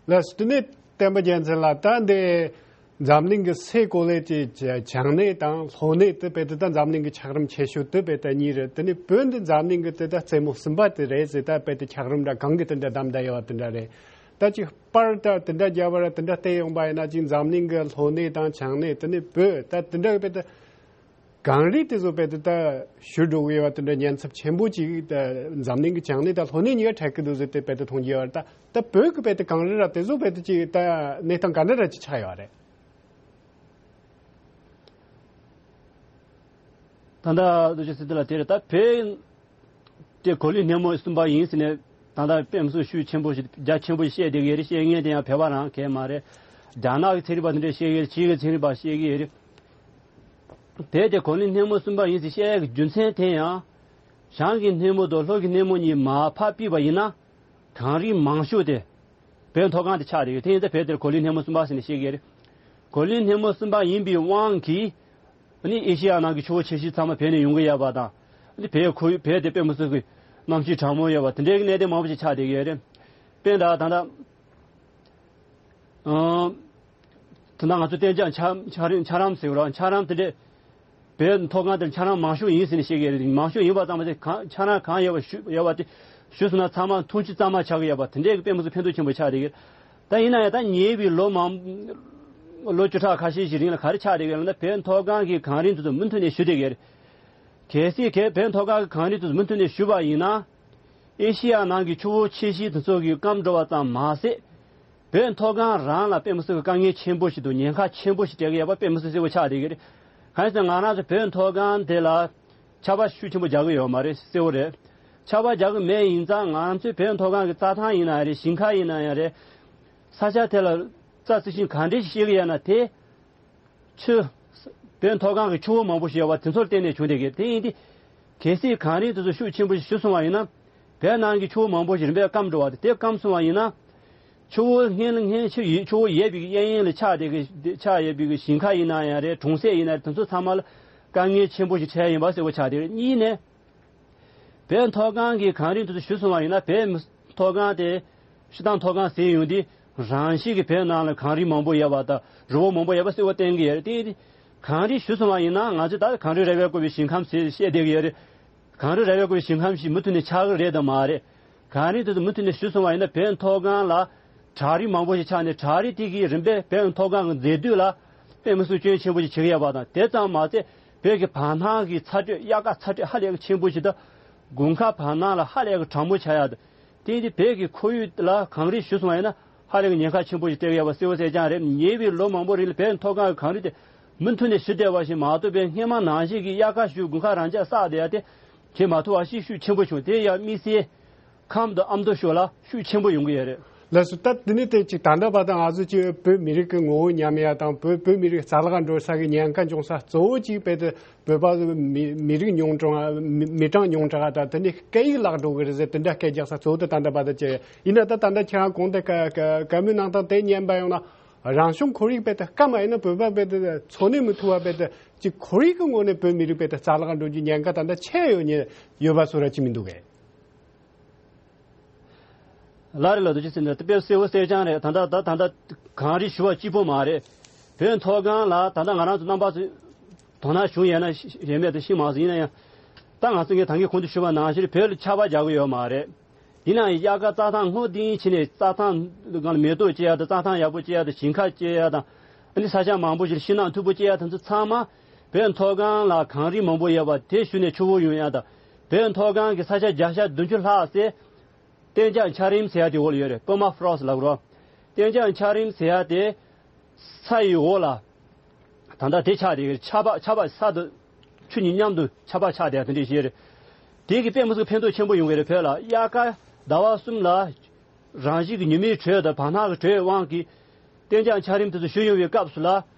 ལགས་སོ། དེ་ནས་བསྟན་པ་རྒྱལ་མཚན་ལགས། ད་འདི་འཛམ་གླིང་གི་སའི་གོ་ལའི་གི་བྱང་གནས་དང་ལྷོ་གནས་དེ་དཔེ་དེ་ད་འཛམ་གླིང་གི་འཁྱགས་རོམ་ཆེ་ཤོས་དེ་དཔེ་དེ་གཉིས་རེད། དེ་ནས་བོད་འདི་འཛམ་གླིང་གི་དེ་ད་རྩེ་མོ་གསུམ་པ་དེ་རེད་ཟེར། ད་དཔེ་དེ་འཁྱགས་རོམ་འདྲ་གང་གི་དེ་འདྲ་བདམས་བསྡད་ཡོད་པ་དེ་འདྲ་རེད། ད་ཅིག་པར་ད་དེ་འདྲ་རྒྱབ་པ་ར་དེ་འདྲ་བལྟས་ཡོང་པ་ཡིན་ན། ཅིག་འཛམ་གླིང་གི་ལྷོ་གནས་དང་བྱང་གནས། དེ་ནས་བོད་ད་དེ་འདྲ་གི་དཔེ་དེ། གངས་རི་དེ་ཚོ་དཔེ་དེ་ད་ཞུ་འགྲོ་གི་ཡོད་པ་དེ་འདྲ་ཉེན་ཚབས་ཆེན་པོ་ཅིག་ད་འཛམ་གླིང་གི་བྱང་གནས་དང་ལྷོ་གནས་གཉིས་ཀ་འཕྲད་ཀྱི་འདུག་ཟེར་ཏེ་དཔེ་དེ་མཐོང་གི་ཡོད་རེད། ད་ད་བོད་ཀྱི་དཔེ་དེ་གངས་རི་ར་དེ་ཚོ་དཔེ་དེ་ཅིག་ད་གནས་སྟངས་ག་འདྲ་ར་ཅིག་ཆགས་ཡོད་རེད། ད་ལྟ་ལོ་ཅི་སྲིད་དེ་ལ་དེ་རེད། ད་བོད་དེ་གོ་ལའི་སྣེ་མོ་གསུམ་པ་ཡིན་ཟེར་ནས་ད་ལྟ་དཔེ་མི་སྲིད་ཤུགས་ཆེན་པོ་ཞིག་རྒྱ་ཆེན་པོ་ཞིག་བཤད་བསྡད་ཀྱི་ཡོད་རེད། བཤད་མཁན་དེ་ཡང་བོད་པ་རང་གས་མ་རེད། རྒྱ་ནག་གི་ཚན་རིག་པ་དེ་འདྲས་བཤད་ཀྱི་ཡོད་རེད། ཕྱི་གི་ཚན་རིག་པ་བཤད་ཀྱི་ཡོད་རེད། བོད་དེ་གོ་ལའི་སྣེ་མོ་གསུམ་པ་ཡིན་ཟེར་བཤད་ཡག་གི་རྒྱུ་མཚན་དེ་ཡང་། བྱང་གི་སྣེ་མོ་དང་ལྷོ་གི་སྣེ་མོ་གཉིས་མར་ཕར་ཕུད་པ་ཡིན་ན། གངས་རི་མང་ཤོས་དེ་བོད་མཐོ་སྒང་དེ་ཆགས་བསྡད་ཡོད། དེ་ཡིན་ཙང་བོད་དེར་གོ་ལའི་སྣེ་མོ་གསུམ་པ་ཟེར་ནས་བཤད་ཀྱི་ཡོད་རེད། གོ་ལའི་སྣེ་མོ་གསུམ་པ་ཡིན་པའི་དབང་གིས། ཨ་ནི་ཨེ་ཤེ་ཡ་ནང་གི་ཆུ་བོ་ཆེ་ཤོས་ཚང་མ་བོད་ནས་ཡོང་གི་ཡོད་པ་དང་། ཨ་ནི་བོད་ཁུལ་བོད་དེ་དཔེ་མི་སྲིད་ཀྱི་གནམ་གཤིས་གྲང་མོ་ཡོད་པ་དེ་འདྲའི་གནད་དོན་མང་པོ་ཞིག་ཆགས་བསྡད་ཀྱི་ཡོད་རེད། དཔེར་ན་ད་ལྟ། ཨང་། ད་ལྟ་ང་ཚོ་གཏན་འཇགས་འཁྱགས་འཁྱགས་རོམ་འཁྱགས་རོམ་ཟེར་བ་ར། འཁྱགས་རོམ་དེ་འདྲས་བོད་མཐོ་སྒང་དེར་འཁྱགས་རོམ་མང་ཤོས་ཡིན་ཟེར་ནས་བཤད་ཀྱི་རེད། མང་ཤོས་ཡིན་པ་ཙམ་པ་དེ་གང་འཁྱགས་རོམ་གང་ཡོད་པ་ཞུ་ཡོད་པ་དེ་ཞུས་སོང་ན་ཚང་མ་འཐུང་ཆུ་གཙང་མ་ཆགས་ཀྱི་ཡོད་པ་དེ་འདྲས་ཀྱི་དཔེ་མི་སྲིད་ཕན་ཐོགས་ཆེན་པོ་ཆགས་བསྡད་ཀྱི་རེད། ད་ཡིན་ན་ཡང་ད་ཉེ་བའི་ལོ་མང་ལོ་བཅུ་ཕྲག་ཁ་ཤས་ཤིག་རིང་ལ་ག་རེ་ཆགས་བསྡད་ཀྱི་རེད་ལབ་ན། བོད་མཐོ་སྒང་གི་གངས་རི་དེ་ཚོ་མུ་མཐུད་ནས་ཞུ་བསྡད་ཀྱི་རེད། གལ་སྲིད་གལ་བོད་མཐོ་སྒང་གི་གངས་རི་དེ་ཚོ་མུ་མཐུད་ནས་ཞུ་བ་ཡིན་ན། ཨེ་ཤི་ཡ་ནང་གི་ཆུ་བོ་ཆེ་ཤོས་དེ་ཚོ་གི་སྐམ་འགྲོ་བ་ཙམ་མ་ཟད། བོད་མཐོ་སྒང་རང་ལ་དཔེ་མི་སྲིད་པའི་དཀའ་ངལ་ཆེན་པོ་ཞིག་འདུག་ཉེན་ཁ་ཆེན་པོ་ཞིག་འཕྲད་ཀྱི་ཡོད་པ་དཔེ་མི་སྲིད་གསལ་པོ་ཆགས་བསྡད་ཀྱི་རེད། གང་ཡིན་ཟེར་ན་ང་རང་ཚོ་བོད་མཐོ་སྒང་དེ་ལ་ཆར་པ་ཤུགས་ཆེན་པོ་རྒྱག་གི་ཡོད་མ་རེད། གསལ་པོ་རེད། ཆར་པ་རྒྱག་གི་མེད་ཡིན་ཙང་ང་ཚོའི་བོད་མཐོ་སྒང་གི་རྩྭ་ཐང་ཡིན་ན་ཡང་རེད། ཞིང་ཁ་ཡིན་ན་ཡང་རེད། ས་ཆ་དེ་ལ་རྩྭ་རྩི་ཤིང་ག་འདྲ་ཞིག་སྐྱེ་གི་ཡོད་ན་དེ། ཆུ། བོད་མཐོ་སྒང་གི་ཆུ་བོ་མང་པོ་ཞིག་ཡོད་པ་དེ་ཚོར་བརྟེན་ནས་བྱུང་བསྡད་ཀྱི་དེ་ཡིན་ཏེ། གལ་སྲིད་གངས་རི་དེ་ཚོ་ཤུགས་ཆེན་པོ་ཞིག་ཞུ་སོང་བ་ཡིན་ན། བོད་ནང་གི་ཆུ་བོ་མང་པོ་ཞིག་རིམ་པས་སྐམ་འགྲོ་བ་དེ་དེ་སྐམ་སོང་བ་ཡིན་ན། ཆུ་བོ་སྔོན་ལ་སྔོན་ཆུ་ཡི་ཆུ་བོ་ཡོད་པའི་གཡས་གཡོན་ལ་ཆགས་བསྡད་ཀྱི་ཆགས་ཡོད་པའི་གི་ཞིང་ཁ་ཡིན་ན་ཡང་རེད། གྲོང་གསེབ་ཡིན་ན་རེད། དེ་ཚོ་ཚང་མ་ལ་དཀའ་ངལ་ཆེན་པོ་ཞིག་འཕྲད་ཡིན་པ་གསལ་པོ་ཆགས་བསྡད་རེད། གཉིས་ནས། བོད་མཐོ་སྒང་གི་གངས་རི་དེ་ཚོ་ཞུ་སོང་བ་ཡིན་ན། བོད་མཐོ་སྒང་དེ་ཤུ་དང་མཐོ་སྒང་ཟེར་ཡོང་དུས་རང་བཞིན་གྱིས་བོད་ནང་ལ་གངས་རི་མང་པོ་ཡོད་པ་དང་རི་བོ་མང་པོ་ཡོད་པ་གསལ་པོ་བསྟན་གྱི་ཡོད་རེད། དེ་གངས་རི་ཞུ་སོང་བ་ཡིན་ན་ང་ཚོས་ད་གངས་རི་ར་བས་བསྐོར་བའི་ཞིང་ཁམས་ཟེར་བཤད་བསྡད་ཀྱི་ཡོད་རེད། གངས་རི་ར་བས་བསྐོར་བའི་ཞིང་ཁམས་ཤིག་མུ་མཐུད་ནས་ཆགས་ཀྱི་རེད་དམ་མ་རེད། གངས་རི་དེ་ཚོ་མུ་མཐུད་ནས་ཞུ་སོང་བ་ཡིན་ན་བོད་མཐོ་སྒང་ལ་བྲག་རི་མང་པོ་ཞིག་ཆགས་ནས་བྲག་རི་དེ་གིས་རིམ་པས་བོད་མཐོ་སྒང་གི་མཛེས་སྡུག་ལ་དཔེ་མི་སྲིད་སྐྱོན་ཆེན་པོ་ཞིག་བྱེད་ཀྱི་ཡོད་པ་དང་། དེ་ཙམ་མ་ཟད་བོད་ཀྱི་བར་སྣང་གི་ཚ་དྲོད། དབྱར་ཁ་ཚ་དྲོད་ཧ་ལས་ཀྱི་ཆེན་པོ་ཞིག་དང་། དགུན་ཁ་བར་སྣང་ལ་ཧ་ལས་ཀྱི་གྲང་མོ་ཆགས་ཡག་དང་། དེ་ཡིན་དུས་བོད་ཀྱི་ཁོར་ཡུག་ལ་གངས་རི་ཞུ་སོང་བ་ཡིན་ན་ཧ་ལས་ཀྱི་ཉེན་ཁ་ཆེན་པོ་ཞིག་སྤྲད་ཀྱི་ཡོད་པ་གསལ་པོ་གསལ་རྐྱང་རེད། ཉེ་བའི་ལོ་མང་པོ་རིང་ལ་བོད་མཐོ་སྒང་གི་གངས་རི་དེ་མུ་མཐུད་ནས་ཞུ་བསྡད་པ་ཞིག་མ་གཏོགས་པའི་སྔོན་མ་ནང་བཞིན་གྱི་དབྱར་ཁ་ཞུ་དགུན་ཁ་རང་འཇགས་བསགས་བསྡད་ཡག་དེ་བྱེད་མ་ཐུབ་པ་ཞིག་ཤུགས་ཆེན་པོ་བྱུང་། དེ་ཡང་དམིགས་བསལ་ཁམས་དང་ཨ་མདོ་ཕྱོགས་ལ་ཤུགས་ཆེན་པོ་ཡོང་གི་ཡོད་རེད། ལགས་སོ། ད་དེ་ནས་དེ་ཅིག་ད་ལྟ་བར་དུ་ང་ཚོ་ཅིག་བོད་མི་རིགས་ཀྱི་ངོ་བོ་ཉམས་ཡ་དང་བོད་བོད་མི་རིགས་རྩ་བརླག་འགྲོ་ས་གི་ཉེན་ཁ་འབྱུང་ས་གཙོ་བོ་ཅིག་དཔེ་དེ་བོད་པ་མི་མི་རིགས་ཉུང་དྲགས། མི་མི་གྲངས་ཉུང་དྲགས་དང་དེ་ནས་སྐད་ཡིག་བརླག་འགྲོ་གི་རེད་ཟེར། དེ་འདྲ་སྐད་རྒྱག་ས་གཙོ་བོ་དེ་ད་ལྟ་བར་དུ་ཅི་ཡིན་ན། ད་ད་ལྟ་ཁྱེད་རང་གོང་དེ་བཀའ་བཀའ་བཀའ་མོལ་གནང་སྟངས་དེ་ཉན་པ་ཡོང་ན། རང་བྱུང་ཁོར་ཡུག་དཔེ་དེ་སྐམ་པ་ཡིན་ན་བོད་པ་དཔེ་དེ་འཚོ་གནས་མི་ཐུབ་པ་དཔེ་དེ་ཅིག་ཁོར་ཡུག་གི་ངོས་ནས་བོད་མི་རིགས་དཔེ་དེ་རྩ་བརླག་འགྲོ་རྒྱུ་ཉེན་ཁ་ད་ལྟ་ཆེ་ཡོད་ཉེ་ཡོད་པ་བཟོ་འདྲ་ཅིག་མི་འདུག་གས། ལགས་རེད་ལགས། རྡོ་རྗེ་སེམས་དཔའ་དཔེ་གསལ་པོ་གསལ་རྐྱང་རེད། ད་ལྟ་ད་ད་ལྟ་གངས་རི་ཞུ་བ་གཅིག་པོ་མ་རེད། བོད་མཐོ་སྒང་ལ་ད་ལྟ་ང་རང་ཚོ་རྣམ་པ་ཚོས་དོ་སྣང་བྱུང་ཡོད་ན་ཡོད་མེད་དེ་ཤེས་མ་སོང་། ཡིན་ན་ཡང་ད་ང་ཚོ་ངས་ད་གིན་གོང་དུ་ཞུས་པ་ནང་བཞིན་བོད་ལ་ཆར་པ་རྒྱག་གི་ཡོད་མ་རེད། ཡིན་ན་ཡང་དབྱར་ཁ་རྩྭ་ཐང་སྔོ་ལྡིང་བྱས་ནས་རྩྭ་ཐང་སྒང་ལ་མེ་ཏོག་སྐྱེ་ཡག་དང་རྩྭ་ཐང་ཡག་པོ་སྐྱེ་ཡག་དང་ཞིང་ཁ་སྐྱེ་ཡག་དང་། ཨ་ནི་ས་ཆ་མང་པོ་ཞིག་ལ་ཤིང་ནགས་མཐུག་པོ་སྐྱེ་ཡག་དེ་ཚོ་ཚང་མ་བོད་མཐོ་སྒང་ལ་གངས་རི་མང་པོ་ཡོད་པ་དེ་ཞུ་ནས་ཆུ་བོ་ཡོང་ཡག་དང་། བོད་མཐོ་སྒང་གི་ས་ཆ་བརྒྱ་ཆ་བདུན་ཅུ་ལྷག་ཙམ་གཏན་འཇགས་འཁྱགས་རོམ་ཟེར་ཡག་དེ་འོག་ལ་ཡོད་རེད། པར་མ་ཕི་རོ་སི་ལབ་རོ། གཏན་འཇགས་འཁྱགས་རོམ་ཟེར་ཡག་དེ་ས་ཡི་འོག་ལ་ད་ལྟ་དེ་ཆགས་བསྡད་ཀྱི་རེད། ཆར་པ་ཆར་པ་ས་དང་ཆུ་གཉིས་མཉམ་དུ་ཆར་པ་ཆགས་བསྡད་ཡག་དེ་འདྲ་ཞིག་རེད། དེ་གི་དཔེ་མི་སྲིད་ཕན་ཐོགས་ཆེན་པོ་ཡོང་གི་རེད། བོད་ལ་དབྱར་ཁ་ཟླ་བ་གསུམ་ལ། རང་བཞིན་གྱི་ཉི་མའི་དྲོད་དང་བར་སྣང་གི་དྲོད་དབང་གིས་གཏན་འཇགས་འཁྱགས་རོམ་དེ་ཚོ་ཞུ་ཡོང་བའི་སྐབས་སུ་ལ་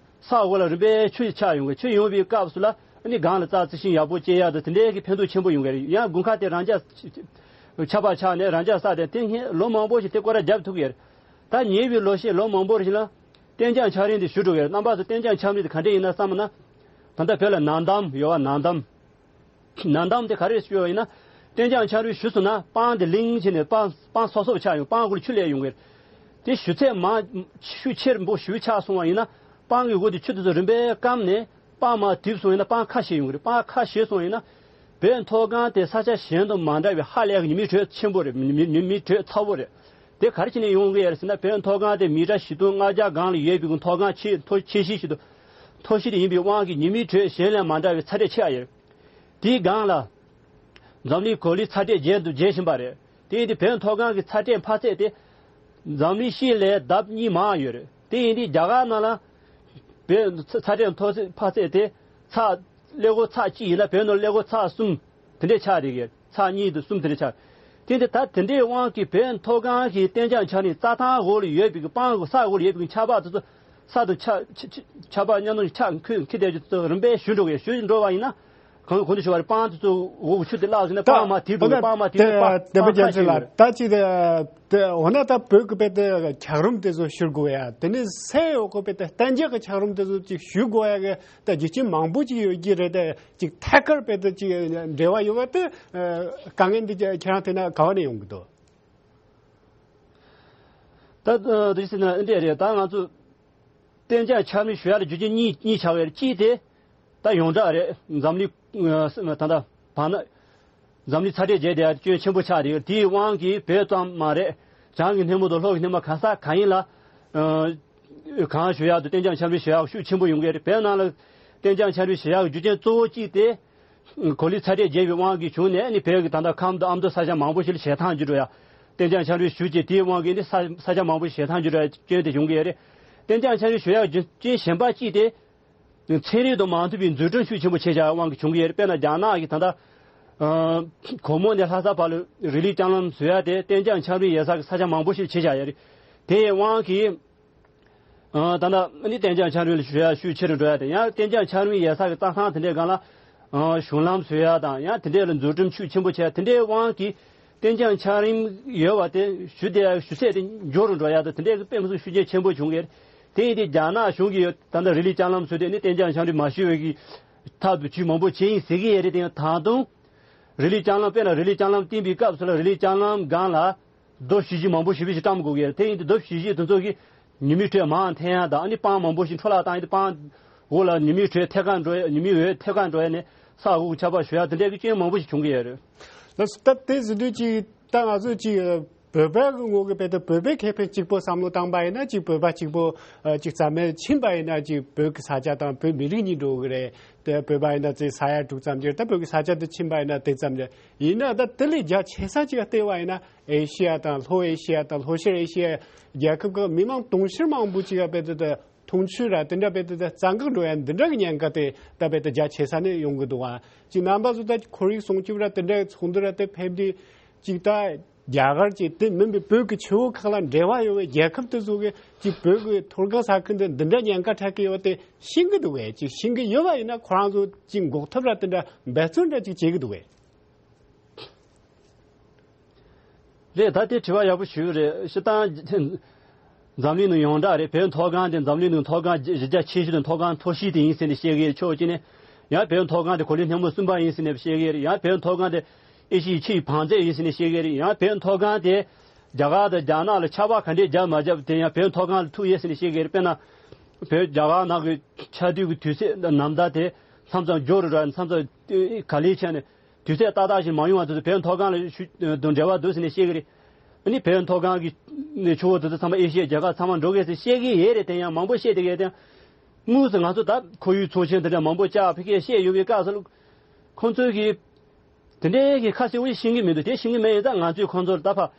ས་འོག་ལ་རིམ་པས་ཆུ་ཆགས་ཡོང་གི། ཆུ་ཡོང་བའི་སྐབས་སུ་ལ་ཨ་ནི་སྒང་ལ་རྩྭ་རྩི་ཤིང་ཡག་པོ་སྐྱེ་ཡག་དང་དེ་འདྲའི་གི་ཕན་ཐོགས་ཆེན་པོ་ཡོང་གི་རེད། ཡང་དགུན་ཁ་དེ་རང་འཇགས་ཆར་པ་ཆགས་ནས་རང་འཇགས་ས་དེ་དེ་སྔོན་ལོ་མང་པོ་ཞིག་དེ་སྐོར་ར་བརྒྱབ་ཐུབ་ཀྱི་རེད། ད་ཉེ་བའི་ལོ་ཤས་ལོ་མང་པོ་ཞིག་ལ་གཏན་འཇགས་འཁྱགས་རོམ་དེ་ཞུ་འགྲོ་གི་རེད། རྣམ་པ་ཚོ་གཏན་འཇགས་འཁྱགས་རོམ་དེ་ག་འདྲ་ཡིན་ན་བསམ་ན། ད་ལྟ་བོད་ལ་ནགས་འདམ་ཡོད་པ། ནགས་འདམ། ནགས་འདམ་དེ་ག་རེ་ཞུ་བ་ཡིན་ན། གཏན་འཇགས་འཁྱགས་རོམ་ཞུ་སོང་ན་སྤང་དེ་ལིང་བྱས་ནས་སྤང་སྤང་སོབ་སོབ་ཆགས་ཡོང་། སྤང་སྒོ་ལ་ཆུ་སླེབས་ཡོང་གི་རེད། དེ་ཞུ་ཚད་མང་ཤུགས་ཆེན་པོ་ཞུ་ཆགས་སོང་བ་ཡིན་ན་སྤང་གི་འོག་དེ་ཆུ་དེ་ཚོ་རིམ་པས་སྐམ་ནས་སྤང་མར་དིབ་སོང་ཡིན་ན་སྤང་ཁ་ཤས་ཡོང་གི་རེད། སྤང་ཁ་ཤས་སོང་ཡིན་ན་བོད་མཐོ་སྒང་དེ་ས་ཆ་གཞན་དང་མ་འདྲ་བའི་ཧ་ལས་ཀྱི་ཉི་མའི་དྲོད་ཆེན་པོ་རེད། ཉི་མའི་ཉི་མའི་དྲོད་ཚ་པོ་རེད། དེ་ག་རེ་བྱས་ནས་ཡོང་གི་ཡོད་རེད་ཟེར་ན་བོད་མཐོ་སྒང་དེ་མི་ཊར་བཞི་སྟོང་ལྔ་བརྒྱ་སྒང་ལ་ཡོད་པའི་མཐོ་སྒང་ཆེ་མཐོ་ཆེ་ཤོས་ཤིག་ཏུ་མཐོ་ཤོས་དེ་ཡིན་པའི་དབང་གིས་ཉི་མའི་དྲོད་གཞན་ལས་མ་འདྲ་བའི་ཚ་དྲོད་ཆེ་བ་ཡོད་རེད། དེའི་སྒང་ལ། འཛམ་གླིང་གོ་ལའི་ཚ་དྲོད་རྒྱས་དུ་རྒྱས་བཞིན་པ་རེད། དེ་ཡིན་དུས་བོད་མཐོ་སྒང་གི་ཚ་དྲོད་འཕར་ཚད་དེ། འཛམ་གླིང་སྤྱི་ལས་ལྡབ་གཉིས་མང་ཡོད་རེད། དེ་ཡིན་དུས་རྒྱ་གར་ནང་ལ། བོད་ཚ་ཚ་དྲོད་མཐོ་ཚད་འཕར་ཚད་དེ། ཚད་ཀླད་ཀོར་ཚད་གཅིག་ཡིན་ན་བོད་ནང་ཀླད་ཀོར་ཚད་གསུམ། དེ་འདྲས་ཆགས་བསྡད་ཀྱི་ཡོད། ཚད་གཉིས་དང་གསུམ་དེ་འདྲས་ཆགས། དེ་འདི་ད་དེ་འདྲའི་དབང་གིས་བོད་མཐོ་སྒང་གི་གཏན་འཇགས་འཁྱགས་རོམ་རྩྭ་ཐང་འོག་ལ་ཡོད་པའི་གི་སྤང་གི་ས་འོག་ལ་ཡོད་པའི་གི་ཆར་པ་དེ་ཚོ་ས་དང་ཆ་ཆ་ཆ་ཆར་པ་མཉམ་དུ་ཆགས་འཁོད་འཁྱེར་བསྡད་རྒྱུ་དེ་ཚོ་རིམ་པས་ཞུ་འགྲོ་གི་ཡོད། ཞུ་འགྲོ་བ་ཡིན་ན། གང་གོང་དུ་ཞུ་བ་རེད། སྤང་དེ་ཚོ་འོག་གི་ཆུ་དེ་བརླག་སོང་ན་ད་སྤང་མར་དིབ་འགྲོ་གི། སྤང་མར་དིབ་འགྲོ་གི། སྤང་སྤང་ཁ་ཤས་ཡོད་རེད། ད་ཅི་དེ་དེ་འོ་ན་ད་བོད་ཀྱི་བོད་དེ་འཁྱགས་རོམ་དེ་ཚོ་ཞུ་དགོས་ཡ། དེ་ནས་སའི་འོག་གི་བོད་དེ་གཏན་འཇགས་ཀྱི་འཁྱགས་རོམ་དེ་ཚོ་ཅིག་ཞུ་དགོས་ཡ་གི་ད་རྒྱུ་རྐྱེན་མང་པོ་ཅིག་ཡོད་ཀྱི་རེད། དེ་ཅིག་ཐད་ཀར་བོད་དེ་ཅིག་འབྲེལ་བ་ཡོད་པ་དེ་དཀའ་ངལ་འདི་ཁྱེད་རང་ཐད་ན་ག་བ་ནས་ཡོང་གི་འདུག་ད་དེ་ཟེར་ན་འདི་རེད། ད་ང་ཚོ་གཏན་འཇགས་འཁྱགས་རོམ་ཞུ་ཡ་ལ་རྒྱུ་རྐྱེན་གཉིས་གཉིས་ཆགས་ཡོད་རེད། གཅིག་དེ་ད་ཡོངས་གྲགས་རེད། འཛམ་གླིང་ད་ལྟ་བར་ན་འཛམ་གླིང་ཚ་དྲོད་རྒྱས་བསྡད་ཡ་སྐྱོན་ཆེན་པོ་ཆགས་རེད། དེའི་དབང་གིས་བོད་ཙམ་མ་རེད། བྱང་གི་སྣེ་མོ་དང་ལྷོ་གི་སྣེ་མོ་ག་ས་ག་ཡིན་ལ་གངས་ཞུ་ཡག་དང་གཏན་འཇགས་འཁྱགས་རོམ་ཞུ་ཡག་ཤུགས་ཆེན་པོ་ཡོང་གི་རེད། བོད་ནང་ལ་གཏན་འཇགས་འཁྱགས་རོམ་ཞུ་ཡག་རྒྱུ་རྐྱེན་གཙོ་བོ་གཅིག་དེ། གོ་ལའི་ཚ་དྲོད་རྒྱས་པའི་དབང་གིས་བྱུང་ནས་ནི་བོད་ཀྱི་ད་ལྟ་ཁམས་དང་ཨ་མདོ་ས་ཆ་མང་པོ་ཞིག་ལ་ཞལ་ཐང་རྒྱུ་འགྲོ་ཡ། གཏན་འཇགས་ཆམ་རིམས་ཞུ་རྗེས་དེའི་དབང་གིས་ནི་ས་ས་ཆ་མང་པོ་ཞིག་ཞལ་ཐང་རྒྱུ་འགྲོ་ཡ་སྐྱོན་དེ་བྱུང་གི་ཡོད་རེད། གཏན་འཇགས་ཆམ་རིམས་ཞུ་ཡ་རྒྱུ་རྐྱེན་གཞན་པ་གཅིག་དེ། ཚན་རིག་དང་མ་མཐུན་པའི་འཛུགས་སྐྲུན་ཤུགས་ཆེན་པོ་བྱས་བཞག་དབང་གིས་བྱུང་གི་ཡོད་རེད། དཔེར་ན་རྒྱ་ནག་གིས་ད་ལྟ། ཨ། གོར་མོ་ནས་ལྷ་ས་བར་ལ་རི་ལི་ལྕང་ལམ་བཟོ་ཡ་དེ་གཏན་འཇགས་ཆམ་རིམས་ཡོད་ས་གི་ས་ཆ་མང་པོ་ཞིག་བྱས་བཞག་ཡོད་རེད། དེའི་དབང་གིས། ཨ། ད་ལྟ་ནི་གཏན་འཇགས་ཆམ་རིམས་ལ་ཞུ་ཡ་ཤུགས་ཆེ་རུ་འགྲོ་ཡ་དེ་ཡང་གཏན་འཇགས་ཆམ་རིམས་ཡོད་ས་གི་རྩྭ་ཐང་དེ་འདྲའི་སྒང་ལ། ཨ། གཞུང་ལམ་བཟོ་ཡ་དང་ཡང་དེ་འདྲའི་ལ་འཛུགས་སྐྲུན་ཤུགས་ཆེན་པོ་བྱས་དེ་འདྲའི་དབང་གིས། གཏན་འཇགས་ཆམ་རིམས་ཡོད་པ་དེ་ཞུ་དེ་ཞུ་ཚད་དེ་མགྱོགས་རུ་འགྲོ་ཡ་དང་དེ་འདྲའི་དཔེ་མི་སྲིད་ཤུགས་རྐྱེན་ཆེན་པོ་བྱུང་གི་རེད། དེ་ཡིན་དུས་རྒྱ་ནག་གཞུང་གིས་ད་ལྟ་རི་ལི་ལྕང་ལམ་བཟོས་ཏེ་ནི་གཏན་འཇགས་ཆམ་རིམས་མ་ཞུ་བའི་གི་ཐབས་དུ་ཇུས་མང་པོ་བྱས་ཡིན་ཟེར་གི་ཡོད་རེད། དེ་ཡང་ད་དུང་རི་ལི་ལྕང་ལམ་དཔེར་ན་རི་ལི་ལྕང་ལམ་བཏིང་བའི་སྐབས་སུ་ལ་རི་ལི་ལྕང་ལམ་སྒང་ལ་རྡོ་བཞི་བཞི་མང་པོ་ཞེ་པོ་ཞིག་བཀྲམ་དགོས་ཀྱི་ཡོད་རེད། དེ་ཡིན་དུས་རྡོ་བཞི་བཞི་དེ་ཚོ་གིས་ཉི་མའི་དྲོད་མར་འཐེན་ཡ་དང་ཨ་ནི་སྤང་མང་པོ་ཞིག་འཕྲོ་བརླག་བཏང་ཡིན་དུས་སྤང་འོག་ལ་ཉི་མའི་དྲོད་ཐད་ཀར་འགྲོ་ཡ་ཉི་མའི་འོད་ཐད་ཀར་འགྲོ་ཡ་ནས་ས་འོག་ཆར་པ་ཞུ་ཡ་དེ་འདྲའི་གི་རྐྱེན་མང་པོ་ཞིག་བྱུང་གི་ཡོད་རེད། ལགས་སོ། ད་དེ་ཟེར་དུས་ཅིག་ད་ང་ཚོ་ཅིག་བོད་པའི་ངོས་ཀྱི་དཔེ་དེ་བོད་པའི་ཁེ་ཕན་གཅིག་པོ་བསམ་བློ་བཏང་པ་ཡིན་ན་ཅིག་བོད་པ་གཅིག་པོ་ཨ་ཅིག་རྩ་མེད་ཕྱིན་པ་ཡིན་ན་ཅིག་བོད་ཀྱི་ས་ཆ་དང་བོད་མི་རིགས་གཉིས་འགྲོ་གི་རེད། དེ་བོད་པ་ཡིན་ན་ཅིག་ས་ཡ་དྲུག་ཙམ་ཅིག་རེད། ད་བོད་ཀྱི་ས་ཆ་དེ་ཕྱིན་པ་ཡིན་ན་དེ་ཙམ་རེད། ཡིན་ན་ད་དེ་ལས་རྒྱ་ཆེ་ས་ཅིག་བལྟས་པ་ཡིན་ན་ཨེ་ཤི་ཡ་དང་ལྷོ་ཨེ་ཤི་ཡ་དང་ལྷོ་ཤར་ཨེ་ཤི་ཡ་རྒྱལ་ཁབ་ཀྱི་མི་མང་དུང་ཕྱུར་མང་པོ་ཅིག་ཡ་དཔེ་དེ་དེ། འཐུང་ཆུ་ར་དེ་འདྲ་བས་དེ་རྩ་འགག་འགྲོ་ཡ་འདི་འདྲ་གི་ཉེན་ཁ་དེ་ད་བས་དེ་རྒྱ་ཆེ་ས་ནས་ཡོང་གི་འདུག་ཨ། ཅིག་རྣམ་པ་ཚོ་ད་ཁོར་ཡུག་སྲུང་སྐྱོབ་ར་དེ་འདྲ་ཚོགས་འདུ་ར་དེ་ཕེབས་དུས་ཅིག་ད་རྒྱ་གར་གྱི་དེ་མིན་པའི་བོད་ཀྱི་ཆུ་བོ་ཁག་ལ་འབྲེལ་བ་ཡོད་པའི་རྒྱལ་ཁབ་དེ་ཚོ་གི་ཅིག་བོད་ཀྱི་མཐོ་སྒང་ས་ཁུལ་འདི་འདི་འདྲ་ཉེན་ཁ་འཕྲད་ཀྱི་ཡོད་དེ་ཤེས་ཀྱི་འདུག་གས། ཅིག་ཤེས་ཀྱི་ཡོད་པ་ཡིན་ན་ཁོ་རང་ཚོ་ཅིག་འགོག་ཐབས་ར་དེ་འདྲ་འབད་བརྩོན་འདྲ་ཅིག་བྱེད་ཀྱི་འདུག་གས། རེད། ད་དེ་དྲི་བ་ཡག་པོ་ཞུས་རེད། སྤྱིར་བཏང་འཛམ་གླིང་ནང་ཡོངས་གྲགས་རེད། བོད་མཐོ་སྒང་དེ་འཛམ་གླིང་ནང་མཐོ་སྒང་གཞི་རྒྱ་ཆེ་ཤོས་དང་མཐོ་སྒང་མཐོ་ཤོས་དེ་ཡིན་ཟེར་ནས་བཤད་ཀྱི་ཡོད། ཕྱོགས་གཅིག་ནས་ཡང་བོད་མཐོ་སྒང་དེ་གོ་ལའི་སྙིང་པོ་གསུམ་པ་ཡིན་ཟེར་ནས་བཤད་ཀྱི་ཡོད་རེད། ཡང་བོད་མཐོ་སྒང་དེ་ཨེ་ཤི་ཡའི་ཆུ་ཡི་བང་མཛོད་ཡིན་ཟེར་ནས་བཤད་ཀྱི་ཡོད་རེད། ཡང་བོད་མཐོ་སྒང་དེ་རྒྱ་གར་དང་རྒྱ་ནག་ལ་ཆར་པ་ག་འདྲས་རྒྱབ་མ་རྒྱབ་དེ་ཡང་བོད་མཐོ་སྒང་ལ་ཐུག་ཡོད་ཟེར་ནས་བཤད་ཀྱི་ཡོད་རེད། དཔེར་ན་བོད་རྒྱ་གར་ནང་གི་ཆར་དུས་ཀྱི་དུས་ཚོད་ནམ་ཟླ་དེ་མཚམས་མཚམས་མགྱོགས་རུ་ར་མཚམས་མཚམས་ག་ལེར་ཆགས་ནས། དུས་ཚོད་ཏག་ཏག་ཞིག་མ་ཡོང་བ་དེ་ཚོ་བོད་མཐོ་སྒང་ལ་ཤུགས་དང་འབྲེལ་བ་འདུག་ཟེར་ནས་བཤད་ཀྱི་རེད། ཨ་ནི་བོད་མཐོ་སྒང་གི་ནས་ཆུ་བོ་དེ་ཚོ་ཚང་མ་ཨེ་ཤི་ཡའི་རྒྱལ་ཁབ་ཚང་མ་འགྲོ་གི་ཟེར་བཤད་ཀྱི་ཡོད་རེད། དེ་ཡང་མང་པོ་བཤད་བསྡད་ཀྱི་ཡོད་དེ། དངོས་སུ་ང་ཚོ་ད་ཁོར་ཡུག་ཚོགས་ཆེན་དེ་འདྲ་མང་པོ་བཅར་ཕ་གིར་བཤད་ཡོང་བའི་སྐབས་སུ། ཁོང་ཚོས་ཀྱི་དེ་འདྲའི་གི་ཁ་གསལ་བོ་ཤེས་ཀྱི་མི་འདུག་དེ་ཤེས་ཀྱི་མེད་ཡིན་ཙང་ང་ཚོས་ཁོང་ཚོར་ད་ཕ།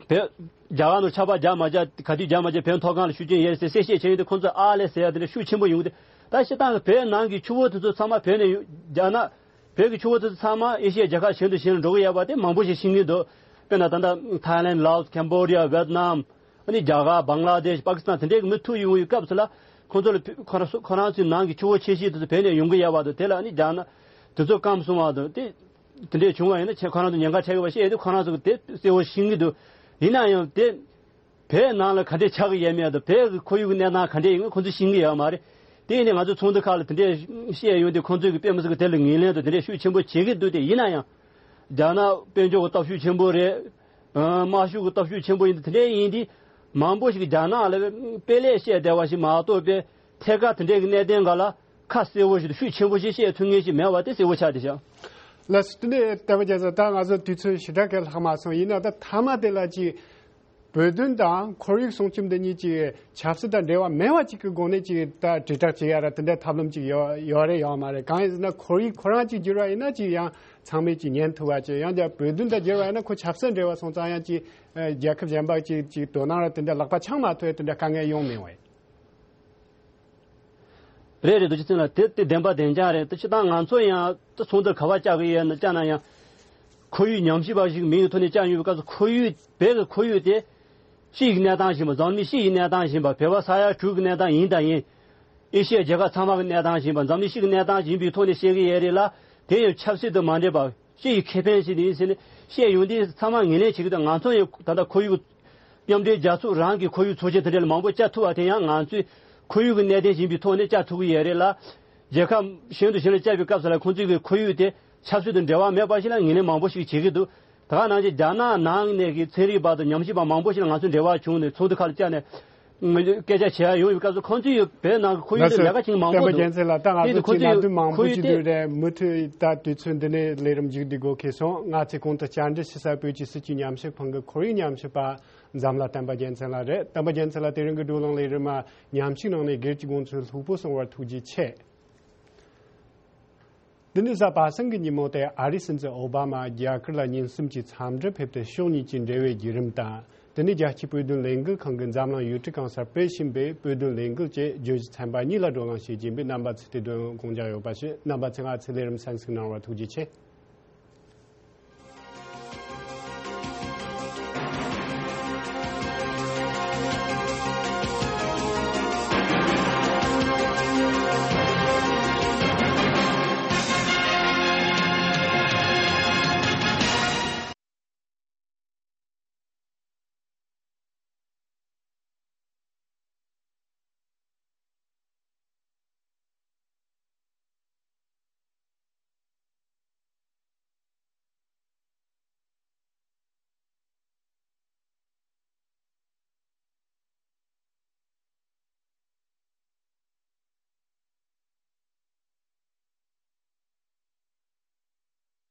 བོད། རྒྱ་གར་ནང་ཆར་པ་རྒྱག་མ་རྒྱག་ག་དུས་རྒྱག་མ་རྒྱག་བོད་མཐོ་སྒང་ལ་ཤུགས་རྐྱེན་ཡོད་ཟེར་གསལ་བཤད་བྱས་ཡོང་དུས་ཁོང་ཚོས་ཨ་ལས་ཟེར་ཡ་དེ་འདྲ་ཤུགས་ཆེན་པོ་ཡོང་གི་འདུག་ད་སྤྱིར་བཏང་གི་བོད་ནང་གི་ཆུ་བོ་དེ་ཚོ་ཚང་མ་བོད་ནས་ཡོང་རྒྱ་ནག་བོད་ཀྱི་ཆུ་བོ་དེ་ཚོ་ཚང་མ་ཨེ་ཤི་ཡའི་རྒྱལ་ཁབ་གཞན་དང་གཞན་ལ་འགྲོ་གི་ཡོད་པ་དེ་མང་པོ་ཞིག་ཤེས་ཀྱི་འདུག་དཔེར་ན་ད་ལྟ་ཐའི་ལེན། ལའོ་སི། ཀེམ་བོ་ཌི་ཡ། ཝེ་ཏི་ནམ། ཨ་ནི་རྒྱ་གར། བང་ལ་དེཤ། པ་ཀི་སི་ཐན་དེ་འདྲའི་མི་ཐུག་ཡོང་བའི་སྐབས་སུ་ལ་ཁོང་ཚོ་ལ་ཁོ་རང་ཚོའི་ནང་གི་ཆུ་བོ་ཆེ་ཤོས་དེ་ཚོ་བོད་ནས་ཡོང་གི་ཡོད་པ་དང་དེ་ལ་ཨ་ནི་རྒྱ་ནག་དེ་ཚོ་སྐམ་སོང་བ་དང་དེ། དེ་འདྲས་བྱུང་བ་ཡིན་ན་ཁྱེད་ཁོ་རང་ཚོ་ཉེན་ཁ་འཕྲད་ཀྱི་བ་ཤེས་ཡོད་དུས་ཁོ་རང་ཚོ་གི་དེ་གསལ་བོ་ཤེས་ཀྱི་འདུག་ཡིན་ན་ཡང་དེ་བོད་ནང་ལ་ག་འདྲས་ཆགས་ཀྱི་ཡོད་མེད་དང་བོད་ཀྱི་ཁོར་ཡུག་གི་གནས་སྟངས་ག་འདྲས་ཡིན་མིན་ཁོང་ཚོས་ཤེས་ཀྱི་ཡོད་མ་རེད། དེ་ཡིན་ནའི་ང་ཚོ་ཚོགས་འདུ་ཁག་ལ་དེ་འདྲས་བཤད་ཡོང་དུས་ཁོང་ཚོས་ཀྱི་དཔེ་མི་སྲིད་ཀྱི་དེ་ལ་ངོས་ལེན་དང་དེ་འདྲས་ཤུགས་ཆེན་པོ་བྱེད་ཀྱི་འདུག་དེ་ཡིན་ན་ཡང་རྒྱ་ནག་དཔལ་འབྱོར་གྱི་སྟོབས་ཤུགས་ཆེན་པོ་རེད། དམག་ཤུགས་ཀྱི་སྟོབས་ཤུགས་ཆེན་པོ་ཡིན་དུས་དེ་འདྲས་ཡིན་དུས་མང་པོ་ཞིག་རྒྱ་ནག་ལ་དཔེ་ལས་བཤད་བསྡད་པ་ཞིག་མ་གཏོགས་པའི་ཐད་ཀར་དེ་འདྲས་ཀྱི་གནད་དོན་འགའ་ལ་ཁ་གསལ་བོ་ཞིག་དང་ཤུགས་ཆེན་པོ་ཞིག་བཤད་ཐུབ་མཁན་ཞིག་མེད་པ་དེ་གསལ་བོ་ཆགས་བསྡད་ཤག་ལགས་སོ། དེ་ནས་བསྟན་པ་རྒྱལ་མཚན། ད་ང་ཚོ་དུས་ཚོད་ཞེ་དྲག་གི་ལྷག་མ་སོང་། ཡིན་ན་ད་མཐའ་མ་དེ་ལ་ཅིག་བོད་དོན་དང་ཁོར་ཡུག་སྲུང་སྐྱོབ་འདི་གཉིས་ཀྱི་ཆབ་སྲིད་དང་འབྲེལ་བ་མེད་པ་ཅིག་གི་སྒོ་ནས་ཅིག་ད་དྲིལ་བསྒྲགས་བྱེད་ཡ་ར་དེ་འདྲའི་ཐབས་ལམ་ཅིག་ཡོད་ཡོད་རེད་ཡོད་མ་རེད། གང་ཡིན་ཟེར་ན་ཁོར་ཡུག་ཁོ་རང་ཅིག་བསྒྱུར་བ་ཡིན་ན་ཅིག་ཡང་ཚང་མས་ཅིག་ཉན་ཐུབ་པ་ཅིག་ཡང་བསྐྱར་བོད་དོན་དང་བསྒྱུར་བ་ཡིན་ན་ཁོ་ཆབ་སྲིད་འབྲེལ་བ་སོང་ཙང་ཡང་ཅིག་རྒྱལ་ཁབ་གཞན་པ་ཅིག་ཅིག་དོ་སྣང་ར་དེ་འདྲ་ལག་པ་འཆང་མ་ཐུབ་ཡ་དེ་འདྲ་དཀའ་ངལ་ཡོང་མི་འོང་། རེད་རེད། རྡོ་རྗེ་ཚེ་རིང་ལགས། དེ་དེ་བདེན་པ་བདེན་རྐྱང་རེད། དེ་སྤྱིར་བཏང་ང་ཚོ་ཡང་དེ་ཚོགས་འདུ་ག་པར་བཅར་གི་ཡོད་ན་བཅར་ན་ཡང་ཁོར་ཡུག་ཉམས་ཞིབ་པ་ཞིག་མིང་གི་ཐོག་ནས་བཅར་ཡོང་བའི་སྐབས་སུ་ཁོར་ཡུག་བོད་ཀྱི་ཁོར་ཡུག་དེ་ཕྱི་ཡི་གནས་སྟངས་ཡིན་པ། འཛམ་གླིང་ཕྱི་ཡི་གནས་སྟངས་ཡིན་པ། བོད་པ་ས་ཡ་དྲུག་གི་གནས་སྟངས་ཡིན་དང་ཡིན། ཨེ་ཤི་ཡའི་རྒྱལ་ཁབ་ཚང་མ་གི་གནས་སྟངས་ཡིན་པ། འཛམ་གླིང་ཕྱི་གི་གནས་སྟངས་ཡིན་པའི་ཐོག་ནས་བཤད་གི་ཡོད་རེད་ལ། དེ་ཡང་ཆབ་སྲིད་དང་མ་འབྲེལ་བར་ཕྱི་ཡི་ཁེ་ཕན་ཞིག་ཡིན་ཟེར་ནས་བཤད་ཡོང་དུས་ཚང་མ་ངོས་ལེན་བྱེད་ཀྱི་འདུག་ང་ཚོ་ཡང་ད་ལྟ་ཁོར་ཡུག་མཉམ་འབྲེལ་རྒྱལ་ཚོགས་རང་གི་ཁོར་ཡུག་ཚོགས་ཆེན་དེ་འདྲ་ལ་མང་པོ་བཅར་ཐུབ་པ་དེ་ཡང་ང་ཚོས་ཁོར་ཡུག་གི་གནད་དོན་ཡིན་པའི་ཐོག་ནས་བཅར་ཐུབ་ཀྱི་ཡོད་རེད་ལ། རྒྱལ་ཁབ་གཞན་དང་གཞན་ལ་བཅར་བའི་སྐབས་སུ་ལ་ཁོང་ཚོས་ཀྱི་ཁོར་ཡུག་དེ་ཆབ་སྲིད་དང་འབྲེལ་བ་མེད་པ་ཞིག་ལ་ངོས་ལེན་མང་པོ་ཞིག་བྱེད་ཀྱི་འདུག་ད་ག་ནང་བཞིན་རྒྱ་ནག་ནང་ནས་ཀྱི་ཚན་རིག་པ་དང་ཉམས་ཞིབ་པ་མང་པོ་ཞིག་ལ་ང་ཚོས་འབྲེལ་བ་བྱུང་ནས་ཚོགས་འདུ་ཁག་ལ་བཅར་ནས་སྐད་ཆ་བྱེད་ཡ་ཡོང་བའི་སྐབས་སུ་ཁོང་ཚོས་ཡོད་བོད་ནང་གི་ཁོར་ཡུག་དེ་ལས་ཀ་བྱེད་མཁན་མང་པོ་འདུག་བསྟན་པ་རྒྱལ་མཚན་ལགས། ད་ང་དེ་ཚོ་ཁོང་ཚོས་ཅིག་ནང་ཡོད་དོན་མང་ཁོར་པོ་ཡུག་ཅིག་དེ་འདུག་རེད། མུ་མཐུད་ད་དུས་ཚོད་འདི་ནས་ལས་རིམ་མཇུག་བསྡུ་དགོས་ཁེལ་སོང་། ང་ཚོས་གོང་དུ་བཅར་འདྲི་ཞུ་ས་བོད་ཀྱི་སྲིད་བྱུས་ཉམས་ཞིབ་ཁང་གི་ཁོར་ཡུག་ཉམས་ཞིབ་པ་འཛམ་ལྷ་བསྟན་པ་རྒྱལ་མཚན་ལགས་རེད། བསྟན་པ་རྒྱལ་མཚན་ལགས། དེ་རིང་གི་བགྲོ་གླེང་ལས་རིམ་མ་ཉམས་ཞིབ་གནང་ནས་སྒེར་གྱི་དགོངས་ཚུལ་ལྷུག་པོ་གསུངས་པར་ཐུགས་རྗེ་ཆེ། འདི་ནི་གཟའ་པ་སངས་ཀྱི་ཉིན་མོ་སྟེ། ཨ་རིའི་སྲིད་འཛིན་ཨོ་བྷ་མ་རྒྱ་གར་ལ་ཉིན་གསུམ་གྱི་འཚམས་འདྲིར་ཕེབས་ཏེ། ཕྱོགས་གཉིས་ཀྱི་འབྲེལ་བའི་བརྒྱུད་རིམ་དང་། དེ་ནས་རྒྱལ་སྤྱིའི་བོད་དོན་ལས་འགུལ་ཁང་གི་འཛམ་གླིང་ཡུལ་གྲུ་གང་སར་སྤེལ་བཞིན་པའི་བོད་དོན་ལས་འགུལ་བཅས་བརྗོད་གཞི་ཚན་པ་གཉིས་ལ་བགྲོ་གླེང་བྱེད་ཀྱིན་པའི་རྣམ་པ་ཚོས་དེ་དོན་དགོངས་འཇགས་ཡོད་པ་ཞུ། རྣམ་པ་ཚོས་ང་ཚོའི་ལས་རིམ་གསན་གཟིགས་གནང་བར་ཐུགས་རྗེ་ཆེ།